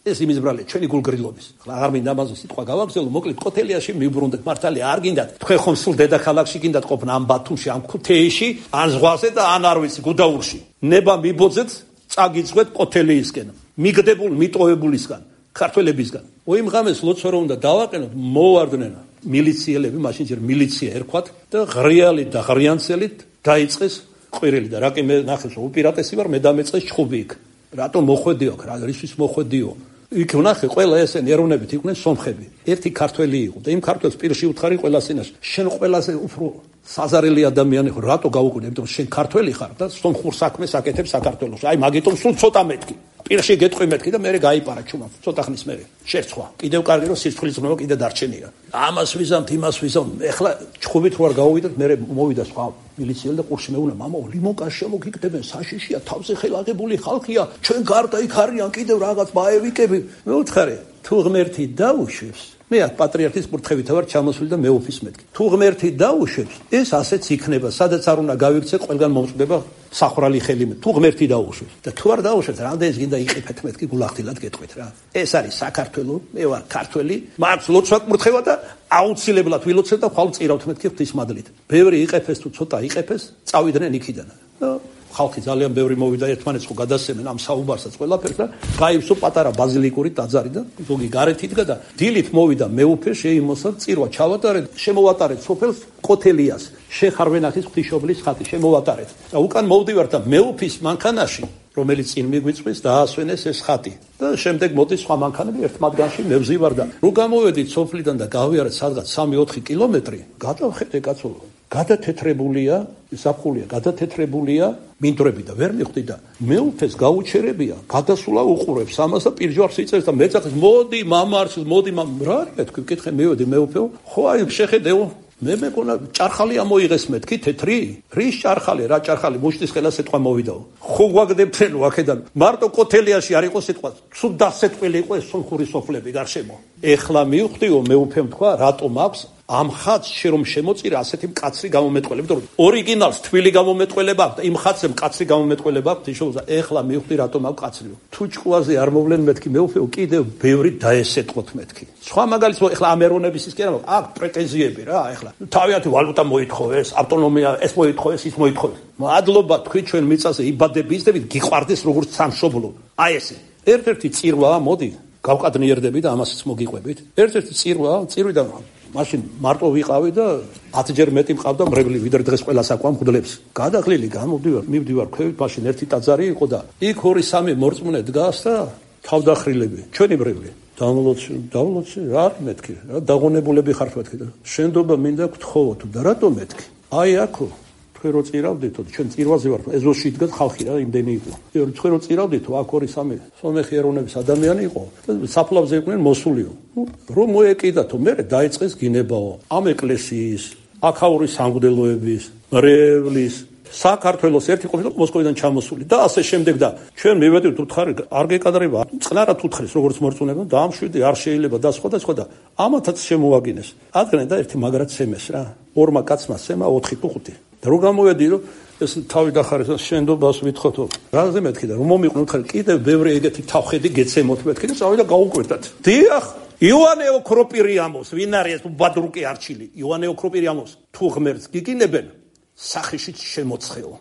ეს იმის ბრალია ჩვენი გულგრილობის. ხლა არ მინდა ამაზე სიტყვა გავაგზავნო, მოკლედ კოთელიაში მივბრუნდეთ, მართალია არ გინდათ. თქვენ ხომ სულ დედაქალაქში გინდათ ყოფნა, ამ ბათუმში, ამ ქუთეიში, ან ზღვაზე და ან არ ვიცი, გუდაურში. ნება მიბოძეთ, წაგიწვეთ კოთელიისკენ. მიგდებულ მიტოვებულისგან, ქართველებისგან. იმ ღამეს ლოცვა რომ უნდა დავაყენოთ, მოვარდნენ მილიციელები, მაშინ ჯერ მილიცია ერქვათ და ღრიალი და ღრიანცელით დაიწყეს ყვირილი და რაკი მე ნახეს უპირატესი ვარ, მე დამეწყეს ჩხუბი იქ. რატომ მოხვედიო აქ? რა რისთვის მოხვედიო? იქ ვნახე ყველა ესენი ეროვნებით იყვნენ სომხები. ერთი ქართველი იყო და იმ ქართველს პირში უთხარი ყველა სინაში. შენ ყველაზე უფრო საზარელი ადამიანი ხარ, რატო გავუკვირდი? იმიტომ რომ შენ ქართველი ხარ და სომხურ საქმეს აკეთებ საქართველოში. აი მაგიტომ სულ ცოტა მეთქი. პირში გეტყვი მეთქი და მე გაიპარა ჩუმად. ცოტა ხნის მერე. შერცხვა. კიდევ კარგი რომ სირცხვილის ზრუნვა კიდე დარჩენია. ამას ვიზამთ, იმას ვიზამთ. ეხლა ჩხუბით რო არ გავოვიდეთ, მე მოვიდა სხვა მილიციელი და ყურში მეუნა, მამაო, ლიმონკას შემოგიგდებენ, საშიშია, თავზე ხელაღებული ხალხია, ჩვენ გარდა იქ არიან კიდევ რაღაც ბაევიკები. მე ვუთხარი, თუ ღმერთი დაუშვებს, მე პატრიარქის კურთხევით ვარ ჩამოსული და მეუფის მეთქი. თუ ღმერთი დაუშვებს, ეს ასეც იქნება, სადაც არ უნდა გავიქცე, ყველგან მომწდება სახრალი ხელი. თუ ღმერთი დაუშვებს და თუ არ დაუშვებს, რამდენიც გინდა იყიფეთ მეთქი, გულახდილად გეტყვით რა. ეს არის საქართველო, მე ვარ ქართველი, მაქვს ლოცვა კურთხევა და აუცილებლად ვილოცებ და ხვალ წირავთ მეთქი ღვთისმადლით. ბევრი იყეფეს თუ ცოტა იყეფეს, წავიდნენ იქიდან. ხალხი ძალიან ბევრი მოვიდა ერთმანეთს ხო გადასცემენ ამ საუბარსაც ყველაფერს და გაივსო პატარა ბაზილიკური ტაძარი და ზოგი გარეთ იდგა და დილით მოვიდა მეუფე შეიმოსა წირვა ჩავატარეთ შემოვატარეთ სოფელს კოთელიას შეხარვენახის ღვთისმშობლის ხატი შემოვატარეთ და უკან მოვდივართ და მეუფის მანქანაში რომელიც წინ მიგვიწვის დაასვენეს ეს ხატი და შემდეგ მოდის სხვა მანქანები ერთ მათგანში მე ვზივარ და რო გამოვედით სოფლიდან და გავიარეთ სადღაც 3-4 კილომეტრი გადავხედე კაცო გადათეთრებულია საფხულია გადათეთრებულია მინდვრები და ვერ მიხვდი და მეუფეს გაუჩერებია გადასულა უყურებს ამას და პირჯვარს იწევს და მეძახის მოდი მამარს მოდი რა არის თქვი ვკითხე მევედი მეუფეო ხო აი შეხედეო მე მეკონა ჭარხალი ამოიღეს მეთქი თეთრი რის ჭარხალი რა ჭარხალი მუშტის ხელა სიტყვა მოვიდაო ხო გვაგდებთენო აქედან მარტო კოთელიაში არ იყო სიტყვა სულ დასეტყვილი იყო ეს სომხური სოფლები გარშემო ეხლა მივხვდიო მეუფემ თქვა რატომ აქვს ამ ხატს რომ შემოწირა ასეთი მკაცრი გამომეტყველება იმიტომ რომ ორიგინალს თბილი გამომეტყველება აქვს და იმ ხატზე მკაცრი გამომეტყველება აქვს თიშოუზა ეხლა მივხვდი რატომ აქვს მკაცრიო თუ ჭკუაზე არ მოვლენ მეთქი მეუფეო კიდევ ბევრი დაესეტყოთ მეთქი სხვა მაგალითად ეხლა ამ ეროვნების ის კი არა აქ პრეტენზიები რა ეხლა თავიანთი ვალუტა მოითხოვეს ავტონომია ეს მოითხოვეს ის მოითხოვეს მადლობა თქვი ჩვენ მიწაზე იბადები ისდებით გიყვარდეს როგორც სამშობლო აი ესე ერთ-ერთი წირვაა მოდი გავყადნიერდები და ამასაც მოგიყვებით ერთ-ერთი წირვიდან მაშინ მარტო ვიყავი და 10 ჯერ მეტი მყავდა მრევლი ვიდრე დღეს ყველას აკვამ მღვდლებს გადაღლილი მივდივარ ქვევით მაშინ ერთი ტაძარი იყო და იქ 2-3 მორწმუნე დგას და თავდახრილები ჩვენი მრევლი დავლოცი რა არის მეთქი რა დაღონებულები ხართ მეთქი და შენდობა მინდა გთხოვო თუ და რატომ მეთქი აი აქო თქვენ რო წირავდითო ჩვენ წირვაზე ვართ ეზოში იდგათ ხალხი რა იმდენი იყო თქვენ რო წირავდითო აქ 2-3 სომეხი ეროვნების ადამიანი იყო საფლავზე იყვნენ მოსულიო რომ მოეკიდათო მე დაიწყეს გინებაო ამ ეკლესიის აქაური სამღვდელოების მრევლის საქართველოს ერთი ყოფილი მოსკოვიდან ჩამოსული და ასე შემდეგ და ჩვენ მივედით უთხარი არ გეკადრება წყნარად უთხრის როგორც მორწმუნეებმა და ამ შვიდი არ შეიძლება და სხვა და ამათაც შემოაგინეს ადგენ და ერთი მაგრად სემეს რა ორმა კაცმა სემა 4 თუ 5 და რო გამოვედი რომ ეს თავი დახარეს შენდობას ვითხოვთო რაზე მეთქი და რომ მომიყვნენ უთხარი კიდევ ბევრი ეგეთი თავხედი გეცემოთ მეთქი და წავიდა გაუკვირდათ დიახ იოანე ოქროპირიამოს ვინ არის ბადრუკი არჩილი იოანე ოქროპირიამოს თუ ღმერთს გიგინებენ სახეში შემოცხეო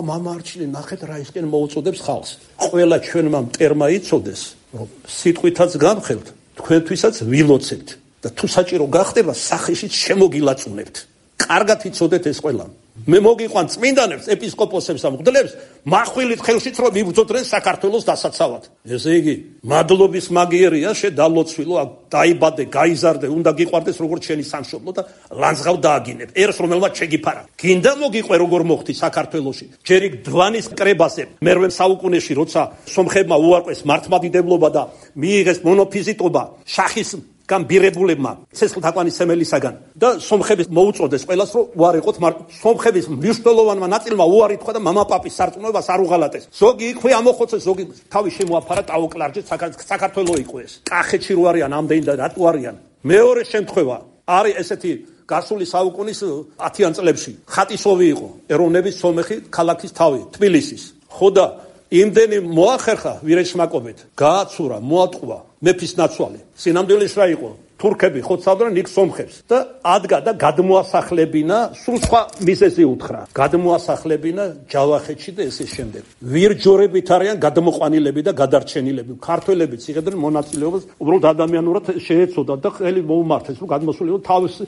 მამა არჩილი ნახეთ რა ისკენ მოუწოდებს ხალხს ყველა ჩვენმა მტერმა იცოდეს რომ სიტყვითაც გამხელთ თქვენთვისაც ვილოცებთ და თუ საჭირო გახდება სახეში შემოგილაწუნებთ კარგად იცოდეთ ეს ყველა მე მოგიყვან წმინდანებს ეპისკოპოსებს და მღვდლებს מחვილით ხელშიც რომ მიბრძოდნენ საქართველოს დასაცავად ესე იგი მადლობის მაგიერია შედალოცვილო დაიბადე გაიზარდე უნდა გიყვარდეს როგორც შენი სამშობლო და ლანძღავ დააგინებ ერს რომელმაც შეგიფარა გინდა მოგიყვე როგორ მოხდი საქართველოში ჯერ იქ დვანის კრებაზე მერვე საუკუნეში როცა სომხებმა უარყვეს მართლმადიდებლობა და მიიღეს მონოფიზიტობა შახის გამბირებულებმა ცეცხლთაყვანის სემელისაგან და სომხების მოუწოდეს ყველას რომ უარიყოთ სომხების მნიშვნელოვანმა ნაწილმა უარი თქვა და მამაპაპის სარწმუნოებას არ უღალატეს ზოგი იქვე ამოხოცეს ზოგი თავი შემოაფარა ტაოკლარჯეთ საქართველო იყო ეს კახეთში რო არიან ამდენი და რატო არიან მეორე შემთხვევა არის ესეთი გასული საუკუნის 10-იან წლებში ხატისოვი იყო ეროვნების სომეხი ქალაქის თავი თბილისის ხოდა იმდენი მოახერხა ვირეშმაკობით გააცურა მოატყვა მეფის ნაცვალი სინამდვილეში რა იყო თურქები ხოცავდნენ იქ სომხებს და ადგა და გადმოასახლებინა სულ სხვა მიზეზი უთხრა გადმოასახლებინა ჯავახეთში და ესე შემდეგ ვირჯორებით არიან გადმოყვანილები და გადარჩენილები ქართველებიც იღებდნენ მონაწილეობას უბრალოდ ადამიანურად შეეცოდათ და ხელი მოუმართეს რომ გადმოსულიყო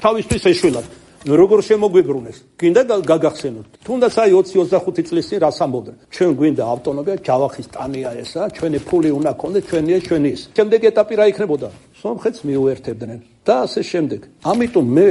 თავისთვის ეშველათ როგორ შემოგვიბრუნეს გინდა გაგახსენოთ თუნდაც აი 20-25 წლის წინ რას ამბობდნენ ჩვენ გვინდა ავტონომია ჯავახის ტანია ესა ჩვენი ფული უნდა ქონდეს ჩვენია ჩვენი ის შემდეგ ეტაპი რა იქნებოდა სომხეთს მიუერთებდნენ და ასე შემდეგ ამიტომ მე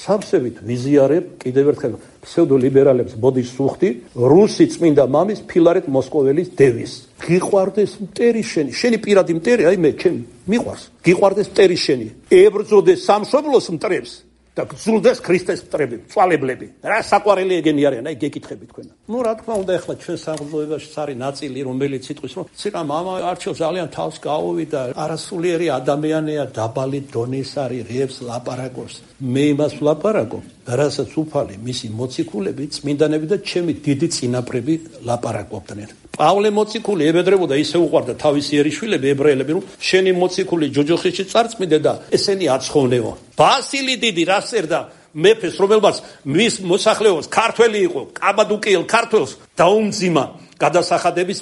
სამსევით ვიზიარებ კიდევ ერთხელ ფსევდოლიბერალებს ბოდიშს ვუხდი რუსი წმინდა მამის ფილარეტ მოსკოველის დევის გიყვარდეს მტერი შენი პირადი მტერი აი მე ჩემ მიყვარს გიყვარდეს მტერი შენი ებრძოდეს სამშობლოს მტრებს და გძულდეს ქრისტეს მტრები, წვალებლები. რა საყვარელი ეგენი არიან, აი გეკითხები თქვენ. რა თქმა უნდა, ახლა ჩვენ სამღვდელობაში არის ნაწილი, რომელიც იტყვის, რომ ცირა მამა არჩევ ძალიან თავს გაუვიდა, არასულიერი ადამიანია, დაბალი დონის არის, რეებს ლაპარაკობს. მე იმას ვლაპარაკობ, რასაც უფალი მისი მოციქულები, წმინდანები და ჩემი დიდი წინაპრები ლაპარაკობდნენ. პავლე მოციქული ებედრებოდა ისე უყვარდა თავისი ერიშვილები ებრაელები რომ შენი მოციქული ჯოჯოხეთში წარწმიდე და ესენი აცხოვნეო ბასილი დიდი რა წერდა მეფეს, რომელმაც მის მოსახლეობას ქართველი იყო, კაბადუკიელ ქართველს დაუმძიმა გადასახადების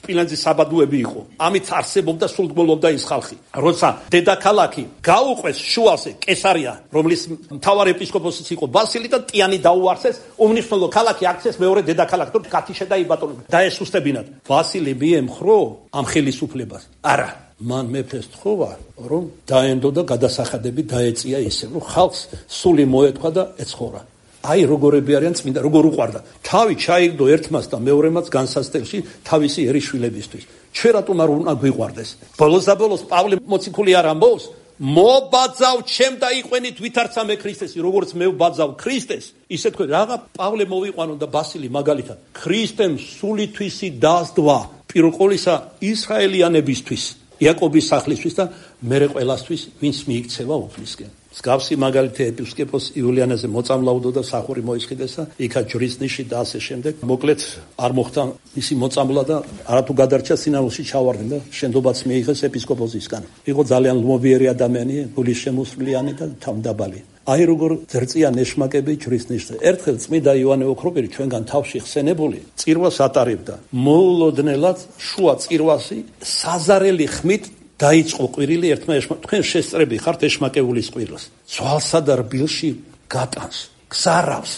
სპილენძის საბადოები იყო. ამით არსებობდა სულთმოვლობდა ის ხალხი. როცა დედაქალაქი გაუყვეს შუაზე კესარია, რომლის მთავარ ეპისკოპოსიც იყო ბასილი და ტიანი დაუარსეს, უმნიშვნელო ქალაქი აქცეს მეორე დედაქალაქ, თუ კათიშე და იბატონებდა. დაესუსტებინათ. ბასილი მიემხრო ამ ხელისუფლებას. არა, მან მეფეს თხოვა, რომ დაენდო და გადასახადები დაეწია ისე, რომ ხალხს სული მოეთქვა და ეცხოვრა. აი როგორები არიან წმინდა, როგორ უყვარდა. თავი ჩაიგდო ერთმას და მეორემაც განსასწრებში თავისი ერისშვილებისთვის. ჩვენ რატომ არ უნდა გვიყვარდეს? ბოლოს და ბოლოს პავლე მოციქული არ ამბობს, მობაძავ ჩემ და იყვენით ვითარცა მე ქრისტესი, როგორც მე ვბაძავ ქრისტეს, ისე თქვენ რაღა პავლე მოვიყვანო და ბასილი მაგალითად. ქრისტემ სულითვისი დასდვა, პირველ ყოვლისა ისრაელიანებისთვის, იაკობის სახლისთვის და მერე ყველასთვის, ვინც მიიქცევა უფლისკენ. მსგავსი მაგალითი ეპისკოპოს იულიანეზე მოწამლავდო და სახური მოისყიდეს და იქა ჯვრის ნიში და ასე შემდეგ. მოკლედ არ მოხდა მისი მოწამლა და არათუ გადარჩა სინაულში ჩავარდნენ და შენდობაც მიიღეს ეპისკოპოსისგან. იყო ძალიან ლმობიერი ადამიანი, გულის შემოსვლიანი და თავმდაბალი. აი როგორ ძერწია ნეშმაკები ჯვრის ნიშზე. ერთხელ წმინდა იოანე ოქროპირი ჩვენგან თავში ხსენებული წირვას ატარებდა. მოულოდნელად შუა წირვასი საზარელი ხმით დაიწყო ყვირილი ერთმა თქვენ შესწრები ხართ ეშმაკეულის ყვირილს. ძვალსა და რბილში გატანს, გზარავს,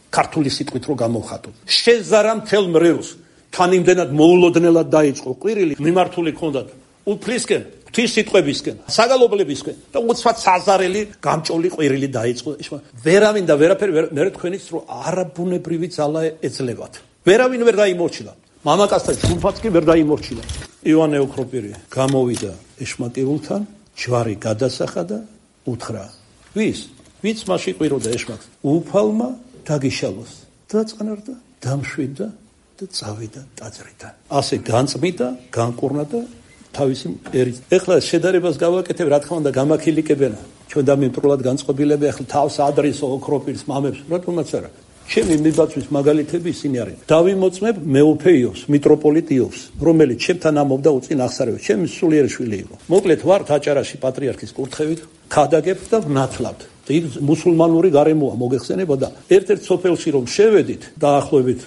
ქართული სიტყვით რო გამოვხატო. შეზარა მთელ მრევლს. თან იმდენად მოულოდნელად დაიწყო ყვირილი, მიმართული ჰქონდათ უფლისკენ, ღვთის სიტყვებისკენ, საგალობლებისკენ და უცბად საზარელი გამჭოლი ყვირილი დაიწყო. ვერავინ და ვერაფერი მე თქვენიც რო არაბუნებრივი ძალა ეძლევათ. ვერავინ ვერ დაიმორჩილა. მამაკაცთა ჯგუფაც კი ვერ დაიმორჩილა. იოანე ოქროპირი გამოვიდა ეშმაკეულთან, ჯვარი გადასახა და უთხრა: ვინც მასში ყვიროდა ეშმაკს, უფალმა დაგიშალოს. დაწყნარდა, დამშვიდა და წავიდა ტაძრიდან. ასე განწმიდა, განკურნა და თავისი ერით. ეხლა შედარებას გავაკეთებ, რა თქმა უნდა, გამაქილიკებენ ჩვენ და მიმტრულად განწყობილები, ახლა თავს ადრესო ოქროპირის მამებს, რატომაც არა. ჩემი მიბაძვის მაგალითები ისინი არიან. დავიმოწმებ მეუფე იովს, მიტროპოლიტ იოვს, რომელიც ჩემთან ამობდა უწინ აღსარევად. ჩემი სულიერი შვილი იყო. მოკლედ ვართ აჭარაში პატრიარქის კურთხევით, ქადაგებთ და ვნათლავთ. იქ მუსულმანური გარემოა მოგეხსენებოდა. ერთ-ერთ სოფელში რომ შევედით, დაახლოებით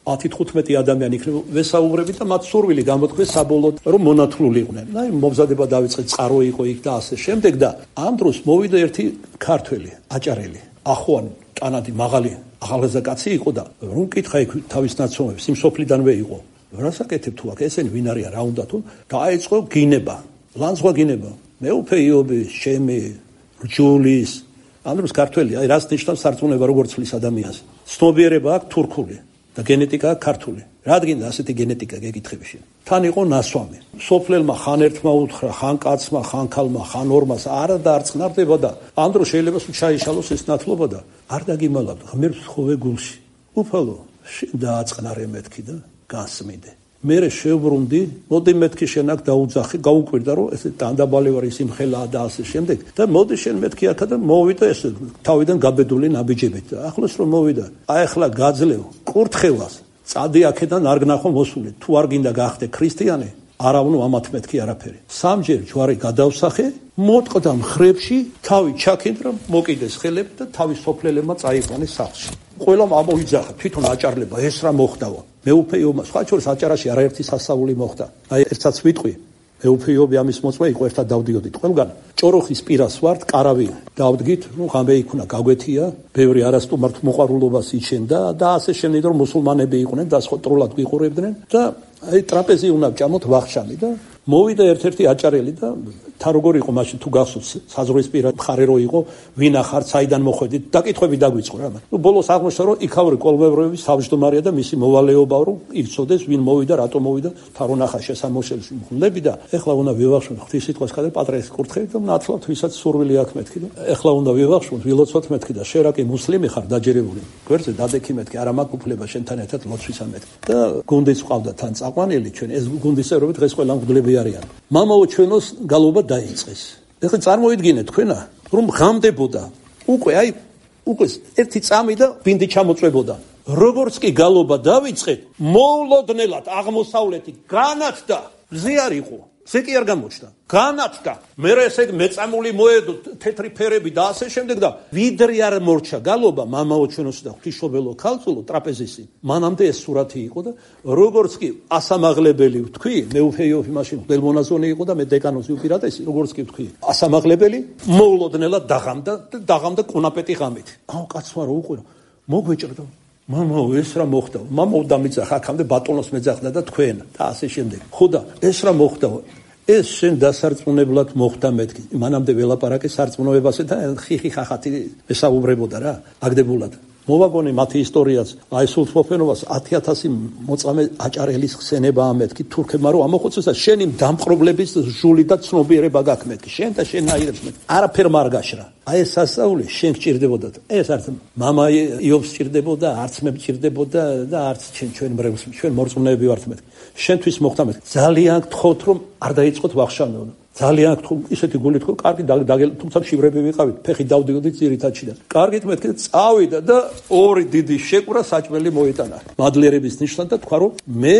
10-15 ადამიანი იქნება, ვესაუბრებით და მათ სურვილი გამოთქვეს საბოლოოდ, რომ მონათლული იყვნენ. აი მომზადება დაიწყეს, წყარო იყო იქ და ასე შემდეგ და ამ დროს მოვიდა ერთი ქართველი, აჭარელი, ახვანი, ტანადი, მაღალი ახალგაზრდა კაცი იყო და რომ კითხა იქ თავის ნაცნობებს, იმ სოფლიდანვე იყო. რასაკეთებ თუ აქ ესენი ვინ არიან, რა უნდა თუ დაიწყო გინება, ლანძღვა გინება. მეუფე იობი, შემი, რჯულის, ამ დროს ქართველი, აი რას ნიშნავს სარწმუნება როგორ ცვლის ადამიანს. ცნობიერება აქვს თურქული და გენეტიკა აქვს ქართული. რადგან ასეთი გენეტიკა გეკითხებში. თან იყო ნასვამი. სოფლელმა ხან ერთმა უთხრა, ხან კაცმა, ხან ქალმა, ხან ორმას არა დაარწნარდება და ამ დროს შეიძლება სულ ჩაიშალოს ეს ნათლობა და არ დაგიმალავდა. ღმერთს ხოვე გულში. უფალო, შენ დააწყნარე მეთქი და გასმიდე. მე შევბრუნდი, მოდი მეთქი შენ აქ დაუძახი, გაუკვირდა რომ ეს დანდაბალი ვარ ის იმხელაა და ასე შემდეგ. და მოდი შენ მეთქი აქა და მოვიდა ეს თავიდან გაბედული ნაბიჯებით. ახლოს რომ მოვიდა, აი ახლა გაძლევ კურთხევას. წადი აქედან არ გნახო მოსული. თუ არ გინდა გახდე ქრისტიანი, არ ავნო ამათ მეთქი არაფერი. სამჯერ ჯვარი გადავსახე, მოტყდა მხრებში, თავი ჩაქინდა, მოკიდეს ხელები და თავის სოფლელებმა წაიყვანეს სახლში. ყველამ ამოიძახა, თვითონ აჭარლება ეს რა მოხდაო. მეუფე იობმა, სხვა შორის აჭარაში არაერთი სასწაული მოხდა. აი ერთსაც ვიტყვი, მეუფე იობი ამის მოწმე იყო, ერთად დავდიოდით ყველგან. ჭოროხის პირას ვართ, qaravი დავდგით, ღამე იქნა გაგვეთია, ბევრი არასტუმართ მოყვარულობას იჩენდა და ასე შემდეგ რომ მუსულმანები იყვნენ და სოტრულად ვიყურებდნენ და აი ტრაპეზი უნდა ვჭამოთ ვახშამი და მოვიდა ერთ-ერთი აჭარელი და თან როგორ იყო მაშინ თუ გახსოვთ საზღვრისპირა მხარე რო იყო ვინ ახარ საიდან მოხვედით დაკითხვები დაგვიწყო რა. ნუ ბოლოს აღმოჩნდა რომ იქაური კოლმევროების თავმჯდომარეა და მისი მოვალეობა რომ იცოდეს ვინ მოვიდა, რატო მოვიდა, თან ნახა შესამოშელში მხლები და ეხლა უნდა ვივახშოთ ღვთის სიტყვას ხადე პატრიარქის კურთხევით და ნათლავთ ვისაც სურვილი აქვს მეთქი და ეხლა უნდა ვივახშოთ ვილოცოთ მეთქი და შენ რა კი მუსლიმი ხარ დაჯერებული გვერდზე დადექი მეთქი არა მაქვს უფლება შენთან ერთად ლოცვისა მეთქი და გუნდიც ყავდა თან წაყვანილი ჩვენ ეს გუნდისერობით დღეს ყველა მგლები არიან. მამაო ჩვენოს გალობა დაიწყეს. ეხლა წარმოიდგინეთ თქვენა რომ ღამდებოდა უკვე აი უკვე ერთი წამი და ბინდი ჩამოწვებოდა. როგორც კი გალობა დავიწყეთ, მოულოდნელად აღმოსავლეთი განათდა, მზე არ იყო. ზე კი არ გამოჩნდა. განათდა. მე ესე მეწამული მოედო, თეთრი ფერები და ასე შემდეგ და ვიდრე არ მორჩა გალობა მამაო ჩვენოს და ღვთისმშობელო ქალწულო ტრაპეზისი. მანამდე ეს სურათი იყო და როგორც კი ასამაღლებელი ვთქვი, მე უფეიოფი მაშინ მღვდელმონაზონი იყო და მე დეკანოზი უპირატესი, როგორც კი ვთქვი, ასამაღლებელი მოულოდნელად დაღამდა კუნაპეტი ღამით. აუ კაცმა რო უყურო, მოგვეჭრდა. მამაო ეს რა მოხდა? მამაო დამიძახა აქამდე ბატონოს მეძახდა და თქვენ და ასე შემდეგ. ხო და ეს რა მოხდა? ეს შენ დასარწმუნებლად მოხდა მეთქი. მანამდე ველაპარაკე სარწმუნოებასე და ხიხი ხახათი ესაუბრებოდა რა, აგდებულად. მოვაგონე მათი ისტორიაც, აი სულთმოფენობას 10,000 მოწამე აჭარელის ხსენება ამეთქი თურქებმა რომ ამოხოცეს და შენი დამპყრობლების ჟული და ცნობიერება გაქვს მეთქი. შენ და შენ აირებს მეთქი. არაფერ მარგაშრა. აი ეს სასწაული შენ გჭირდებოდა. ეს არც მამა იობს გჭირდებოდა, არც მე გჭირდებოდა და არც ჩვენ მრევლს, ჩვენ მორწმუნეები ვართ მეთქი. შენთვის მოხდა მეთქი. ძალიან გთხოვთ რომ არ დაიწყოთ ვახშამეულო. ძალიან გთხოვ ისეთი გულით ხო კარგი თუმცა შივრები ვიყავით ფეხი დავდიოდით ძირითადში და კარგით მეთქი წავიდა და ორი დიდი შეკვრა საჭმელი მოიტანა მადლიერების ნიშნად და თქვა რომ მე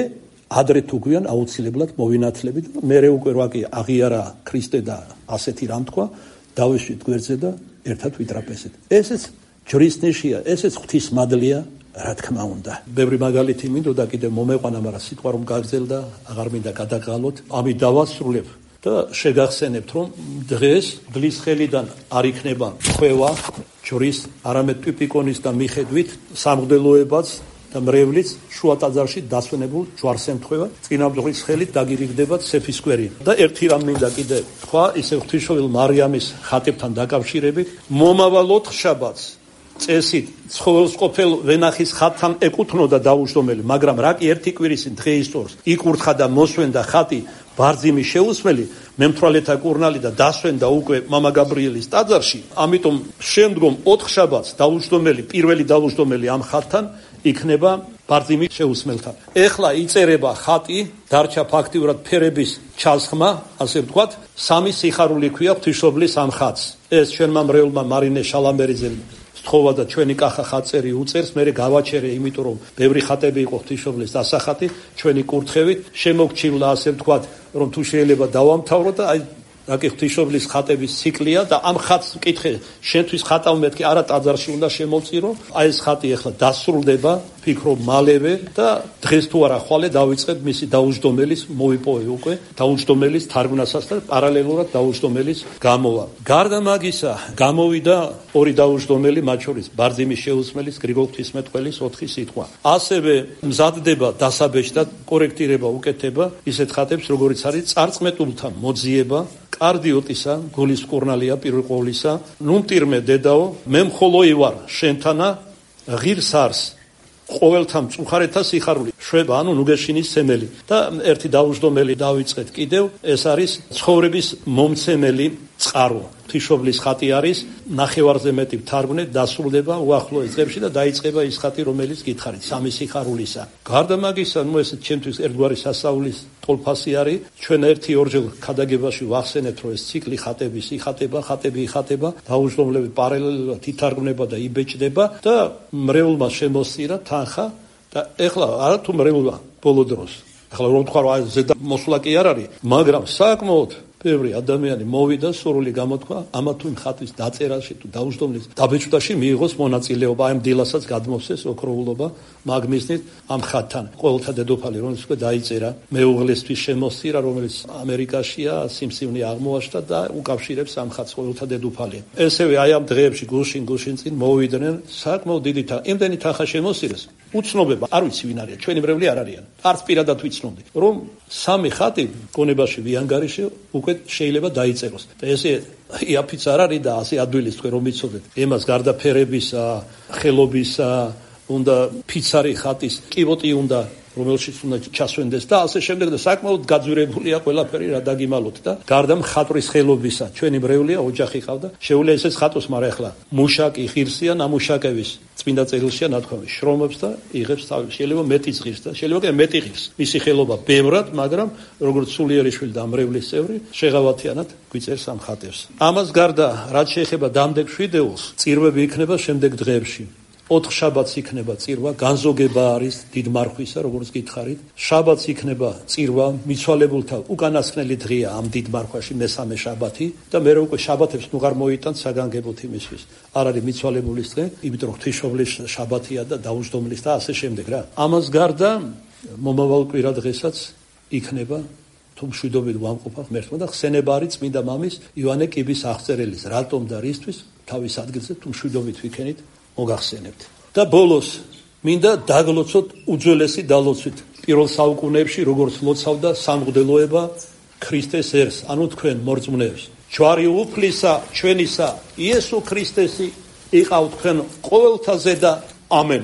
ადრე თუ გვიან აუცილებლად მოვინათლებით და მე უკვე ვაკი აღიარა ქრისტე და ასეთი რამ თქვა დავეშვით გვერდზე და ერთად ვიტრაპეზეთ ესეც ჯვრის ნიშია ესეც ღვთის მადლია რა თქმა უნდა ბევრი მაგალითი მინდოდა კიდე მომეყვანა მაგრამ სიტყვა რომ გაგზელდა აღარ მინდა გადაგალოთ ამით დავასრულებ და შეგახსენებთ რომ დღეს დლის ხელიდან არ იქნება ხვევა ჯვრის არამედ ტიპიკონის და მიხედვით სამღვდელოებაც და მრევლიც შუა ტაძარში დასვენებულ ჯვარს ემთხვევა წინამძღვრის ხელით დაგირიგდება ცეფისკვერი და ერთი რამ მინდა კიდე თქვა ისე ღვთისმშობელ მარიამის ხატებთან დაკავშირებით მომავალ 4 შაბათს წესით ცხოველსყოფელ ვენახის ხატთან ეკუთვნოდა დაუჯდომელი მაგრამ რა კი ერთი კვირისին დღეისწორს იკურთხა და მოსვენდა ხატი ბარძიმის შეუსმელი მემთვრალეთა კურნალი და დასვენდა უკვე მამა გაბრიელის ტაძარში ამიტომ შემდგომ 4 შაბათს დაუჯდომელი პირველი დაუჯდომელი ამ ხატთან იქნება ბარძიმის შეუსმელთან ეხლა იწერება ხატი დარჩა ფაქტიურად ფერების ჩასხმა ასე ვთქვათ სამი სიხარული ქვია ღვთისმშობლის ამ ხატს ეს ჩვენმა მრევლმა მარინე შალამბერიძემ სთხოვა და ჩვენი კახა ხატწერი უწერს მე გავაჩერე იმიტომ რომ ბევრი ხატები იყო ღვთისმშობლის დასახატი ჩვენი კურთხევით შემოგჩივლა ასე ვთქვათ რომ თუ შეიძლება დავამთავრო და აი რაკი ღვთისმშობლის ხატების ციკლია და ამ ხატს ვკითხე შენთვის ხატავ მეთქი არა ტაძარში უნდა შემოვწირო აი ეს ხატი ახლა დასრულდება ფიქრობ მალევე და დღეს თუ არა ხვალე დავიწყებ მისი დაუჯდომელის მოვიპოვე უკვე დაუჯდომელის თარგმნასაც და პარალელურად დაუჯდომელის გამოვა გარდა მაგისა გამოვიდა ორი დაუჯდომელი მათ შორის ბარძიმის შეუსმელის გრიგოლ ღვთისმეტყველის 4 სიტყვა ასევე მზადდება დასაბეჭდად კორექტირება უკეთება ისეთ ხატებს როგორიც არის წარწმეტულთა მოძიება კარდიოტისა გულის კურნალია პირველ ყოვლისა ნუმტირმე დედაო მე მხოლოი ვარ შენთანა ღირს არს ყოველთა მწუხარეთა სიხარული შვება ანუ ნუგეშინის სემელი და ერთი დაუჯდომელი დავიწყეთ კიდევ ეს არის ცხოვრების მომცემელი წყარო ღვთისმშობლის ხატი არის ნახევარზე მეტი თარგმნე დასრულდება უახლოეს დღეებში და დაიწყება ის ხატი რომელიც გითხარით სამი სიხარულისა გარდა მაგისა ნუ ეს ჩემთვის ერთგვარი სასწაულის ტოლფასი არის ჩვენ ერთი ორჯერ ქადაგებაში ვახსენებთ რომ ეს ციკლი ხატების იხატება დაუჯდომლები პარალელურად ითარგმნება და იბეჭდება და მრევლმა შემოსწირა თანხა და ეხლა არა თუ მრევლმა ბოლო დროს ეხლა რომ თქვა რომ ზედა მოსვლა კი არ არის მაგრამ საკმაოდ ბევრი ადამიანი მოვიდა სურვილი გამოთქვა ამა თუ იმ ხატის დაწერაში თუ დაუჯდომლის დაბეჭდაში მიიღოს მონაწილეობა აი ამ დილასაც გადმოსცეს ოქროულობა მაგნისნით ამ ხატთან ყოველთა დედოფალი რომელიც უკვე დაიწერა მეუღლესთვის შემოსწირა რომელიც ამერიკაშია სიმსივნე აღმოაჩნდა და უკავშირებს ამ ხატს ყოველთა დედოფალი ესევე აი ამ დღეებში გულშინ წინ მოვიდნენ საკმაოდ დიდი იმდენი თანხა შემოსწირეს უცნობება არ ვიცი ვინ არის ჩვენი მრევლი არ არიან არც პირადად ვიცნობდი რომ სამი ხატი გონებაში ვიანგარიში უკვე შეიძლება დაიწეროს და ესე იაფიც არ არის და ასე ადვილის თქვენ რომ იცოდეთ ემას გარდა ფერებისა ხელობისა უნდა ფიცარი ხატის კივოტი უნდა რომელშიც უნდა ჩასვენდეს და ასე შემდეგ და საკმაოდ გაძვირებულია ყველაფერი რა დაგიმალოთ და გარდა მხატვრის ხელობისა ჩვენი მრევლია ოჯახი ყავდა შეუძლია ესეც ხატოს მაგრამ ახლა მუშაკი ღირსია ნამუშაკების წმინდა წერილშია ნათქვამი შრომობს და იღებს თავის შეიძლება მეტიც ღირს და შეიძლება კი მეტი ღირს მისი ხელობა ბევრად მაგრამ როგორც სულიერიშვილი და მრევლის წევრი შეღავათიანად გვიწერს ამ ხატებს ამას გარდა რაც შეეხება დამდეგ შვიდეულს წირვები იქნება შემდეგ დღეებში 4 შაბათს იქნება წირვა, განზოგება არის დიდ მარხვისა, როგორც გითხარით. შაბათს იქნება წირვა, მიცვალებულთა უკანასკნელი დღეა ამ დიდ მარხვაში მესამე შაბათი და მე უკვე შაბათებს ნუღარ მოიტანთ საგანგებოდ იმისთვის. არ არის მიცვალებულის დღე, იმიტომ რომ ღვთისმშობლის შაბათია და დაუჯდომლის და ასე შემდეგ რა. ამას გარდა მომავალ კვირა დღესაც იქნება თუ მშვიდობით ვამყოფა ღმერთმა და ხსენება არის წმინდა მამის ივანე კიბის აღწერელის რატომ და რისთვის თავის ადგილზე თუ მშვიდობით ვიქენით მოგახსენებთ. და ბოლოს მინდა დაგლოცოთ უძველესი დალოცვით პირველ საუკუნეებში როგორც ლოცავდა სამღვდელოება ქრისტეს ერს, ანუ თქვენ მორწმუნეებს. ჯვარი უფლისა ჩვენისა იესო ქრისტესი იყავ თქვენ ყოველთაზე და ამენ.